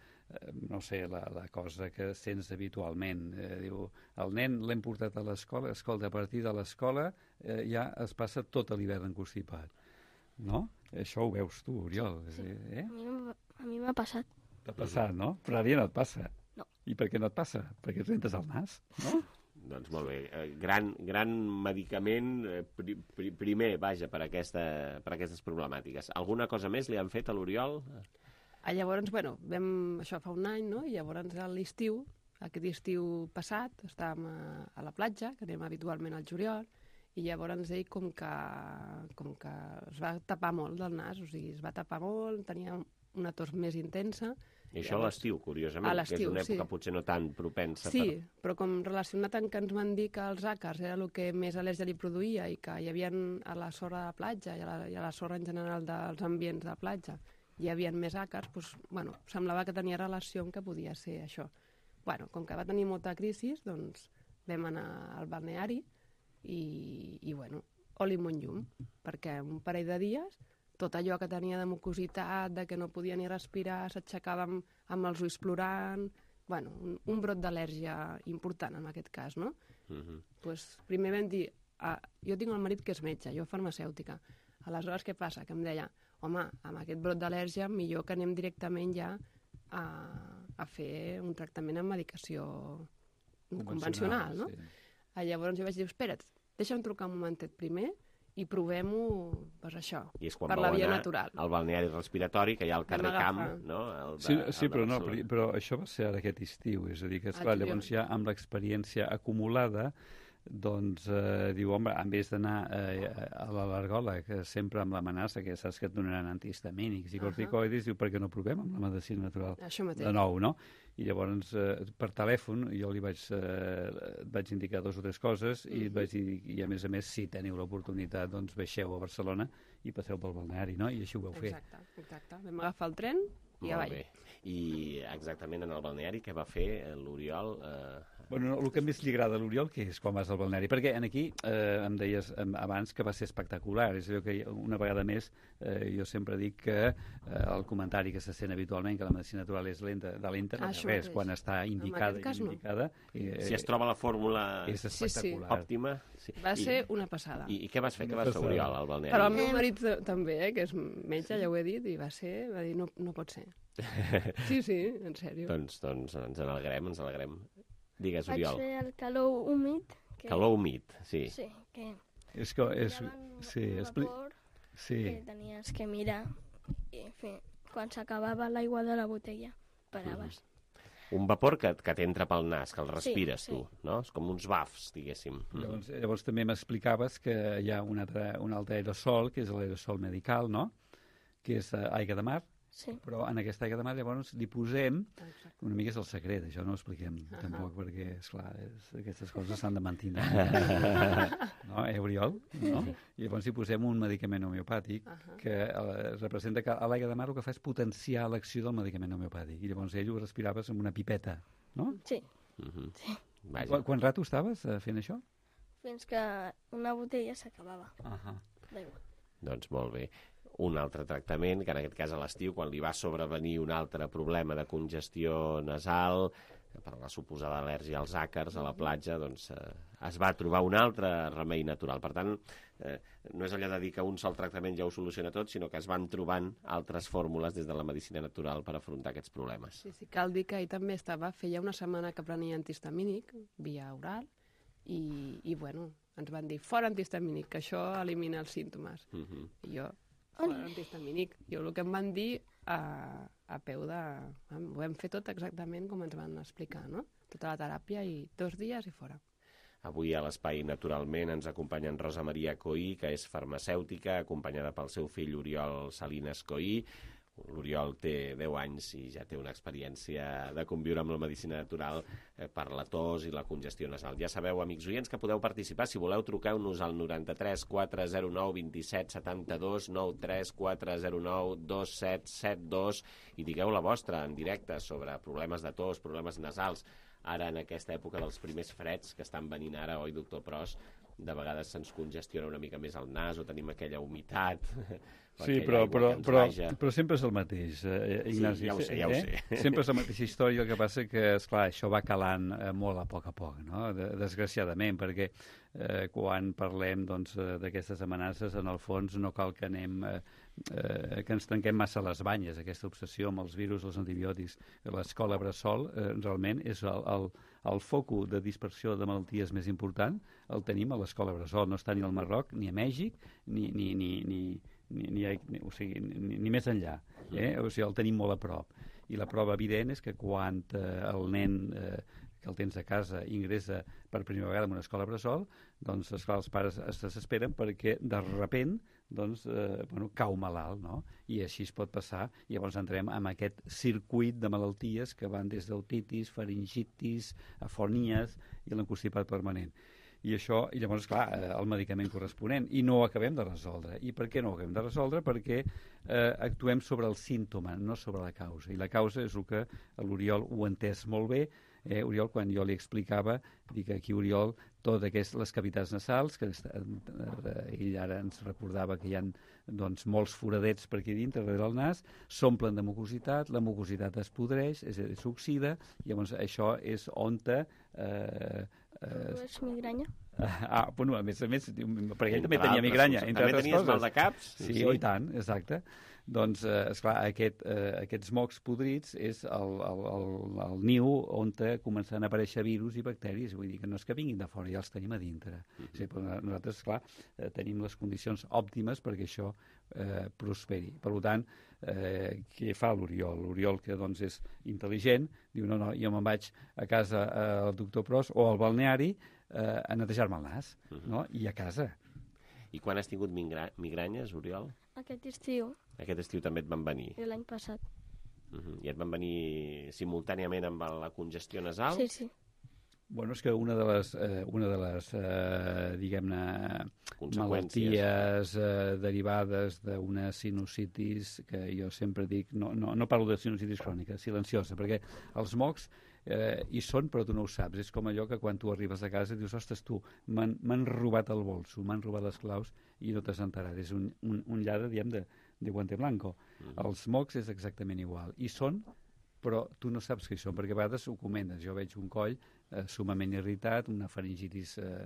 no sé, la, la cosa que sents habitualment. Eh, diu, el nen l'hem portat a l'escola, escolta, a partir de l'escola eh, ja es passa tot l'hivern constipat. No? Això ho veus tu, Oriol.
Sí.
Eh?
A mi m'ha passat.
T'ha passat, no? Però ara ja no et passa.
No.
I per què no et passa? Perquè et rentes el nas, no?
Doncs molt bé. Gran, gran medicament, eh, pri, pri, primer, vaja, per, aquesta, per aquestes problemàtiques. Alguna cosa més li han fet a l'Oriol?
Ah, llavors, bueno, vam, això fa un any, no? I llavors a l'estiu, aquest estiu passat, estàvem a, a la platja, que anem habitualment al juliol, i llavors ell com que, com que es va tapar molt del nas, o sigui, es va tapar molt, tenia una tos més intensa.
I això a l'estiu, curiosament, que és una època sí. potser no tan propensa.
Sí,
per...
però com relacionat amb que ens van dir que els àcars era el que més al·lèrgia li produïa i que hi havia a la sorra de platja i a la, i a la sorra en general dels ambients de platja, hi havia més àcars, doncs, bueno, semblava que tenia relació amb que podia ser això. Bueno, com que va tenir molta crisi, doncs vam anar al balneari i, i bueno, oli amb un llum, perquè un parell de dies tot allò que tenia de mucositat, de que no podia ni respirar, s'aixecava amb, amb els ulls plorant... Bueno, un, un brot d'al·lèrgia important en aquest cas, no? Uh-huh. Pues, primer vam dir, ah, jo tinc el marit que és metge, jo farmacèutica. Aleshores, què passa? Que em deia, home, amb aquest brot d'al·lèrgia millor que anem directament ja a, a fer un tractament amb medicació convencional, no? Sí. Llavors jo vaig dir, espera't, deixa'm trucar un momentet primer i provem-ho, doncs això,
I és quan
per la via natural.
Al balneari respiratori, que hi ha al carrer Camp, no? El de,
sí, sí
el
però, no, però, però això va ser ara aquest estiu, és a dir, que esclar, llavors ja amb l'experiència acumulada doncs eh, diu, home, en vez d'anar eh, a l'al·lergòleg sempre amb l'amenaça, que saps que et donaran antihistamínics i corticoides, uh -huh. diu, per què no provem amb la medicina natural de nou, no? I llavors, eh, per telèfon, jo li vaig, eh, vaig indicar dos o tres coses uh -huh. i et vaig dir, i a més a més, si teniu l'oportunitat, doncs baixeu a Barcelona i passeu pel balneari, no? I així ho vau fer.
Exacte, exacte. Vam agafar el tren i avall.
Molt bé. I exactament en el balneari, què va fer l'Oriol? Eh...
Bueno, no, el que més li agrada a l'Oriol, què és quan vas al balneari? Perquè en aquí eh, em deies eh, abans que va ser espectacular. És a dir, que una vegada més eh, jo sempre dic que eh, el comentari que se sent habitualment, que la medicina natural és lenta, de lenta, ah, res, quan està indicada i indicada...
No. Eh, si es troba la fórmula
és espectacular.
Sí, sí. òptima...
Sí. Va I, ser una passada.
I, i què vas fer? Què vas fer, Oriol, al balneari?
Però el meu marit també, eh, que és metge, ja ho he dit, i va ser... Va dir, no, no pot ser. Sí, sí, en sèrio.
doncs, doncs ens n'alegrem, ens n'alegrem. Digues, Oriol.
Vaig fer el calor humit.
Que... Calor humit, sí.
Sí, que...
És que... És... Sí, expli...
sí. Que tenies que mirar i fer... Quan s'acabava l'aigua de la botella, paraves.
Un vapor que, que t'entra pel nas, que el respires
Sí, sí.
tu, no? És com uns bafs, diguéssim.
Llavors, llavors també m'explicaves que hi ha un altre, un altre aerosol, que és l'aerosol medical, no? Que és eh, aigua de mar.
Sí.
Però en aquesta aigua de mar llavors li posem, una mica és el secret, això no ho expliquem uh -huh. tampoc, perquè, esclar, és, aquestes coses s'han de mantenir. No, eh, Oriol? No? I llavors hi posem un medicament homeopàtic uh -huh. que eh, representa que a l'aigua de mar el que fa és potenciar l'acció del medicament homeopàtic. I llavors ell ho respiraves amb una pipeta, no?
Sí.
Uh -huh.
Sí.
Qu Quant rato estaves eh, fent això?
Fins que una botella s'acabava.
Uh -huh.
D'aigua.
Doncs molt bé. Un altre tractament, que en aquest cas a l'estiu, quan li va sobrevenir un altre problema de congestió nasal, per la suposada al·lèrgia als àcars a la platja, doncs eh, es va trobar un altre remei natural. Per tant, eh, no és allò de dir que un sol tractament ja ho soluciona tot, sinó que es van trobant altres fórmules des de la medicina natural per afrontar aquests problemes.
Sí, sí, cal dir que ell també estava, feia una setmana que prenia antihistamínic, via oral, i, i bueno, ens van dir, fora antihistamínic, que això elimina els símptomes. Uh -huh. I jo, fora antihistamínic. Jo el que em van dir a, a peu de... Ho vam fer tot exactament com ens van explicar, no? Tota la teràpia i dos dies i fora.
Avui a l'Espai Naturalment ens acompanya en Rosa Maria Coí, que és farmacèutica, acompanyada pel seu fill Oriol Salines Coí. L'Oriol té deu anys i ja té una experiència de conviure amb la medicina natural eh, per la tos i la congestió nasal. Ja sabeu, amics oients, que podeu participar. Si voleu, truqueu-nos al noranta-tres quatre zero nou vint-i-set setanta-dos, noranta-tres quatre zero nou dos set set dos i digueu la vostra en directe sobre problemes de tos, problemes nasals. Ara, en aquesta època dels primers freds que estan venint ara, oi, doctor Pros, de vegades se'ns congestiona una mica més el nas o tenim aquella humitat.
Sí, però, però, però, però sempre és el mateix, eh, Ignasi.
Sí, ja ho sé, ja ho sé.
Eh? Sempre és la mateixa història, el que passa que, esclar, això va calant eh, molt a poc a poc, no? De, desgraciadament, perquè eh, quan parlem doncs, d'aquestes amenaces, en el fons no cal que anem... Eh, eh, que ens trenquem massa les banyes, aquesta obsessió amb els virus, els antibiòtics. L'escola Bressol eh, realment és el, el, el focus de dispersió de malalties més important, el tenim a l'escola Bressol, no està ni al Marroc, ni a Mèxic, ni, ni, ni, ni, ni, ni, ni, o sigui, ni, ni més enllà. Eh? O sigui, el tenim molt a prop. I la prova evident és que quan eh, el nen eh, que el tens a casa ingressa per primera vegada en una escola Bressol, doncs, esclar, els pares es desesperen perquè de sobte doncs, eh, bueno, cau malalt, no? I així es pot passar, i llavors entrem en aquest circuit de malalties que van des d'otitis, faringitis, afonies i l'encostipat permanent. I això, i llavors, clar, el medicament corresponent, i no ho acabem de resoldre. I per què no ho acabem de resoldre? Perquè eh, actuem sobre el símptoma, no sobre la causa. I la causa és el que l'Oriol ho ha entès molt bé. Eh, Oriol, quan jo li explicava, dic aquí, Oriol, totes aquestes, les cavitats nasals, que eh, ell ara ens recordava que hi ha doncs, molts foradets per aquí dintre, darrere del nas, s'omplen de mucositat, la mucositat es podreix, s'oxida, i llavors això és on te... Eh,
Uh, és migranya?
Ah, bueno, a més a més, perquè ell també tenia migranya.
Entre també tenies coses. Mal de caps?
Sí, sí, i tant, exacte. Doncs, eh, esclar, aquest, eh, aquests mocs podrits és el, el, el, el niu on comencen a aparèixer virus i bacteris. Vull dir que no és que vinguin de fora, ja els tenim a dintre. Mm-hmm. Sí, però nosaltres, esclar, eh, tenim les condicions òptimes perquè això eh, prosperi. Per tant, eh, què fa l'Oriol? L'Oriol, que doncs és intel·ligent, diu, no, no, jo me'n vaig a casa eh, al doctor Pros o al balneari eh, a netejar-me el nas, mm-hmm. no? I a casa.
I quan has tingut migra migranyes, Oriol?
Aquest estiu.
Aquest estiu també et van venir?
I l'any passat.
Uh-huh. I et van venir simultàniament amb la congestió nasal?
Sí, sí.
Bueno, és que una de les, eh, una de les eh, diguem-ne, malalties eh, derivades d'una sinusitis, que jo sempre dic, no, no, no parlo de sinusitis crònica, silenciosa, perquè els mocs eh, hi són però tu no ho saps. És com allò que quan tu arribes a casa dius, ostres, tu, m'han robat el bolso, m'han robat les claus i no t'has enterat. És un, un, un lladre, diguem, de, de guante blanco. Mm-hmm. Els mocs és exactament igual. I són, però tu no saps què hi són, perquè a vegades ho comentes. Jo veig un coll eh, sumament irritat, una faringitis eh,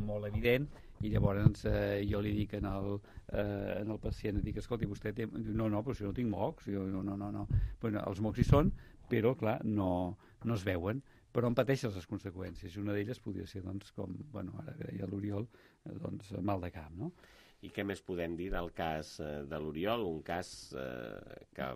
molt evident, i llavors eh, jo li dic en el, eh, en el pacient, dic, escolti, vostè té... No, no, però si no tinc mocs, jo, no, no, no, no. Bueno, els mocs hi són, però, clar, no, no es veuen, però en pateixes les conseqüències. I una d'elles podria ser, doncs, com, bueno, ara deia l'Oriol, doncs, mal de cap, no?
I què més podem dir del cas eh, de l'Oriol? Un cas eh, que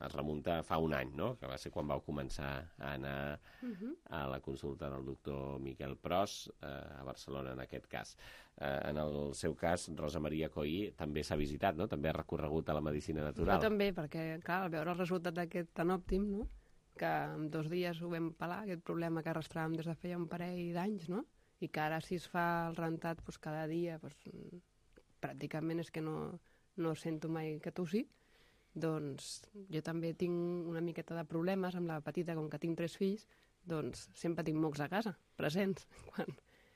es remunta fa un any, no? Que va ser quan vau començar a anar uh-huh. a la consulta del doctor Miquel Pros eh, a Barcelona, en aquest cas. Eh, en el seu cas, Rosa Maria Coí també s'ha visitat, no? També ha recorregut a la medicina natural.
Jo també, perquè, clar, al veure el resultat d'aquest tan òptim, no? Que en dos dies ho vam pelar, aquest problema que arrastràvem des de feia un parell d'anys, no? I que ara si es fa el rentat doncs, cada dia, doncs, pràcticament és que no, no sento mai que tossi. Doncs jo també tinc una miqueta de problemes amb la petita, com que tinc tres fills, doncs sempre tinc mocs a casa, presents, quan,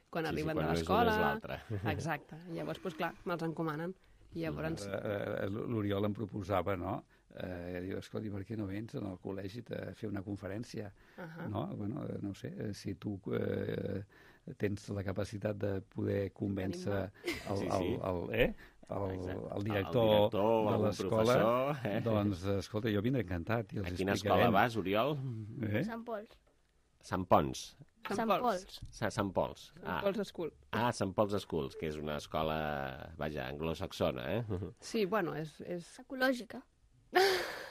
quan
sí,
arriben
sí, quan
de l'escola.
No és l'altre.
Exacte. Llavors, doncs clar, me'ls encomanen. I llavors...
Uh, L'Oriol em proposava, no?, Eh, diu, escolta, per què no vens al col·legi a fer una conferència? Uh-huh. No? Bueno, no sé, si tu eh, tens la capacitat de poder convèncer el, el, el, el, eh? el, el, director, el director de l'escola, eh? Doncs, escolta, jo vindré encantat. I els
a quina
explicarem.
Escola vas, Oriol?
Eh? Sant Pols.
Sant Pons.
Sant Pols.
Sant Pols.
Ah. Sant Pols School.
Ah, Sant Pols Schools, que és una escola, vaja, anglosaxona, eh?
Sí, bueno, és... és...
ecològica.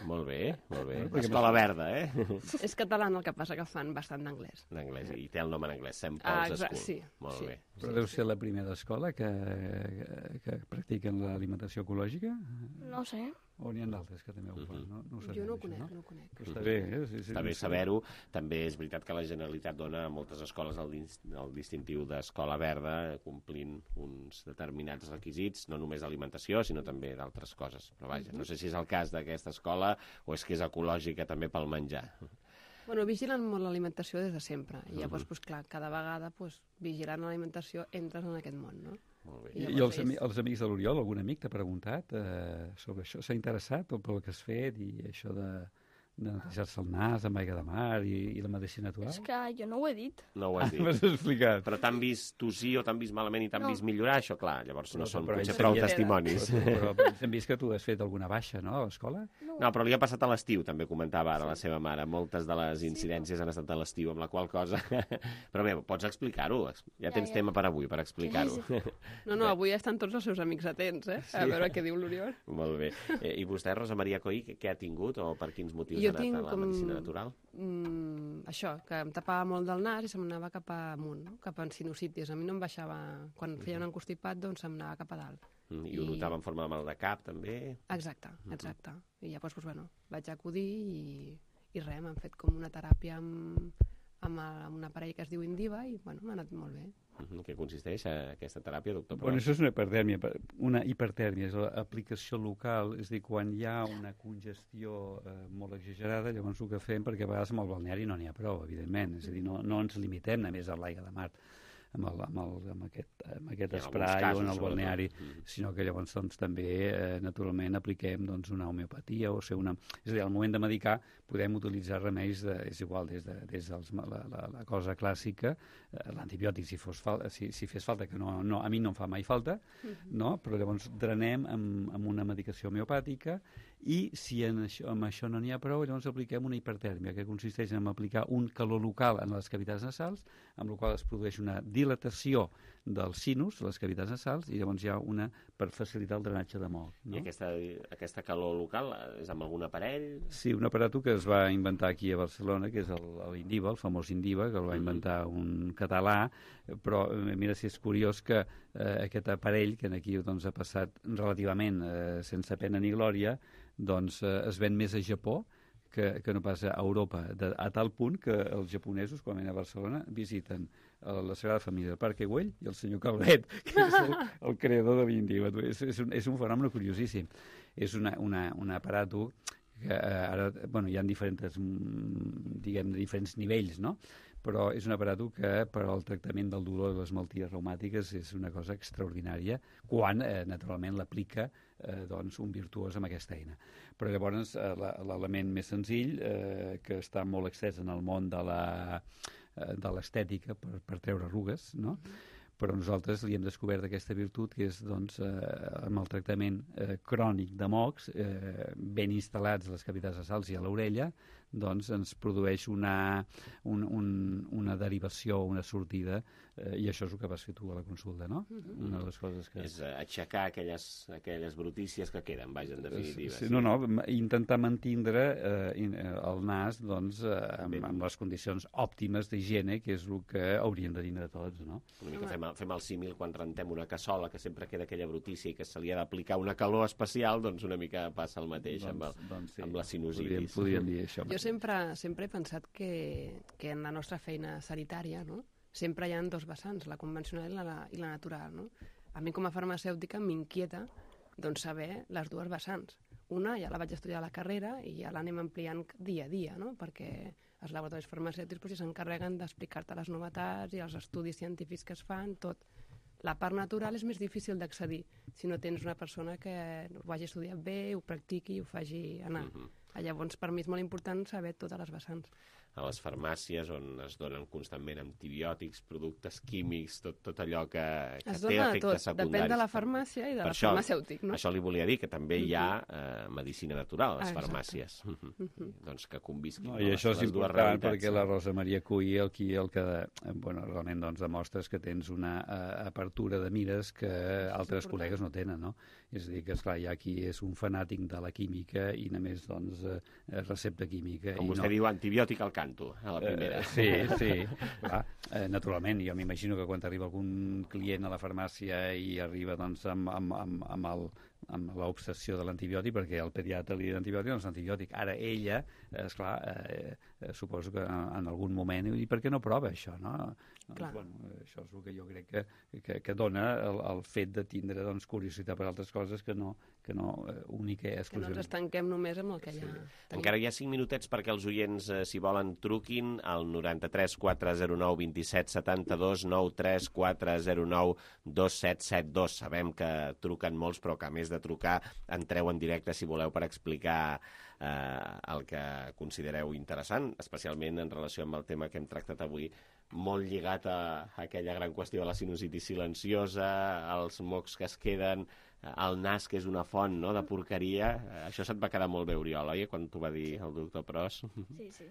Molt bé, molt bé. Escola verda, eh?
És català, el que passa que fan bastant d'anglès.
D'anglès, i té el nom en anglès, Sant Paul's
ah,
School.
Sí,
molt
sí.
bé.
Però deu ser la primera escola que, que, que practiquen l'alimentació ecològica?
No sé.
O n'hi ha d'altres que també ho fan? No, no ho sabem,
jo no ho
això,
conec,
no?
no ho conec.
Però està bé, eh? Sí, sí,
està bé
sí.
saber-ho. També és veritat que la Generalitat dona a moltes escoles el, el distintiu d'escola verda, complint uns determinats requisits, no només d'alimentació, sinó també d'altres coses. Però vaja, no sé si és el cas d'aquesta escola o és que és ecològica també pel menjar.
Bueno, vigilen molt l'alimentació des de sempre. I llavors, uh-huh. pues, clar, cada vegada pues, vigilant l'alimentació entres en aquest món, no?
Molt bé.
I, I els, ami els amics de l'Oriol, algun amic t'ha preguntat eh, sobre això? S'ha interessat pel que has fet i això de, de netejar-se el nas amb aigua de mar i, i la medicina natural?
És que jo no ho he dit.
No ho has dit.
Ah, m'has explicat.
Però t'han vist tossir o t'han vist malament i t'han
no.
vist millorar, això, clar, llavors no
però,
són
però
potser prou
vist,
testimonis.
Però, però hem vist que tu has fet alguna baixa, no, a l'escola?
No.
no, però li ha passat a l'estiu, també comentava ara sí. la seva mare. Moltes de les incidències sí, han estat a l'estiu, amb la qual cosa... però bé, pots explicar-ho. Ja tens ja, ja. tema per avui, per explicar-ho.
Sí, sí. No, no, avui estan tots els seus amics atents, eh? Sí. A veure què diu l'Oriol.
Molt bé. Eh, I vostè, Rosa Maria Coí, què ha tingut o per quins motius jo ha anat a la com... medicina natural?
Mm, això, que em tapava molt del nas i se'm anava cap amunt, no? Cap a sinusitis. A mi no em baixava... Quan feia un encostipat, doncs se'm anava cap a dalt.
Mm, I ho I... notava en forma de mal de cap, també?
Exacte, exacte. Mm -hmm. I llavors, doncs, bueno, vaig acudir i, i res, m'han fet com una teràpia amb, amb, amb un aparell que es diu Indiva i, bueno, m'ha anat molt bé.
Mm-hmm. Què consisteix aquesta teràpia, doctor Pros?
Bueno, això és una hipertèrmia. Una hipertèrmia és l'aplicació local, és a dir, quan hi ha una congestió eh, molt exagerada, llavors el que fem, perquè a vegades amb el balneari no n'hi ha prou, evidentment, és a dir, no, no ens limitem només a l'aigua de mar, amb, el, amb, el, amb aquest, amb aquest esprai o en el balneari, mm. sinó que llavors doncs, també, eh, naturalment, apliquem doncs, una homeopatia, o sigui, una... és a dir, al moment de medicar podem utilitzar remeis, de, és igual, des de, des dels, la, la, la cosa clàssica, eh, l'antibiòtic, si, fos fal si, si fes falta, que no, no, a mi no em fa mai falta, mm-hmm. no? Però llavors drenem amb, amb una medicació homeopàtica i si en això, amb això no n'hi ha prou, llavors apliquem una hipertèrmia, que consisteix en aplicar un calor local en les cavitats nasals, amb la qual es produeix una dilatació dels sinus, les cavitats nasals, i llavors hi ha una per facilitar el drenatge de moc. No?
I aquesta, aquesta calor local és amb algun aparell?
Sí, un aparato que es va inventar aquí a Barcelona, que és l'Indiva, el famós Indiva, que el va inventar un català, però mira si és curiós que eh, aquest aparell, que aquí doncs, ha passat relativament eh, sense pena ni glòria, doncs eh, es ven més a Japó que, que no passa a Europa, de, a tal punt que els japonesos, quan venen a Barcelona, visiten la Sagrada Família del Parc Güell i el senyor Calvet, que és el, el creador de l'Indiva. És, és, un, és un fenomen curiosíssim. És una, una, un aparato que eh, ara, bueno, hi ha diferents, diguem, diferents nivells, no? Però és un aparato que per al tractament del dolor de les malalties reumàtiques és una cosa extraordinària quan, eh, naturalment, l'aplica eh, doncs, un virtuós amb aquesta eina. Però llavors eh, l'element més senzill, eh, que està molt extès en el món de la de l'estètica per, per treure arrugues, no? Però nosaltres li hem descobert aquesta virtut que és, doncs, eh, amb el tractament eh, crònic de mocs, eh, ben instal·lats a les cavitats nasals i a l'orella, doncs ens produeix una, un, un, una derivació, una sortida, eh, i això és el que vas fer tu a la consulta, no?
Mm-hmm.
Una de les coses que...
És aixecar aquelles, aquelles brutícies que queden, vaja, en definitiva.
Sí, no, no, intentar mantindre eh, el nas doncs, eh, amb, amb les condicions òptimes d'higiene, que és el que hauríem de tindre tots, no?
Una mica fem, fem el símil quan rentem una cassola, que sempre queda aquella brutícia i que se li ha d'aplicar una calor especial, doncs una mica passa el mateix doncs, amb, el, doncs sí, amb la sinusitis.
Podríem, podríem dir això.
Jo sempre, sempre he pensat que, que en la nostra feina sanitària, no?, sempre hi ha dos vessants, la convencional i la, i la natural, no? A mi com a farmacèutica m'inquieta doncs, saber les dues vessants. Una ja la vaig estudiar a la carrera i ja l'anem ampliant dia a dia, no?, perquè els laboratoris farmacèutics doncs, ja s'encarreguen d'explicar-te les novetats i els estudis científics que es fan, tot. La part natural és més difícil d'accedir si no tens una persona que ho hagi estudiat bé, ho practiqui i ho faci anar. Mm-hmm. Llavors, per mi és molt important saber totes les vessants.
A les farmàcies, on es donen constantment antibiòtics, productes químics, tot, tot allò que, que
es
té efectes
tot.
secundaris.
Depèn de la farmàcia i de
per
la
això,
farmacèutic, no?
Això li volia dir, que també hi ha eh, medicina natural a les
ah,
farmàcies. Mm-hmm. Doncs que convisquin
no,
no,
I
les,
això és
les dues
important
realitats.
perquè la Rosa Maria Cuy el, qui, el que bueno, realment doncs, demostres que tens una uh, apertura de mires que altres col·legues no tenen, no? És a dir, que esclar, hi ha qui és un fanàtic de la química i només doncs, uh, recepta química.
Com
i
vostè
no...
diu, antibiòtic al canto, a la primera.
Uh, sí, sí. Clar, eh, naturalment, jo m'imagino que quan arriba algun client a la farmàcia i arriba doncs, amb, amb, amb, amb el amb l'obsessió de l'antibiòtic, perquè el pediatre li diu antibiòtic, doncs antibiòtic. Ara ella, eh, esclar, eh, eh, suposo que en algun moment, i per què no prova això, no? Doncs, bueno, això és el que jo crec que, que, que dona el, el fet de tindre doncs, curiositat per altres coses que no, que no eh, única i exclusivament.
Que no ens estanquem només amb el que ja...
Sí. Encara hi ha cinc minutets perquè els oients, eh, si volen, truquin al noranta-tres quatre zero nou vint set setanta-dos, nou tres quatre zero nou dos set set dos. Sabem que truquen molts, però que a més de trucar entreu en directe si voleu per explicar eh, el que considereu interessant, especialment en relació amb el tema que hem tractat avui, molt lligat a, a aquella gran qüestió de la sinusitis silenciosa, als mocs que es queden, al nas, que és una font, no?, de porqueria. Això se't va quedar molt bé, Oriol, oi?, quan t'ho va dir el doctor Pros.
Sí, sí.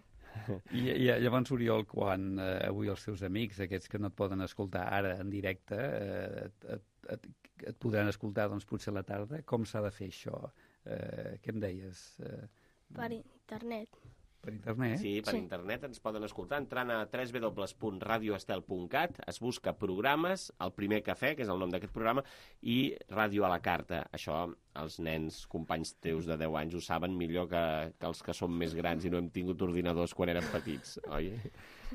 I, i llavors, Oriol, quan eh, avui els teus amics, aquests que no et poden escoltar ara en directe, eh, et, et, et, et podran escoltar doncs, potser a la tarda, com s'ha de fer això? Eh, què em deies? Eh,
per internet.
Per internet?
Sí, per sí. internet ens poden escoltar entrant a w w w punt radio estel punt cat, es busca programes, el primer cafè, que és el nom d'aquest programa, i Ràdio a la carta. Això els nens, companys teus de deu anys, ho saben millor que, que els que som més grans i no hem tingut ordinadors quan érem petits, oi?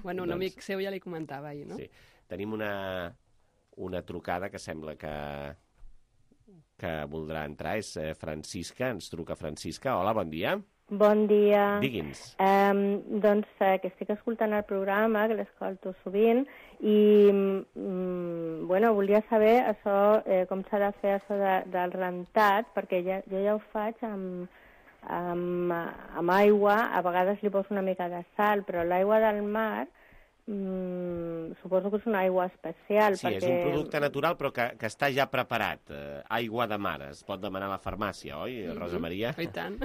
Bueno, un doncs, amic seu ja li comentava ahir, no?
Sí. Tenim una, una trucada que sembla que, que voldrà entrar, és Francisca, ens truca Francisca. Hola, bon dia.
Bon dia.
Digui'ns.
Um, doncs eh, que estic escoltant el programa, que l'escolto sovint, i mm, bueno, volia saber això, eh, com s'ha de fer això de, del rentat, perquè ja, jo ja ho faig amb, amb, amb aigua, a vegades li poso una mica de sal, però l'aigua del mar Mm, suposo que és una aigua especial.
Sí,
perquè...
és un producte natural però que, que està ja preparat. Eh, aigua de mar, es pot demanar a la farmàcia, oi, mm-hmm. Rosa Maria?
I tant.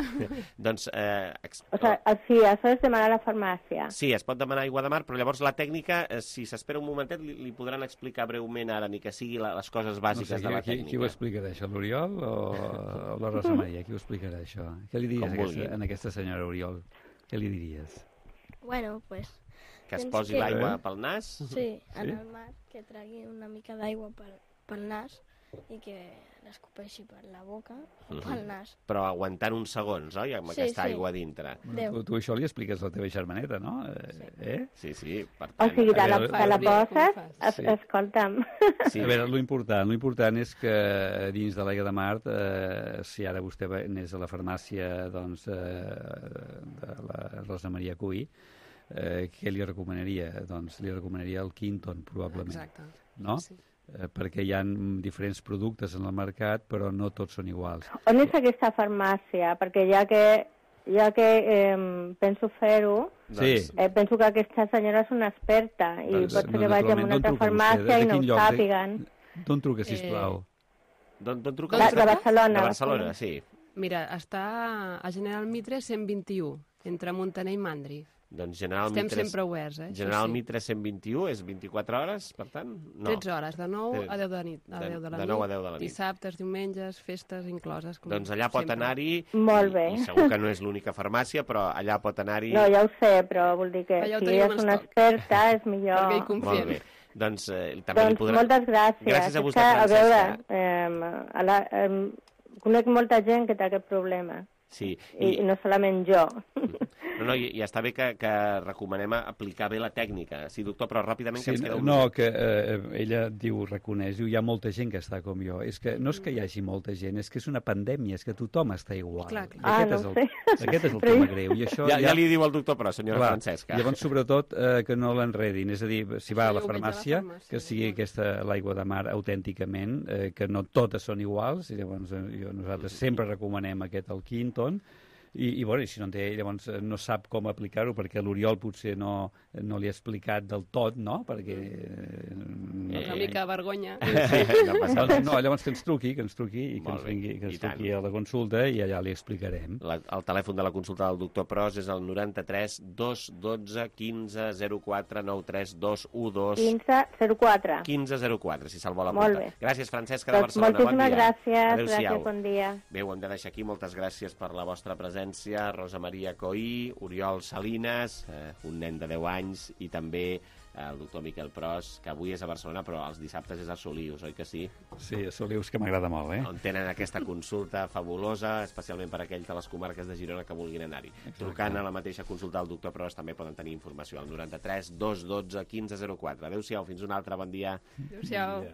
Doncs... Eh, exp...
O sigui, sí, això és demanar a la farmàcia.
Sí, es pot demanar aigua de mar, però llavors la tècnica, eh, si s'espera un momentet, li, li podran explicar breument ara, ni que sigui la, les coses bàsiques no sé, de la
qui,
tècnica.
Qui ho explicarà, això, l'Oriol o, o la Rosa Maria? Qui ho explicarà, això? Què li diries a aquesta, a aquesta senyora Oriol? Què li diries?
Bueno, pues...
Que es posi que... l'aigua pel nas?
Sí, en sí? el mar, que tregui una mica d'aigua pel, pel nas i que l'escopeixi per la boca o pel nas.
Però aguantant uns segons, oi? Amb sí, aquesta sí. aigua dintre.
Bueno, tu, tu això li expliques a la teva germaneta, no?
Sí,
eh?
sí, sí. Per
tant... O sigui, te la, te la poses, es, sí. escolta'm.
Sí. A veure, l'important, l'important és que dins de l'aigua de mar, eh, si ara vostè anés a la farmàcia doncs, eh, de la Rosa Maria Cuy, Eh, què li recomanaria? Doncs li recomanaria el Quinton, probablement.
Exacte.
No?
Sí.
Eh, perquè hi ha diferents productes en el mercat, però no tots són iguals.
On és aquesta farmàcia? Perquè ja que, ja que eh, penso fer-ho,
sí.
eh, penso que aquesta senyora és una experta i doncs, pot ser que vagi a una altra farmàcia i no ho sàpiguen.
D'on truca, sisplau?
Eh... D'on truca?
De, de Barcelona.
De Barcelona, sí.
Mira, està a General Mitre cent vint-i-u. entre Montaner i Mandri.
Doncs General
Estem
Mi tres...
sempre oberts, eh?
General
sí, sí.
Mi tres-cents vint-i-u és vint-i-quatre hores, per tant? No.
tretze hores, de nou a deu de, nit, a
de,
deu de la
de
nit.
nou a deu de la nit.
Dissabtes, diumenges, festes incloses. Com
doncs allà pot anar-hi...
Molt bé.
I, I segur que no és l'única farmàcia, però allà pot anar-hi...
No, ja ho sé, però vol dir que
allà
si és una experta és millor...
Perquè hi confiem.
Molt bé. Doncs, eh, també
doncs
li podrà...
moltes gràcies.
Gràcies a vostè,
que,
Francesca.
A veure, eh, a la, eh, conec molta gent que té aquest problema.
Sí.
I, I no solament jo.
No, no, i, i està bé que, que recomanem aplicar bé la tècnica. Sí, doctor, però ràpidament
sí,
que ens queda un...
No, que eh, ella diu, reconeix, diu, hi ha molta gent que està com jo. És que no és que hi hagi molta gent, és que és una pandèmia, és que tothom està igual.
Clar, clar.
Ah,
aquest,
no
és el,
sé.
aquest és el tema greu. I això
ja, ja... ja li diu el doctor, però, senyora
clar,
Francesca.
Llavors, sobretot, eh, que no l'enredin. És a dir, si va a la
Sí,
farmàcia,
la farmàcia,
que sigui aquesta l'aigua de mar autènticament, eh, que no totes són iguals, i llavors eh, jo, nosaltres sempre recomanem aquest al Quinton. I, i, bueno, i si no en té, llavors no sap com aplicar-ho, perquè l'Oriol potser no, no li ha explicat del tot, no? Perquè... Eh,
una mica de vergonya.
Sí, no passa
doncs,
res.
no, llavors que ens truqui, que ens truqui i que
Molt
ens,
bé,
vingui, que
i
ens truqui a la consulta i allà li explicarem.
La, el telèfon de la consulta del doctor Pros és el noranta-tres dos dotze quinze zero quatre nou tres dos u dos
quinze zero quatre.
quinze zero quatre, si se'l vol
Molt
apuntar.
bé.
Gràcies, Francesca de
Doncs
Barcelona.
moltíssimes
bon dia.
gràcies, gràcies, bon dia.
Bé, ho hem de deixar aquí. Moltes gràcies per la vostra presència. Rosa Maria Coí, Oriol Salinas, eh, un nen de deu anys, i també el doctor Miquel Pros, que avui és a Barcelona, però els dissabtes és a Solius, oi que sí?
Sí, a Solius, que m'agrada molt, eh?
On tenen aquesta consulta fabulosa, especialment per a aquells de les comarques de Girona que vulguin anar-hi. Trucant a la mateixa consulta del doctor Pros també poden tenir informació al noranta-tres dos dotze quinze zero quatre. Adéu-siau, fins un altre, bon dia.
Adéu-siau.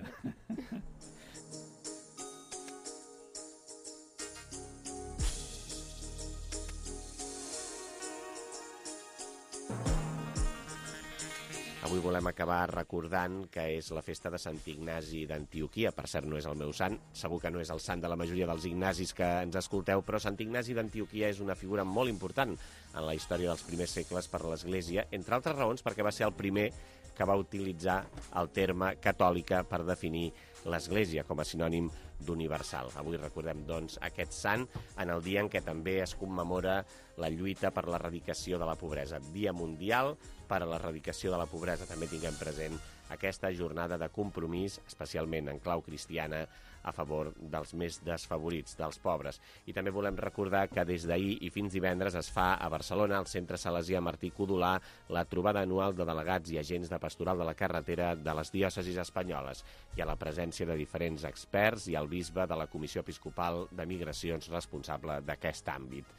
Avui volem acabar recordant que és la festa de Sant Ignasi d'Antioquia. Per cert, no és el meu sant, segur que no és el sant de la majoria dels Ignasis que ens escolteu, però Sant Ignasi d'Antioquia és una figura molt important en la història dels primers segles per l'Església, entre altres raons perquè va ser el primer que va utilitzar el terme catòlica per definir l'Església com a sinònim d'universal. Avui recordem, doncs, aquest sant en el dia en què també es commemora la lluita per l'erradicació de la pobresa. Dia Mundial per a l'erradicació de la pobresa. També tinguem present aquesta jornada de compromís, especialment en clau cristiana, a favor dels més desfavorits, dels pobres. I també volem recordar que des d'ahir i fins divendres es fa a Barcelona, al Centre Salesià Martí Codolà, la trobada anual de delegats i agents de pastoral de la carretera de les diòcesis espanyoles. Hi ha la presència de diferents experts i el bisbe de la Comissió Episcopal de Migracions responsable d'aquest àmbit.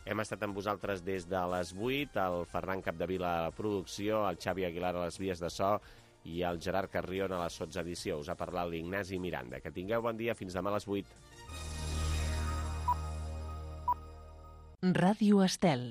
Hem estat amb vosaltres des de les vuit, el Ferran Capdevila a la producció, el Xavi Aguilar a les vies de so i el Gerard Carrion a la sotsedició. Us ha parlat l'Ignasi Miranda. Que tingueu bon dia, fins demà a les vuit.
Ràdio Estel.